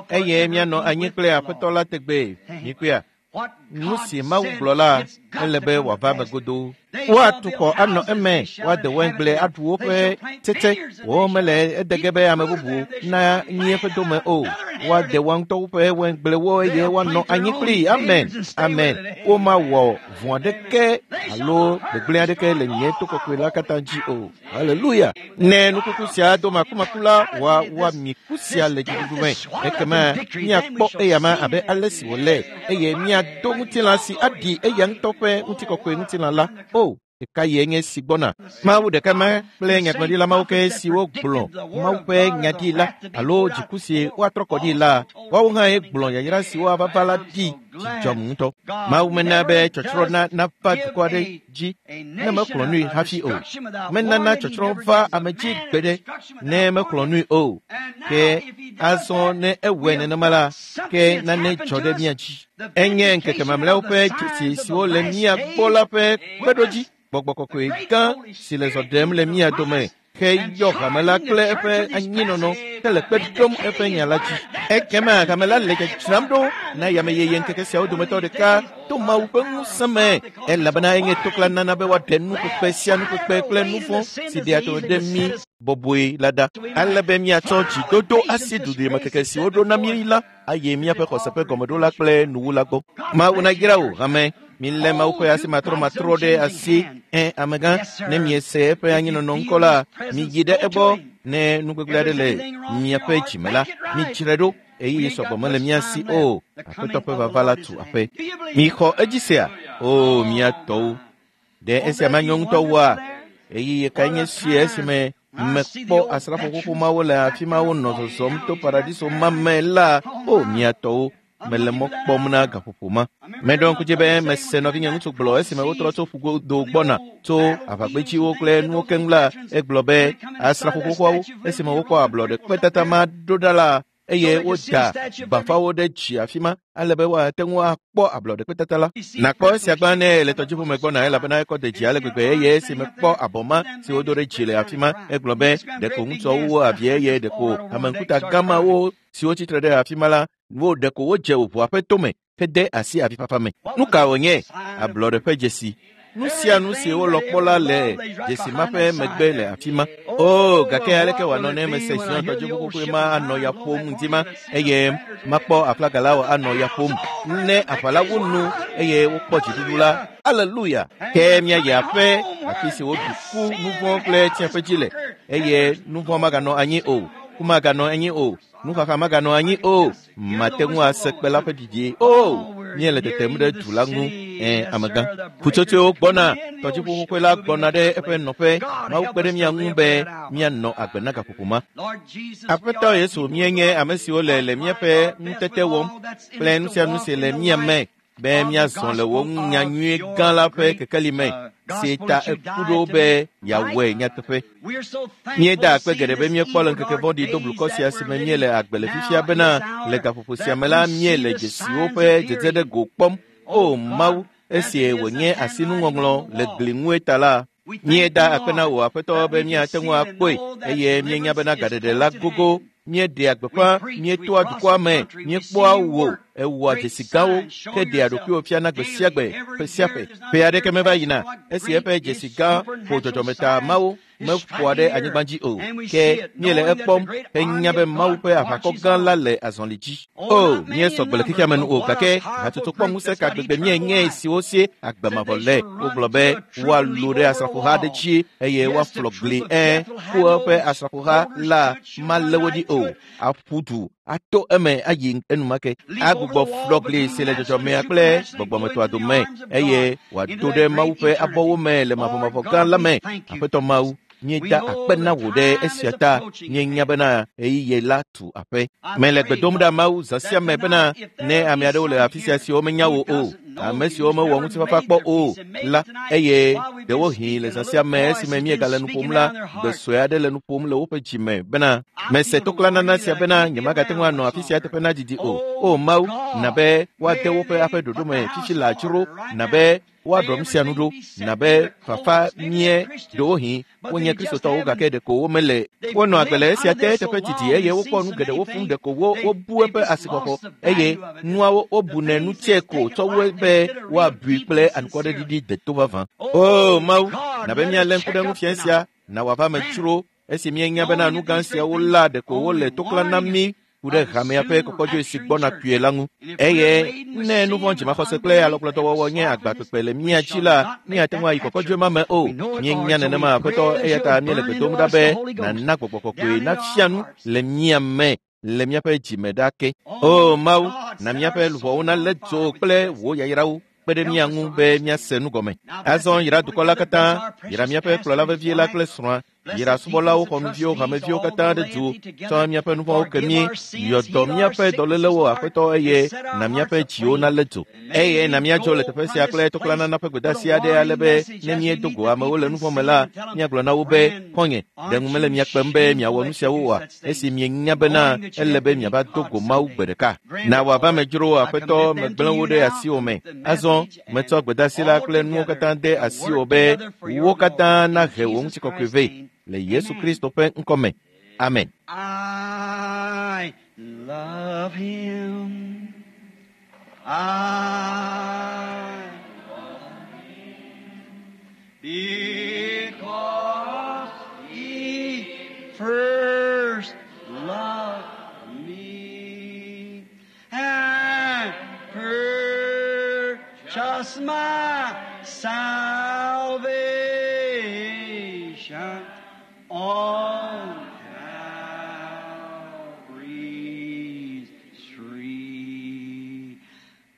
eye míanɔ anyi kple Aƒetɔ la tegbee. Mikpɔea? Nu si Mawu gblɔ la, ele be wòava eme godoo. Woatu xɔ anɔ eme, woade waingble aɖu woƒe tsetse. Womele ede ge be ame bubu nanyi eƒe dome o. Woade woa ŋutɔwo ƒe waingblewo eye woanɔ anyi kplii. Amen, amen. Womawɔ vɔ̃ aɖeke alo gbegblẽ aɖeke le nye to kɔkɔe la katã dzi o. Haleluya! Ne nukuku sia do makumaku la, woami ku sia le dziɖuɖu me. Ekema míakpɔ eyama abe ale si wòle, eye míado ŋutilã si aɖi eya ŋutɔ ƒe ŋutikɔkɔe ŋutilã la. O, ɖeka ye nye si gbɔna. Mawu ɖeka ma kple nyagblɔɖila mawo ke siwo gblɔ Mawu ƒe nya ɖi la, alo dziku si woatrɔ kɔ ɖi la, woawo hã ye gblɔ yayra siwo ava va la ɖi. Dzidzɔm ŋutɔ. Mawu mena be tsɔtsrɔ̃ nava dukɔ aɖe dzi ne mexlɔ̃ nui hafi o. Menana tsɔtsrɔ̃ va ame dzi gbeɖe ne mexlɔ̃ nui o. Ke azɔ ne ewɔe nenema la, ke nane dzɔ ɖe mía dzi. Enye ŋkeke mamlɛawo ƒe dzesi siwo le mía gbɔ la ƒe kpeɖodzi. Gbɔgbɔ kɔkɔe gã si le zɔ ɖem le mía dome heyɔ hame la kple eƒe anyinɔnɔ hele kpe ɖom eƒe nya la dzi. Ekema hame la le dzadzram ɖo na yameyeye ŋkeke siawo dometɔ ɖeka to Mawu ƒe ŋusẽ me, elabena enye toklã nana be woaɖe nukpekpe sia nukpekpe kple nu vɔ̃ si ɖea to ɖe mí bɔbɔe la ɖa, ale be míatsɔ dzidodo asi duɖimekeke si woɖo na mí la ayi míaƒe xɔse ƒe gɔmeɖola kple nuwula gbɔ. Mawu nayra wò, hame. Milé Mawu ƒe asi matrɔmatrɔ ɖe asi. Ẽ, amegã, ne miese eƒe anyinɔnɔ ŋkɔ la, miyi ɖe egbɔ. Ne nu gbegblẽ aɖe le miaƒe dzime la, midzrae ɖo. Ɣeyiɣi sɔgbɔ mele mía si o. Aƒetɔ ƒe vava la tu aƒe. Mixɔ edzi sea? O, mía tɔwo! Ɖe esia manyo ŋutɔ wua? Ɣeyiɣi kae nye si esime mekpɔ asrafo xoxo mawo le afi ma wonɔ zɔzɔm to paradiso ma me la? O, mía tɔwo! Mele mɔ kpɔm na gaƒoƒo ma. Meɖo ŋku dzi be mese nɔvinye ŋutsu gblɔ esime wotrɔ tso ƒugodo gbɔna tso aʋagbedziwo kple nuwo keŋ la, egblɔ be asrafo xoxoawo esime wokpɔ ablɔɖe kpetata ma ɖo ɖa la, eye woda bafawo ɖe dzi afi ma ale be woate ŋu akpɔ ablɔɖe kpetata la. Nakpɔ esia gbã ne le tɔdziʋu me gbɔna elabena ekɔ de dzi ale gbegbe eye esime kpɔ abɔ ma si wodo ɖe dzi le afi ma, egblɔ be ɖeko ŋutsuawo wo avi eye ɖeko ame ŋkuta gã mawo siwo tsitre ɖe afi ma la wo ɖeko wodze ʋua ƒe tome hede asi avifafa me. Nu ka wònye? Ablɔɖe ƒe dzesi. Nu sia nu si wolɔ kpɔ la le dzesi ma ƒe megbe le afi ma. O, gake aleke wòanɔ ne mese Zion tɔdziʋu xoxoe ma anɔ ya ƒom ŋdi ma eye makpɔ aflaga la anɔ ya ƒom ne aʋa la wu nu eye wokpɔ dziɖuɖu la. Aleluya! Ke míayi aƒe afi si woɖu ku, nu vɔ̃ kple tsiẽƒe dzi le eye nu vɔ̃ maganɔ anyi o, ku maganɔ anyi o, nuxaxa maganɔ anyi o. Mate ŋu ase kpe la ƒe ɖiɖi o. Míele tetem ɖe du la ŋu. Ẽ, amegã. Ƒutsotsoewo gbɔna, tɔdziʋu xoxoe la gbɔna ɖe eƒe nɔƒe. Mawu kpe ɖe mía ŋu be míanɔ agbe na gaƒoƒo ma. Aƒetɔ Yesu, míenye ame siwo le le míaƒe ŋutete wɔm kple nu sia nu si le mía me be míazɔ le wò nya nyui gã la ƒe kekeli me si ta eku ɖo be yeawɔe nyateƒe. Míeda akpe geɖe be míekpɔ le ŋkeke vɔ̃ɖi do blukɔ sia si me míele agbe le fifia bena le gaƒoƒo sia me la míele dzesiwo ƒe dzedze ɖe go kpɔm. O Mawu, esi wònye asinuŋɔŋlɔ le gli ŋue ta la, Míeda akpe na wò Aƒetɔ be míate ŋu akpɔe eye míenya bena gaɖeɖe la gogo. Míeɖea gbeƒã, míetoa dukɔa me, míekpɔa wò, ewɔa dzesi gãwo, ke ɖea ɖokuiwò fiana gbe sia gbe, ƒe sia ƒe. Ƒe aɖeke meva yina esi eƒe dzesi gã ƒo dzɔdzɔmeta mawo meƒoa ɖe anyigba dzi o, ke míele ekpɔm henya be Mawu ƒe aʋakɔ gã la le azɔli dzi. O, míesɔ gbe le xexea me nu o, gake hatsotso kpɔ ŋusẽ ka gbegbe míenye siwo sie agbe mavɔ le. Wogblɔ be woalũ ɖe asrafoha aɖe dzi eye woaflɔ gli ku eƒe asrafoha la malé wo ɖi o. Aƒu du ato eme ayi enumake. Agbugbɔ flɔ gli si le dzɔdzɔmea kple gbɔgbɔmetɔa dome eye wòado ɖe Mawu ƒe abɔwo me le mavɔmavɔ gã la me. Aƒetɔ Mawu, míeda akpe na wò ɖe esia ta. Míenya bena ɣeyiɣi la tu aƒe. Mele gbe dom ɖa Mawu zã sia me bena ne ame aɖewo le afi sia siwo menya wò o, ame siwo mewɔ ŋutifafa kpɔ o la, eye ɖewohĩ le zã sia me esime míegale nu ƒom la, gbe sue aɖe le nu ƒom le woƒe dzi me bena mese toklanana sia bena nyemagate ŋu anɔ afi sia teƒe na didi o. O Mawu, na be woade woƒe aƒe ɖoɖo me fifi le adzro, na be woaɖɔ nu sia nu ɖo, na be fafa mie ɖewohĩ wonye kristotɔwo gake ɖeko womele. Wonɔ agbe le esia te teƒe didi eye wokpɔ nu geɖewo fũu ɖeko wo wobu eƒe asixɔxɔ eye nuawo wobunɛ nu tsɛ ko tsɔ wu be woabui kple anukwaɖeɖiɖi deto vavã. O Mawu, na be míalé ŋku ɖe ŋu fia sia na wòava me tsro esi míenya bena nu gã siawo la ɖeko wole toklã na mí ku ɖe hamea ƒe kɔkɔdzoe si gbɔna kpuie la ŋu. Eye ne nu vɔ̃ dzimaxɔse kple alɔkplɔdɔwɔwɔ nye agba kpekpe le mía dzi la, míate ŋu ayi kɔkɔdzoe ma me o. Míenya nenema Aƒetɔ, eya ta míele gbe dom ɖa be nàna gbɔgbɔ kɔkɔe nafia nu le mía me le míaƒe dzime ɖa ke. O Mawu, na míaƒe luʋɔwo nalé dzo kple wò yayrawo kpe ɖe mía ŋu be míase nu gɔme. Azɔ yra dukɔ la katã, yra míaƒe kplɔla vevie la kple srɔ̃a, yra subɔlawo, xɔnuviwo, hameviwo katã ɖe du, tsɔ míaƒe nu vɔ̃wo ke mí, yɔ dɔ míaƒe dɔlélewo Aƒetɔ eye na míaƒe dziwo nalé dzo. Eye na míadzo le teƒe sia kple toklanana ƒe gbedeasi aɖe ale be ne míedo go amewo le nu vɔ̃ me la, míagblɔ na wo be, xɔ̃nye, ɖe ŋu mele mia kpem be miawɔ nu siawo oa, esi mienya bena ele be miava do go Mawu gbe ɖeka. Na wòava me dzro Aƒetɔ, megblẽ wo ɖe asiwò me. Azɔ metsɔ gbedeasi la kple nuwo katã de asiwò be wo katã nahe wò ŋutikɔkɔe vɛ le Yesu Kristo ƒe ŋkɔ me. Amen. I love him. I love him because he first loved me and purchased my salvation on Calvary's tree.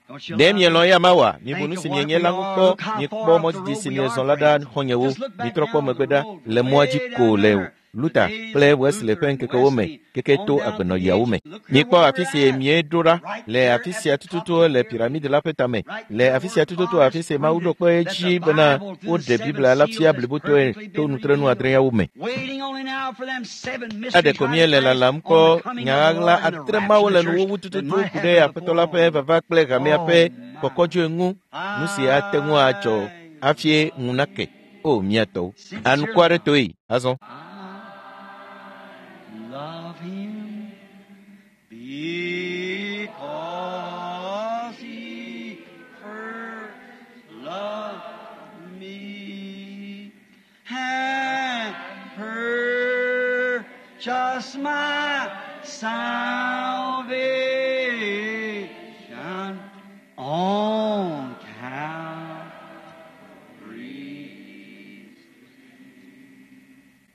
Don't you Ɖe love mielɔ̃ him? eya ma oa? Mibu Think nu of si what mienye we la ŋu are. kpɔ. Look how Miekpɔ far up mɔ the didi road si we miezɔ are, la ɖa friends. xɔ̃nyewo. Just look back Mitrɔ kpɔ down megbe the ɖa road, le mɔa dzi way ko down le there. Luther The days kple of Wesley Luther ƒe and ŋkekewo me Wesley, keke on to down to the agbenɔɣiawo age. me. Look here Mikpɔ where afi we're si at. míeɖo ɖa Right le there afi at sia the top tututu of the le pyramid. piramidi la ƒe tame. Right Le there afi where sia tututu God afi si Mawu ɖo proved kpe that edzi the bena Bible through the woɖe seven Biblia la seals fia has blibotɔe perfectly to been nutrenu revealed. adreawo me. Waiting only now for them seven mysteries Eɖeko right míele fast lalam on kpɔ the coming nya of the ɣaɣla Lord and the atre rapture mawo of le the church nuwuwu that tututu might ku ɖe happen Aƒetɔ before la ƒe long. vava kple hamea Oh ƒe my. kɔkɔdzoe ŋu. Nu si ate ŋu adzɔ I hafi ŋu nake. O mía tɔwo. sincerely Anukwaretɔe azɔ. I love him because he first loved me and purchased my salvation on Calvary.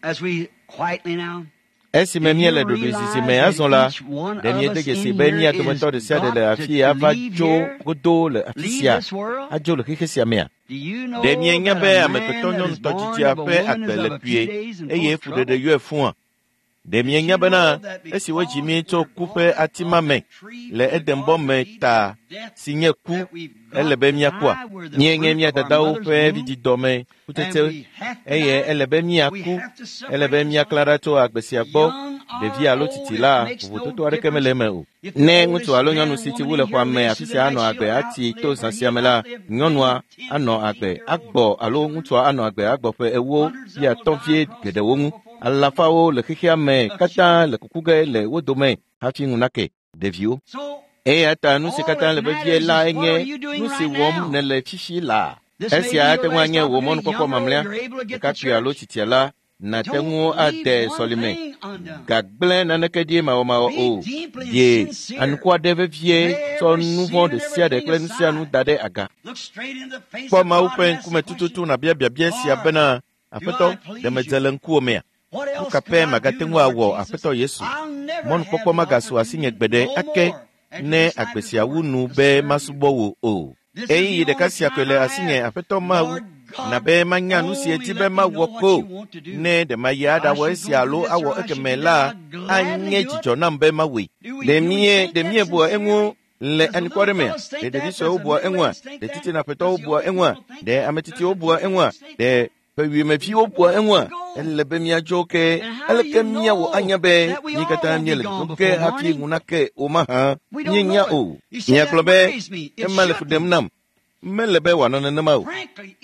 As we quietly now Esime Do you míele ɖoɖoezizi realize me that azɔ la, each one ɖe of míede us dzesi in be here mía is dometɔ ɖe sia ɖe got le to afi ava leave tso here, godo le afi leave sia, this world? adzo le xexe sia mea? Do you know Ɖe mienya that be a amegbetɔ man that is nyɔnutɔ born dzidzia of a ƒe woman agbe is le of a few kpuie days and full eye of fuɖeɖe trouble? yɔe fũa? Ɖe Did mienya you bena know that esi wodzi because mí tso we're ku ƒe born ati ma of me that tree le from the Edenbɔ Garden me of Eden, ta death si nye ku, that we've ele got be to míakua? die, we're the Míenye fruit mía of our dadawo mother's ƒe womb, vidzidɔme and kutsetse we have to eye die. ele be We míaku, have to ele be separate míaklã ourselves. ɖa tso agbe sia The gbɔ young Ɖevi alo tsitsi la, vovototo aɖeke mele eme o. Ne ŋutsu alo nyɔnu si tsi wu le xɔa me afi sia anɔ agbe atsi to zã sia me la, nyɔnua anɔ agbe agbɔ alo ŋutsua anɔ agbe agbɔ ƒe 40 50 vie geɖewo ŋu. Alafawo le xexea me katã le kuku ge le wo dome hafi ŋu nake ɖeviwo. Eya ta nu si katã le vevie la enye nu si wɔm nèle fifi laa. Esia ate ŋu anye wò mɔnukpɔkpɔ mamlɛa. Ɖekakpui alo tsitsia la, nàte ŋu ade sɔlime. Gagblẽ naneke ɖi mawɔmawɔ o. Ɖe anukua ɖe vevie tsɔ nu vɔ̃ ɖe sia ɖe kple nu sia nu da ɖe aga. Kpɔ Mawu ƒe ŋkume tututu nàbia biabia sia bena, Aƒetɔ, ɖe medze le ŋkuwò mea? Nu ka pɛ magate ŋu awɔ Aƒetɔ Yesu? Mɔnukpɔkpɔ magasu asinye gbeɖe ake ne agbe sia wu nu be masubɔ wò o. Ɣeyiɣi ɖeka sia koe le asinye Aƒetɔ Mawu, na be manya nu si edi be mawɔ ko. Ne ɖe mayi aɖawɔ esia alo awɔ ekeme la, anye dzidzɔ nam be mawɔe. Ɖe míebua eŋu le anukua ɖe mea? Ɖe ɖevi suewo bua eŋua? Ɖe titinaƒetɔwo bua eŋua? Ɖe ame tsitsiwo bua eŋua? Ɖe ƒewuimeviwo bua eŋua? Ele be míadzo ke aleke míawɔ anya be mí katã míele dzodzom ke hafi ŋu nake o mahã? Míenya o. Miagblɔ be ema le fu ɖem nam. Mele be wòanɔ nenema o.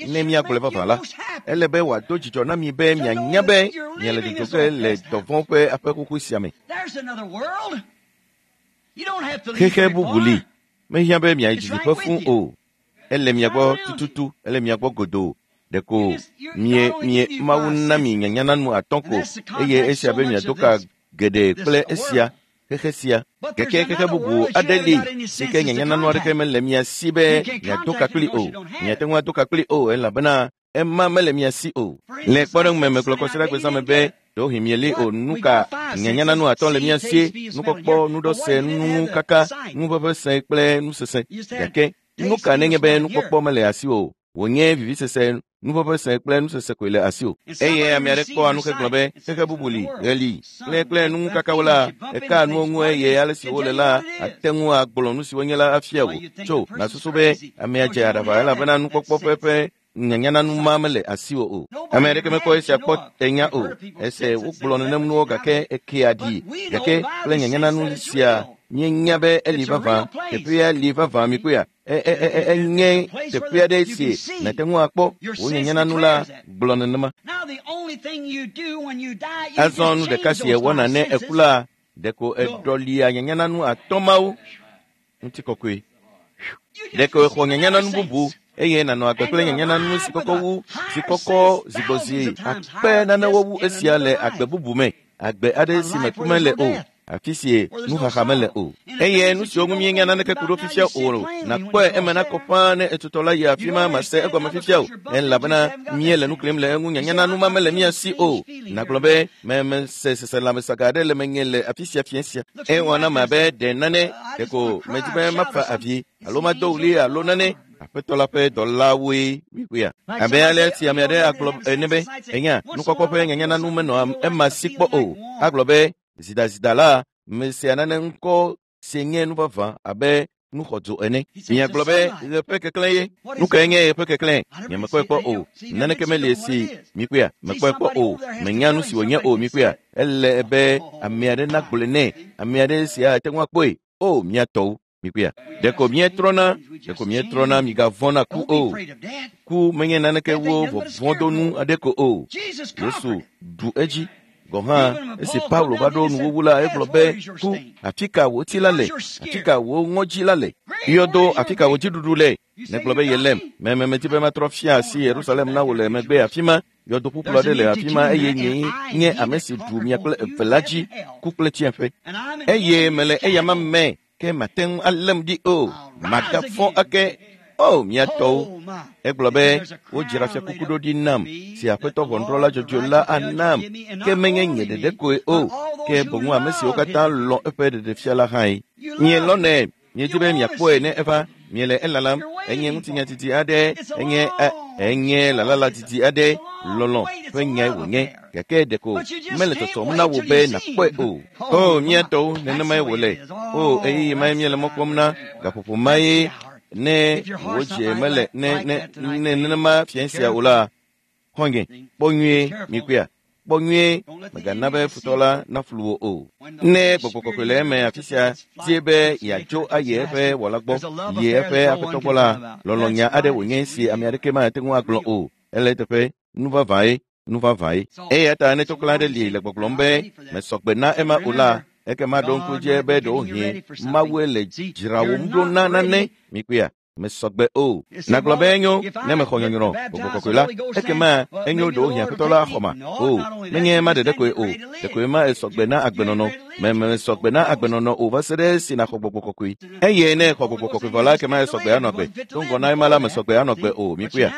Ne míagblɔe vavã la, ele be wòado dzidzɔ na mi be mianya be miele dzodzo ge le dɔvɔ̃ ƒe aƒe xoxo sia me. Xexe bubu li. Mehiã be miayi didiƒe fũu o. Ele mia gbɔ tututu, ele mia gbɔ godoo. Ɖeko mie Mawu na mi nyanyananu 5 ko eye esia be miado ka geɖe kple esia xexe sia. Gake xexe bubu aɖe li si ke nyanyananu aɖeke mele mia si be miado ka kpli o. Miate ŋu ado ka kpli o elabena ema mele mia si o. Le kpɔɖeŋu me megblɔ kɔsiɖagbe zã me be ɖewohĩ mieli o nu ka nyanyananu 5 le mia si, nukpɔkpɔ, nuɖɔse, nukaka, nuʋeʋẽse kple nusese. Gake nu ka nenye be nukpɔkpɔ mele asi o, wònye vivisese, nuʋeʋẽse kple nusese koe le asi o. Eye ame aɖe kpɔa nu hegblɔ be xexe bubu li, ɣe li, kple nukakawo la, eka nuwo ŋu eye ale si wole la, ate ŋu agblɔ nu si wonye la afia wò. Tso, nàsusu be amea dze aɖaʋa elabena nukpɔkpɔ ƒe nyanyananu ma mele asiwò o. Ame aɖeke mekpɔ esia kpɔ enya o. Ese wogblɔ nenem nuwo gake ekea ɖi. Gake kple nyanyananu sia míenya be eli vavã, teƒea li vavã mikpɔea. Enye teƒe aɖe si nàte ŋu akpɔ wò nyanyananu la gblɔ nenema. Azɔ nu ɖeka si èwɔna ne èku la, ɖeko èɖɔlia nyanyananu 5 mawo. Ŋutikɔkɔe. Ɖeko èxɔ nyanyananu bubu eye nànɔ agbe kple nyanyananu si kɔkɔ wu, si kɔkɔ zigbɔzi akpe nanewo wu esia le agbe bubu me, agbe aɖe si me ku mele o, afi si nuxaxa mele o. Eye nu siwo ŋu míenya naneke ku ɖo fifia o, nàkpɔe eme nakɔ ƒãa ne etutɔ la yi afi ma mase egɔme fifia o, elabena míele nu klim le eŋu nyanyananu ma mele mía si o. Nàgblɔ be mese seselãmesaga aɖe le menye le afi sia fiẽ sia. Ewɔ nam abe ɖe nane ɖeko medi be mafa avi alo mado ɣli alo nane. Aƒetɔ la ƒe dɔlawoe mikpɔea. Abe ale si ame aɖe agblɔ ene be, enya, nukpɔkpɔ ƒe nyanyananu menɔ ema si kpɔ o. Agblɔ be zidazida la mesea nane ŋkɔ si nye nu vavã abe nuxɔdzo ene. Miagblɔ be ɣe ƒe keklẽ ye. Nu kae nye ɣe ƒe keklẽ? Nyemekpɔe kpɔ o. Naneke meli si mikpɔea, mekpɔe kpɔ o. Menya nu si wònye o mikpɔea. Ele be ame aɖe nagblɔe nɛ. Ame aɖe si ate ŋu akpɔe. O, mía tɔwo. Mikpɔea. Ɖeko míetrɔna, migavɔ̃ na ku o. Ku menye naneke wo vɔvɔ̃donu aɖe ko o. Yesu ɖu edzi. Gɔ̃ hã esi Paulo va ɖo nuwuwu la, egblɔ be, ku, afi ka wò ti la le? Afi ka wò ŋɔdzi la le? Yɔdo, afi ka wò dziɖuɖu le? Negblɔ be yelem. Meti be matrɔ fia asi Yerusalem na wò le megbe afi ma. Yɔdo ƒuƒlu aɖe le afi ma eye nyee nye ame si ɖu mia kple eve la dzi, ku kple tsiẽƒe. Eye mele eyama me, ke mate ŋu além ɖi o. Magafɔ ake. O, mía tɔwo. Egblɔ be wodzra fiakuku ɖo ɖi nam si Aƒetɔ ʋɔnudrɔ̃la dzɔdzɔe la anam, ke menye nye ɖeɖe koe o, ke boŋ ame siwo katã lɔ̃ eƒe ɖeɖefia la hãe. Mielɔ̃nɛ, miedi be miakpɔe ne eva, miele elalam. Enye ŋutinya didi aɖe, enye lalala didi aɖe, lɔlɔ̃ ƒe nyae wònye, gake ɖeko mele tɔtɔm na wò be nàkpɔe o. O, mía tɔwo, nenemae wòle. O, ɣeyiɣi mae míele mɔ kpɔm na, gaƒoƒo mae ne wò dzi mele ne nenema fiẽ sia o la, xɔ̃nye, kpɔ nyuie mikpɔea. Kpɔ nyuie, mègana be futɔ la naflu wò o. Ne gbɔgbɔ kɔkɔe le eme afi sia die be yeadzo ayi eƒe wɔla gbɔ, yi eƒe aƒetɔ gbɔ la, lɔlɔ̃nya aɖe wònye si ame aɖeke mate ŋu agblɔ o. Ele eteƒe, nu vavãe, nu vavãe. Eya ta ne tsɔklã aɖe li le gbɔgblɔm be mesɔgbe na ema o la, ekema ɖo ŋku dzi be ɖewohĩ Mawue le dzrawòm ɖo na nane. Mikpɔea? Mesɔgbe o. Nagblɔ be enyo ne mexɔ nyɔnyrɔ gbɔgbɔ kɔkɔe la, ekema enyo ɖewohĩ aƒetɔ la xɔma. O, menye ema ɖeɖe koe o, ɖekoe ma esɔgbe na agbenɔnɔ. Mesɔgbe na agbenɔnɔ o va se ɖe esi nàxɔ gbɔgbɔ kɔkɔe. Eye ne exɔ gbɔgbɔ kɔkɔe vɔ la, ekema esɔgbe anɔ agbe. Do ŋgɔ na ema la, mesɔgbe anɔ agbe o. Mikpɔea?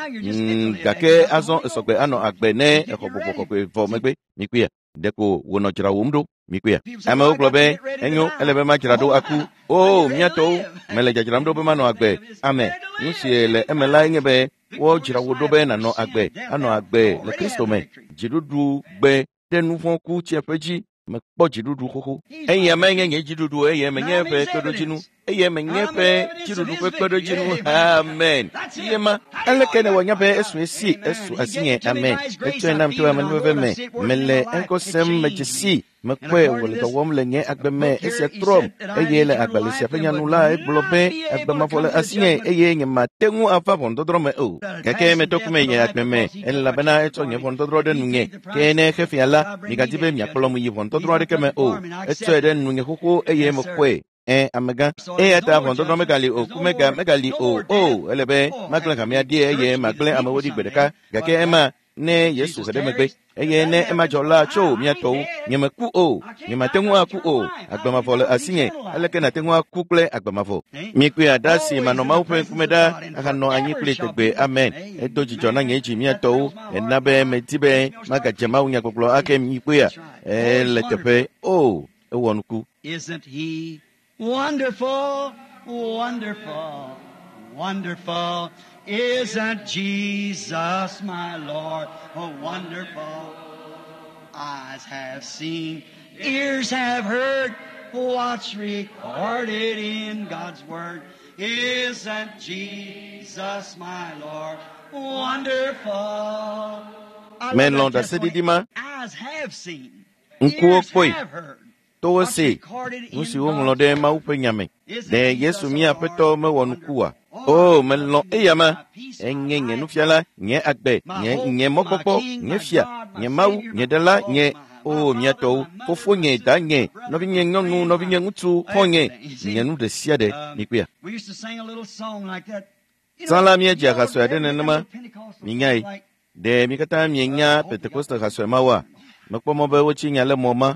Gake azɔ esɔgbe anɔ agbe ne exɔ gbɔgbɔ kɔkɔe vɔ megbe. Mikpɔea? Ɖeko wònɔ dzrawòm ɖo. Mikpɔea? Amewo gblɔ be enyo, ele be madzra ɖo aku. O, mía tɔwo, mele dzadzram ɖo be manɔ agbe. Ame, nu si le eme lae nye be wodzra wò ɖo be nànɔ agbe, anɔ agbe le Kristo me. Dziɖuɖu gbe ɖe nu vɔ̃ ku tsiẽƒe dzi. Mekpɔ dziɖuɖu xoxo. Eya menye nye dziɖuɖu, eye menye eƒe kpeɖodzinu, eye menye eƒe dziɖuɖu ƒe kpeɖodzinu. Amen. Ye ma, aleke ne wòanya be esu esi, esu asinye. Amen. Etsɔe nam to amenuveve me. Mele eŋkɔ sem, medze si. Mekpɔe wòle dɔ wɔm le nye agbe me. Esia trɔm eye le agbalẽ sia ƒe nyanu la egblɔ be agbe mavɔ le asinye eye nyemate ŋu ava ʋɔnudɔdrɔ̃ me o. Gake metɔ kume nye agbe me elabena etsɔ nye ʋɔnudɔdrɔ̃ ɖe nunye. Ke ne xefia la, migadi be miakplɔm yi ʋɔnudɔdrɔ̃ aɖeke me o. Etsɔe ɖe nunye xoxo eye mekpɔe. Amegã. Eya ta ʋɔnudɔdrɔ̃ megali o, ku megali o. O, ele be magblẽ hamea ɖi eye magblẽ amewo ɖi gbe ɖeka. Gake ema ne Yesu he ɖe megbe eye ne ema dzɔ la tso mía tɔwo, nyemeku o, nyemate ŋu aku o. Agbe mavɔ le asinye. Aleke nàte ŋu aku kple agbe mavɔ? Mikpɔe aɖa si manɔ Mawu ƒe ŋkume ɖa ahanɔ anyi kpli tegbe. Amen. Edo dzidzɔ na nye dzi mía tɔwo. Ena be medi be magadze Mawu nyagbɔgblɔ ake. Mikpɔea? Ele teƒe. O, ewɔ nuku. Isn't he wonderful, wonderful, wonderful? Isn't Jesus my Lord? Oh, wonderful. Eyes have seen, ears have heard what's recorded in God's Word. Isn't Jesus my Lord? Wonderful. Melɔ̃ ɖaseɖiɖi ma. Eyes have seen, Ŋkuwo ears kpɔe, have heard. towo see, nu si woŋlɔ ɖe Mawu ƒe nya me. Ɖe Yesu mía Aƒetɔ mewɔ nuku oa? O, melɔ̃ eya ma. Enye nye nufiala, nye agbe, nye mɔkpɔkpɔ, nye fia, nye Mawu, nye ɖela, nye o mía tɔwo, fofonye, danye, nɔvinye nyɔnu, nɔvinye ŋutsu, xɔ̃nye, nye nu ɖe sia ɖe. Mikpɔea? We used to sing a little song like that. Tsã la míedzi ha sue aɖe nenema. Minyae. Ɖe mi katã mienya Pentekoste ha sue mawoa? Mekpɔ mɔ be wotsi nya le mɔ ma.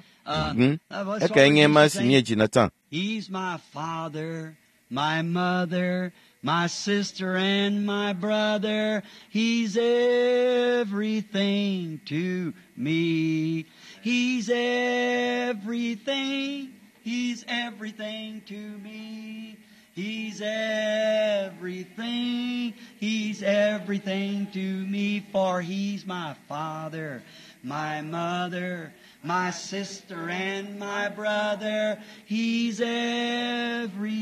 Ekae nye ma si míedzina tsã. He's my father, my mother, my sister and my brother. He's everything to me. He's everything. He's everything to me. He's everything. He's everything to me, for he's my father, my mother, my sister and my brother. He's everything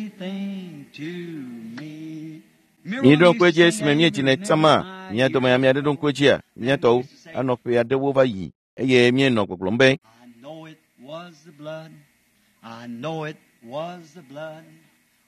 to me. Míeɖo ŋku edzi esime míedzinɛ tsã ma, mía dome ame aɖe ɖo ŋku edzia, mía tɔwo anɔ ƒe aɖewo va yi eye míenɔ gbɔgblɔm be I know it was the blood. I know it was the blood.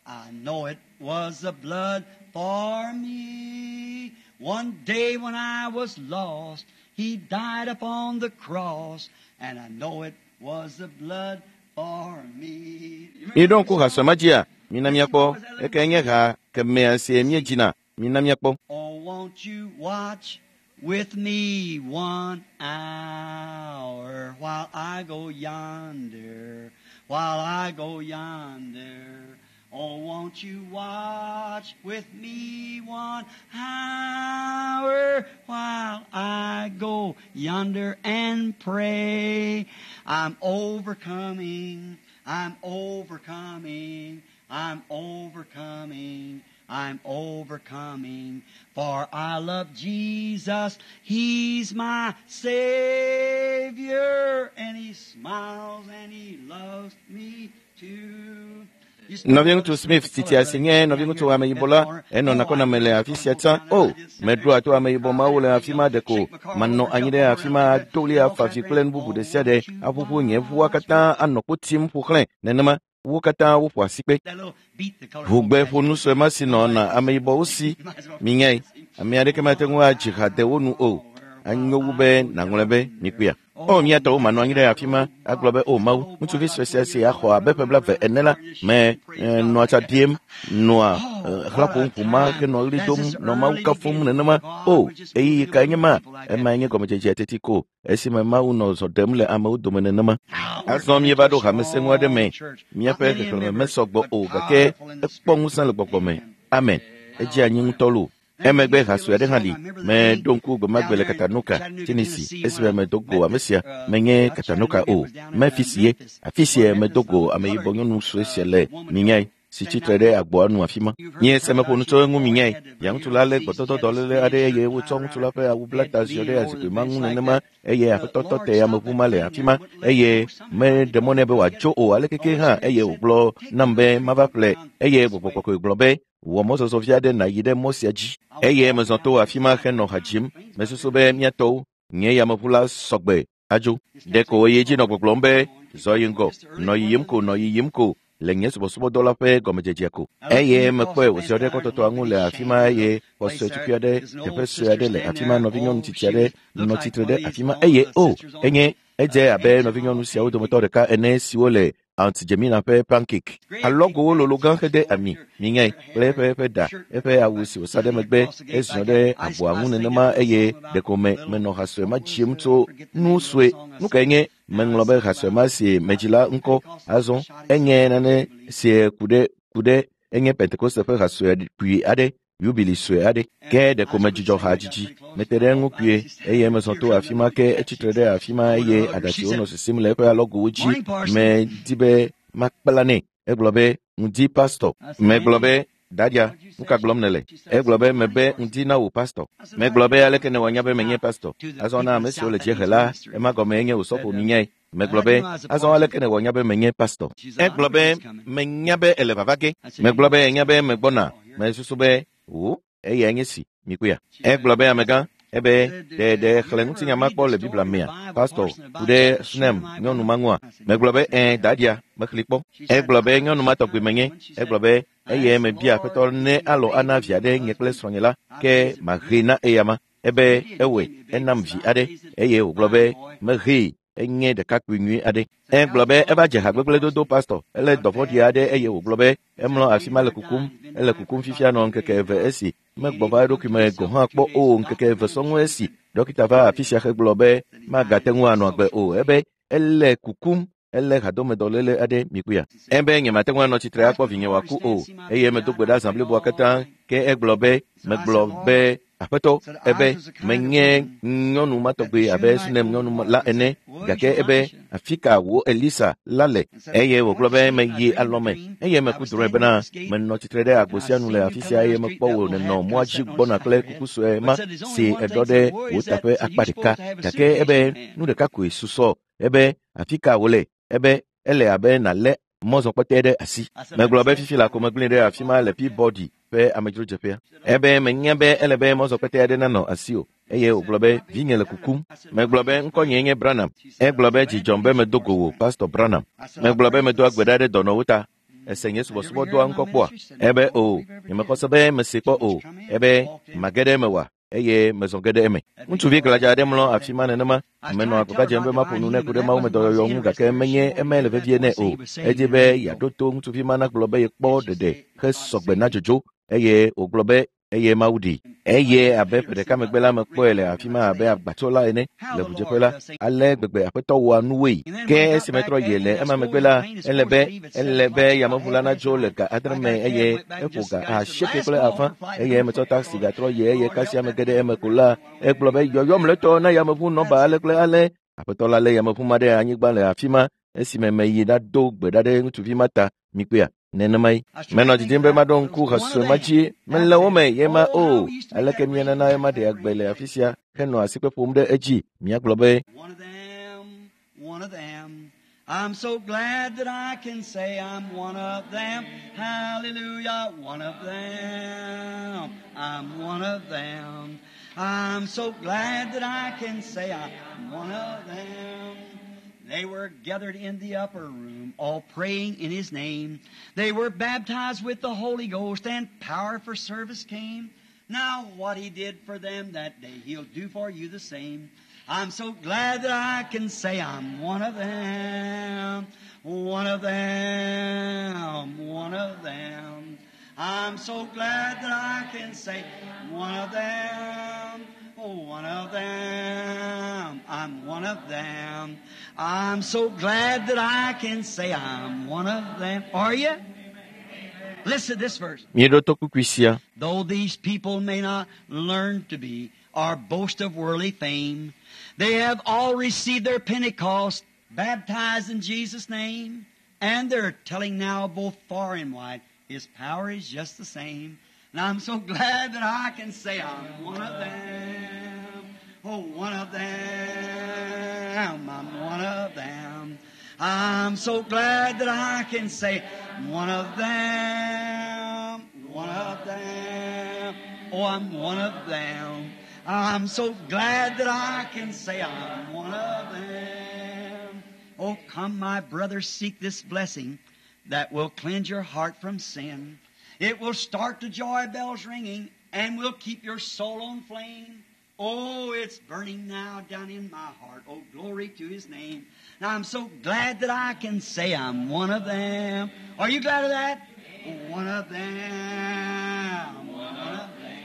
I know it was the blood for me. One day when I was lost, He died upon the cross, and I know it was the blood for me. Míeɖo ŋku ha sue ma dzia, mina míakpɔ. Ekae nye ha kemea si míedzina, mina míakpɔ. Oh, won't you watch with me 1 hour while I go yonder, while I go yonder. Oh, won't you watch with me 1 hour while I go yonder and pray? I'm overcoming, I'm overcoming, I'm overcoming, I'm overcoming. For I love Jesus, He's my Savior, and He smiles and He loves me too. Nɔviŋutsu Smith titia si nye nɔviŋutsu ameyibɔ la, enɔ nakɔname le afi sia tsã. O, meɖoa to ameyibɔ mawo le afi ma ɖeko manɔ anyi ɖe afi ma ado ɣli afa avi kple nu bubu ɖe sia ɖe aʋuʋu nye ʋua katã anɔ kpo tim ƒo xlẽ nenema. Wo katã woƒo asikpe. Ʋugbe ƒonu sue ma si nɔna ameyibɔwo si. Minyae, ame aɖeke mate ŋu adzi ha de wo nu o. Anyo wu be nàŋlɔe be mikpɔea. O, mía tɔwo manɔ anyi ɖe afi ma agblɔ be, o Mawu, ŋutsuvi sue sia si axɔ abe ƒe blaeve ene la, me nɔa tsa ɖiem, nɔa xlã ƒom ʋu ma henɔ ɣli dom, nɔ Mawu kafum nenema. O, ɣeyiɣi kae nye ma? Emae nye gɔmedzedzea teti ko esime Mawu nɔ zɔ ɖem le amewo dome nenema. Azɔ míeva ɖo hame sẽŋu aɖe me. Míaƒe xexlẽme mesɔ gbɔ o, gake ekpɔ ŋusẽ le gbɔgbɔ me. Amen. Edze anyi ŋutɔ loo. Emegbe ha sue aɖe hã li. Meɖo ŋku gbemagbe le Chattanooga, Tennessee, esime medo go ame sia. Menye Chattanooga o, Memphis ye. Afi sia medo go ameyibɔ nyɔnu sue sia le, minyae, si tsitre ɖe agboa nu afi ma. Nye se meƒo nu tso eŋu minyae. Via ŋutsu la lé gbɔdɔdɔdɔléle aɖe eye wotsɔ ŋutsu la ƒe awu bla ta ziɔ ɖe zikpui ma ŋu nenema eye aƒetɔ tɔ te ameʋu ma le afi ma eye meɖe mɔ nɛ be wòadzo o alekeke hã eye wògblɔ nam be mava ƒle eye gbɔgbɔ kɔkɔe gblɔ be wɔ mɔzɔzɔ vi aɖe nàyi ɖe mɔ sia dzi. Eye mezɔ to afi ma henɔ ha dzim. Mesusu be mía tɔwo, nye yameʋu la sɔgbe adzo. Ɖeko eye dzi nɔ gbɔgblɔm be zɔ yi ŋgɔ, nɔ yiyim ko, nɔ yiyim ko le nye subɔsubɔdɔ la ƒe gɔmedzedzea ko. Eye mekpɔe wòziɔ ɖe kɔtɔtɔa ŋu le afi ma eye xɔ sue tukui aɖe, teƒe sue aɖe le afi ma, nɔvinyɔnu tsitsi aɖe nɔ tsitre ɖe afi ma eye o, enye edze abe nɔvinyɔnu siawo dometɔ ɖeka ene siwo le Aunt Jemina ƒe pancake. Alɔgowo lolo gã hede ami, minyae, kple eƒe eƒe ɖa, eƒe awu si wòsa ɖe megbe, eziɔ ɖe agboa ŋu nenema eye ɖeko me menɔ ha sue ma dzim tso nu sue. Nu kae nye meŋlɔ be ha sue ma si medzi la ŋkɔ azɔ enye nane si ku ɖe enye Pentekoste ƒe ha sue kpui aɖe, yubili sue aɖe. Ke ɖeko medzudzɔ ha dzidzi. Mete ɖe eŋu kpuie eye mezɔ to afi ma ke etsitre ɖe afi ma eye aɖatsiwo nɔ sisim le eƒe alɔgowo dzi. Medi be makpla nɛ. Egblɔ be, ŋdi pastɔ. Megblɔ be, dadia, nu ka gblɔm nèle? Egblɔ be, mebe ŋdi na wò pastɔ. Megblɔ be, aleke nèwɔ nya be menye pastɔ? Azɔ na ame siwo le dziehe la, ema gɔmee nye wòsɔƒo minyae. Megblɔ be, azɔ aleke nèwɔ nya be menye pastɔ? Egblɔ be, menya be ele vava ge. Megblɔ be, enya be megbɔna. Mesusu be, o, eyae nye si, mikpɔea. Egblɔ be, amegã, ebe, ɖe xlẽ ŋutinya ma kpɔ le Biblia mea, pastɔ, ku ɖe Sunem nyɔnu ma ŋua? Megblɔ be, ɛ̃, dadia, mexlẽ kpɔ. Egblɔ be, nyɔnu ma tɔgbi menye. Egblɔ be, eye mebia aƒetɔ ne alɔ ana via ɖe nye kple srɔ̃nye la, ke mahee na eyama. Ebe, ewɔe, enam vi aɖe. Eye wògblɔ be, mehee, enye ɖekakpui nyui aɖe. Egblɔ be eva dze hagbegblẽ dodo pastɔ. Ele dɔ vɔ̃ɖi aɖe eye wògblɔ be emlɔ afi ma le kukum. Ele kukum fifia nɔ ŋkeke eve esi megbɔ va eɖokui me gɔ̃ hã kpɔ o ŋkeke eve sɔŋ esi dɔkita va afi sia hegblɔ be magate ŋu anɔ agbe o. Ebe ele kukum, ele hadomedɔléle aɖe mikpɔea. Ebe nyemate ŋu anɔ tsitre akpɔ vinye wòaku o eye medo gbe ɖa zã bliboa katã. Ke egblɔ be megblɔ be aƒetɔ, ebe menye nyɔnu ma tɔgbi abe Sunem nyɔnu la ene, gake ebe afi ka wò Elisa la le? Eye wògblɔ be meyi alɔme eye meku drɔ̃e bena menɔ tsitre ɖe agbo sia nu le afi sia eye mekpɔ wò nènɔ mɔa dzi gbɔna kple kuku sue ma si eɖɔ ɖe wò taƒe akpa ɖeka. Gake ebe nu ɖeka koe susɔ. Ebe afi ka wòle? Ebe ele abe nàlé mɔzɔkpɔtɛ ɖe asi. Megblɔ be fifi la ko megblẽe ɖe afi ma le Peabody ƒe amedzrodzeƒea. Ebe menya be ele be mɔzɔkpɔtɛ aɖe nanɔ asiwò. Eye wògblɔ be vinye le kukum. Megblɔ be ŋkɔnyee nye Branham. Egblɔ be dzi dzɔm be medo go wò, Pastor Branham. Megblɔ be medoa gbe ɖa ɖe dɔnɔwo ta. Ese nye subɔsubɔdɔa ŋkɔ kpɔa? Ebe o, nyemexɔ se be mese kpɔ o. Ebe mage ɖe eme wa? Eye mezɔ ge ɖe eme. Ŋutsuvi gladza aɖe mlɔ afi ma nenema. Menɔ agbagba dzem be maƒo nu nɛ ku ɖe mawumedɔyɔyɔ ŋu gake menye emae le vevie nɛ o. Edi be yeaɖo to ŋutsuvi ma nagblɔ be yekpɔ ɖeɖe hesɔgbe na dzodzo eye wògblɔ be eye Mawu ɖi. Eye abe ƒe ɖeka megbe la mekpɔe le afi ma abe agbatsola ene le ʋudzeƒe la. Ale gbegbe aƒetɔ wɔa nuwoe. Ke esi metrɔ yi le ema megbe la, ele be yameʋu la nadzo le ga 8 me eye eƒo ga 8.5 eye metsɔ taxi gatrɔ yi eye kasia mege ɖe eme ko la, egblɔ be yɔyɔ mlɔetɔ na yameʋu nɔba ale kple ale. Aƒetɔ la lé yameʋu ma ɖe anyigba le afi ma esime meyi ɖado gbe ɖa ɖe ŋutsuvi ma ta. Mikpɔea? Nenemae. Menɔ didim be maɖo ŋku ha sue ma dzi. Mele wo me ye ma o. Aleke mienana ema ɖe agbe le afi sia henɔ asikpe ƒom ɖe edzi? Miagblɔ be, One of them, I'm so glad that I can say I'm one of them. Hallelujah, one of them. I'm one of them. I'm so glad that I can say I'm one of them. They were gathered in the upper room, all praying in His name. They were baptized with the Holy Ghost, and power for service came. Now what He did for them that day, He'll do for you the same. I'm so glad that I can say I'm one of them, one of them, one of them. I'm so glad that I can say one of them, oh, one of them. I'm one of them. I'm so glad that I can say I'm one of them. Are you? Listen to this verse. Míeɖo to kpukpui sia. Though these people may not learn to be or boast of worldly fame, they have all received their Pentecost, baptized in Jesus' name, and they're telling now both far and wide, His power is just the same. And I'm so glad that I can say I'm one of them. Oh, one of them. I'm one of them. I'm so glad that I can say one of them. One of them. Oh, I'm one of them. I'm so glad that I can say I'm one of them. Oh, come, my brothers, seek this blessing that will cleanse your heart from sin. It will start the joy bells ringing and will keep your soul on flame. Oh, it's burning now down in my heart. Oh, glory to His name. Now, I'm so glad that I can say I'm one of them. Are you glad of that? One of them. One of them.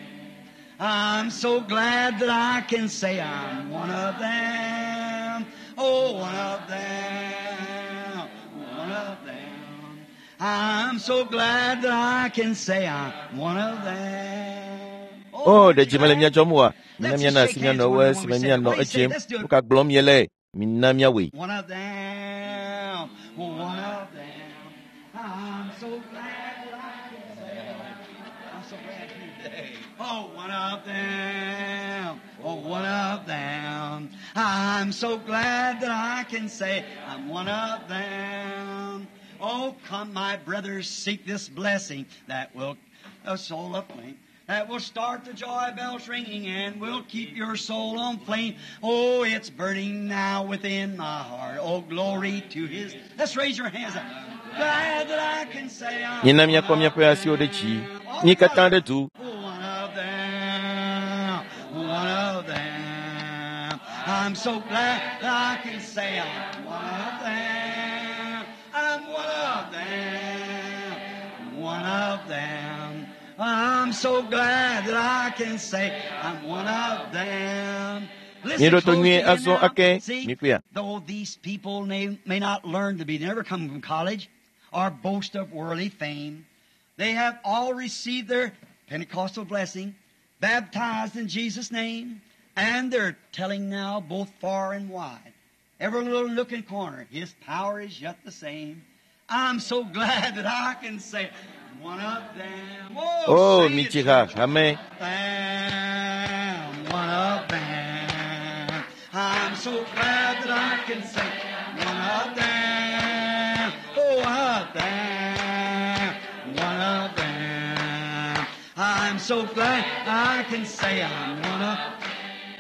I'm so glad that I can say I'm one of them. Oh, one of them. One of them. I'm so glad that I can say I'm one of them. O, ɖe dzi mele mía dzɔm oa? Mina míana asi mía nɔewo esime míanɔ edzem. Nu ka gblɔm míele? Mina míawɔe. One of them. One of them. I'm so glad that I can say I'm so glad today. Oh, one of them. Oh, one of them. I'm so glad that I can say I'm one of them. Oh, come, my brothers, seek this blessing that will a soul aflame. That will start the joy bells ringing and will keep your soul on flame. Oh, it's burning now within my heart. Oh, glory to His. Let's raise your hands up. Glad that I can say I'm Mina míakɔ míaƒe asiwo ɖe dzi. Mí katã ɖe du. one of them. One of them. I'm so glad that I can say I'm one of them. I'm one of them. One of them. I'm so glad that I can say I'm one of them. Listen Míeɖo to close nyuie to me azɔ now. ake. See, Míkpɔea? though these people may not learn to be, they never come from college or boast of worldly fame, they have all received their Pentecostal blessing, baptized in Jesus' name, and they're telling now both far and wide, every little nook and corner, His power is yet the same. I'm so glad that I can say, one of them. Oh, O, sing it, midzi ha, church. hame. Them, one of them. I'm so glad that I can say one of them. Oh, one of them. One of them. I'm so glad I can say I'm one of.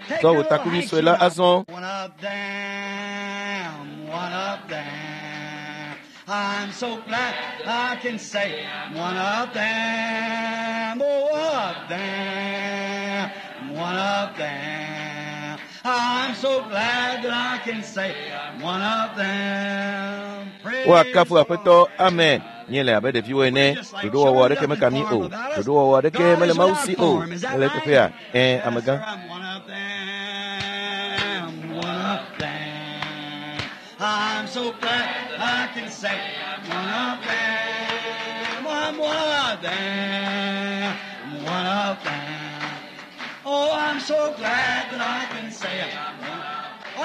Take Tsɔ your wò little takuvi sue la handkerchief azɔ. out. One of them, one of them. I'm so glad I can say one of them, oh, one of them, one of them. I'm so glad that I can say one of them. Praise Woakafu the Lord. Aƒetɔ. Amen. Míele abe ɖeviwo ene. Ɖoɖowɔwɔ aɖeke meka mí o. Ɖoɖowɔwɔ aɖeke God mele is Mawu without si o. form. Is that Ele right? teƒea? Ẽ, Yes, amegã. sir, I'm one of them. One of them. I'm so glad I can say one of them. I'm one of them. One of them. Oh, I'm so glad that I can say I'm one.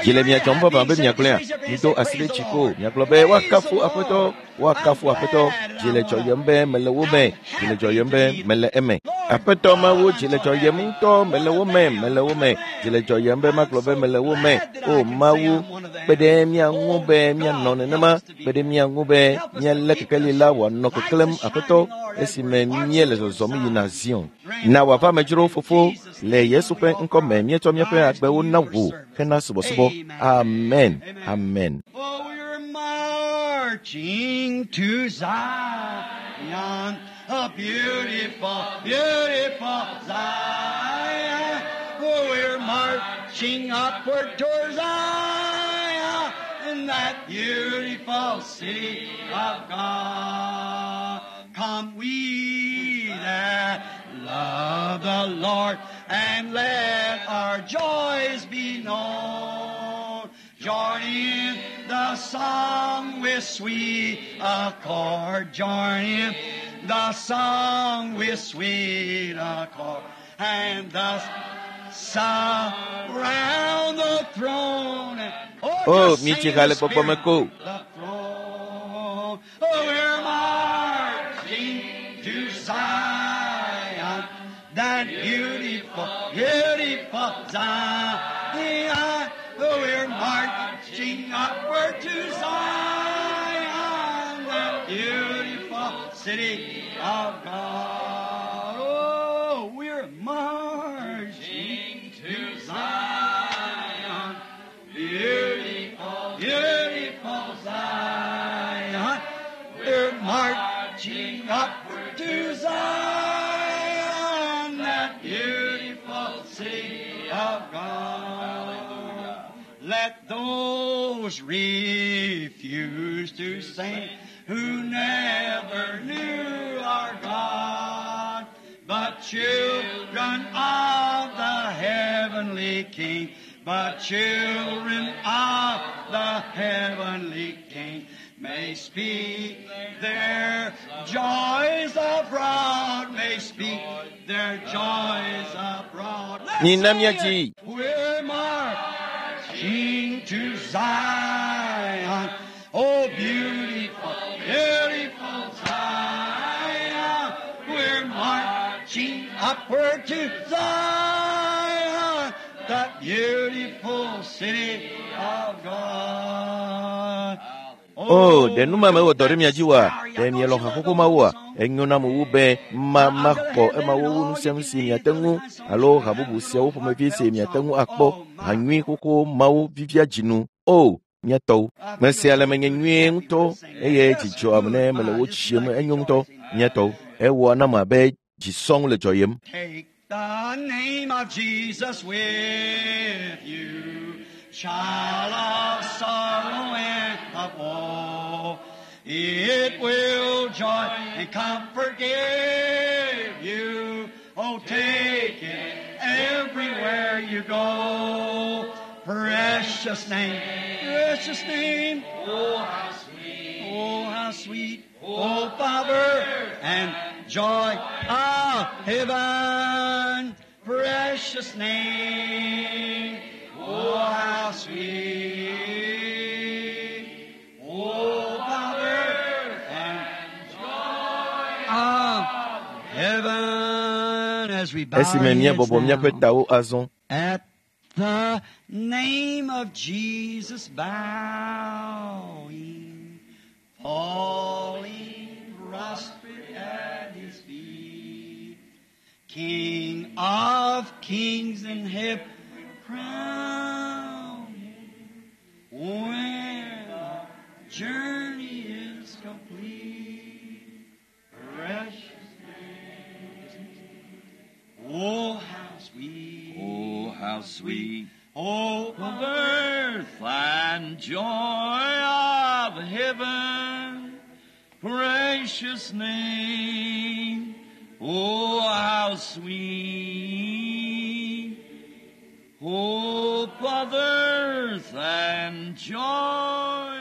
Dzi le mia dzɔm vavã be miagblɔea? Mido asi ɖe dzi ko miagblɔ be woakafu Aƒetɔ, woakafu Aƒetɔ. Dzi le dzɔyem be mele wo me, dzi le dzɔyem be mele eme. Aƒetɔ Mawu, dzi le dzɔyem ŋutɔ, mele wo me, mele wo me. Dzi le dzɔyem be magblɔ be mele wo me. O Mawu, kpe ɖe mía ŋu be míanɔ nenema, kpe ɖe mía ŋu be míalé kekeli la wòanɔ keklẽm Aƒetɔ esime míele zɔzɔm yina Zion. Na wòava amedzrowo fofo le Yesu ƒe ŋkɔ me míetsɔ míaƒe agbewo na wò hena subɔsubɔ. Amen. Amen. Oh, we're marching to Zion, a beautiful, beautiful Zion. Oh, we're marching upward toward Zion, in that beautiful city of God. Come we that love the Lord, and let our joys be known. Join in the song with sweet accord. Join in the song with sweet accord. And thus surround the throne. Oh, O, just sing míedzi in ha the le gbɔgbɔ me Spirit. ko. The throne. Oh, we're marching to Zion, that beautiful, beautiful Zion. Oh, we're marching upward to Zion, that beautiful city of God. Oh, we're marching to Zion, beautiful, beautiful Zion. We're marching upward to Zion, that beautiful city of God. Let those refuse to sing who never knew our God, but children of the heavenly King, but children of the heavenly King may speak their joys abroad, may speak their joys abroad. Let's Mina sing it. míadzi. We're marching to Zion. Oh, beautiful, beautiful Zion. We're marching upward to Zion, that beautiful city of God. O, ɖe nu ma mewɔ dɔ ɖe mia dzi oa? Ɖe mielɔ̃ haxoxo mawoa? Enyo nam wu be ma maxɔ emawo wu nu sia nu si miate ŋu alo ha bubu siawo ƒomevi si miate ŋu akpɔ. Ha nyui xoxo mawo vivia dzinu. O, mía tɔwo. Mesea le menye nyuie ŋutɔ eye dzi dzɔam ne mele wo tsiem enyo ŋutɔ. Mía tɔwo. Ewɔ nam abe dzisɔŋ le dzɔyem. Take the name of Jesus with you, child of sorrow and of woe. It will joy and comfort give you. Oh, take it everywhere you go. Precious name, precious name. Oh, how sweet. Oh, how sweet. Oh, Father, and joy of heaven. Precious name. Oh, how sweet. Oh, Father, and joy of heaven. As we bow our Esime heads míebɔbɔ míaƒe now. tawo azɔ. At the name of Jesus bowing, falling prostrate at his feet, King of kings and heaven crowned, when our journey is complete, precious name. Oh, how sweet. Oh, how sweet Oh, the birth and joy of heaven, precious name. Oh, how sweet. Hope of earth and joy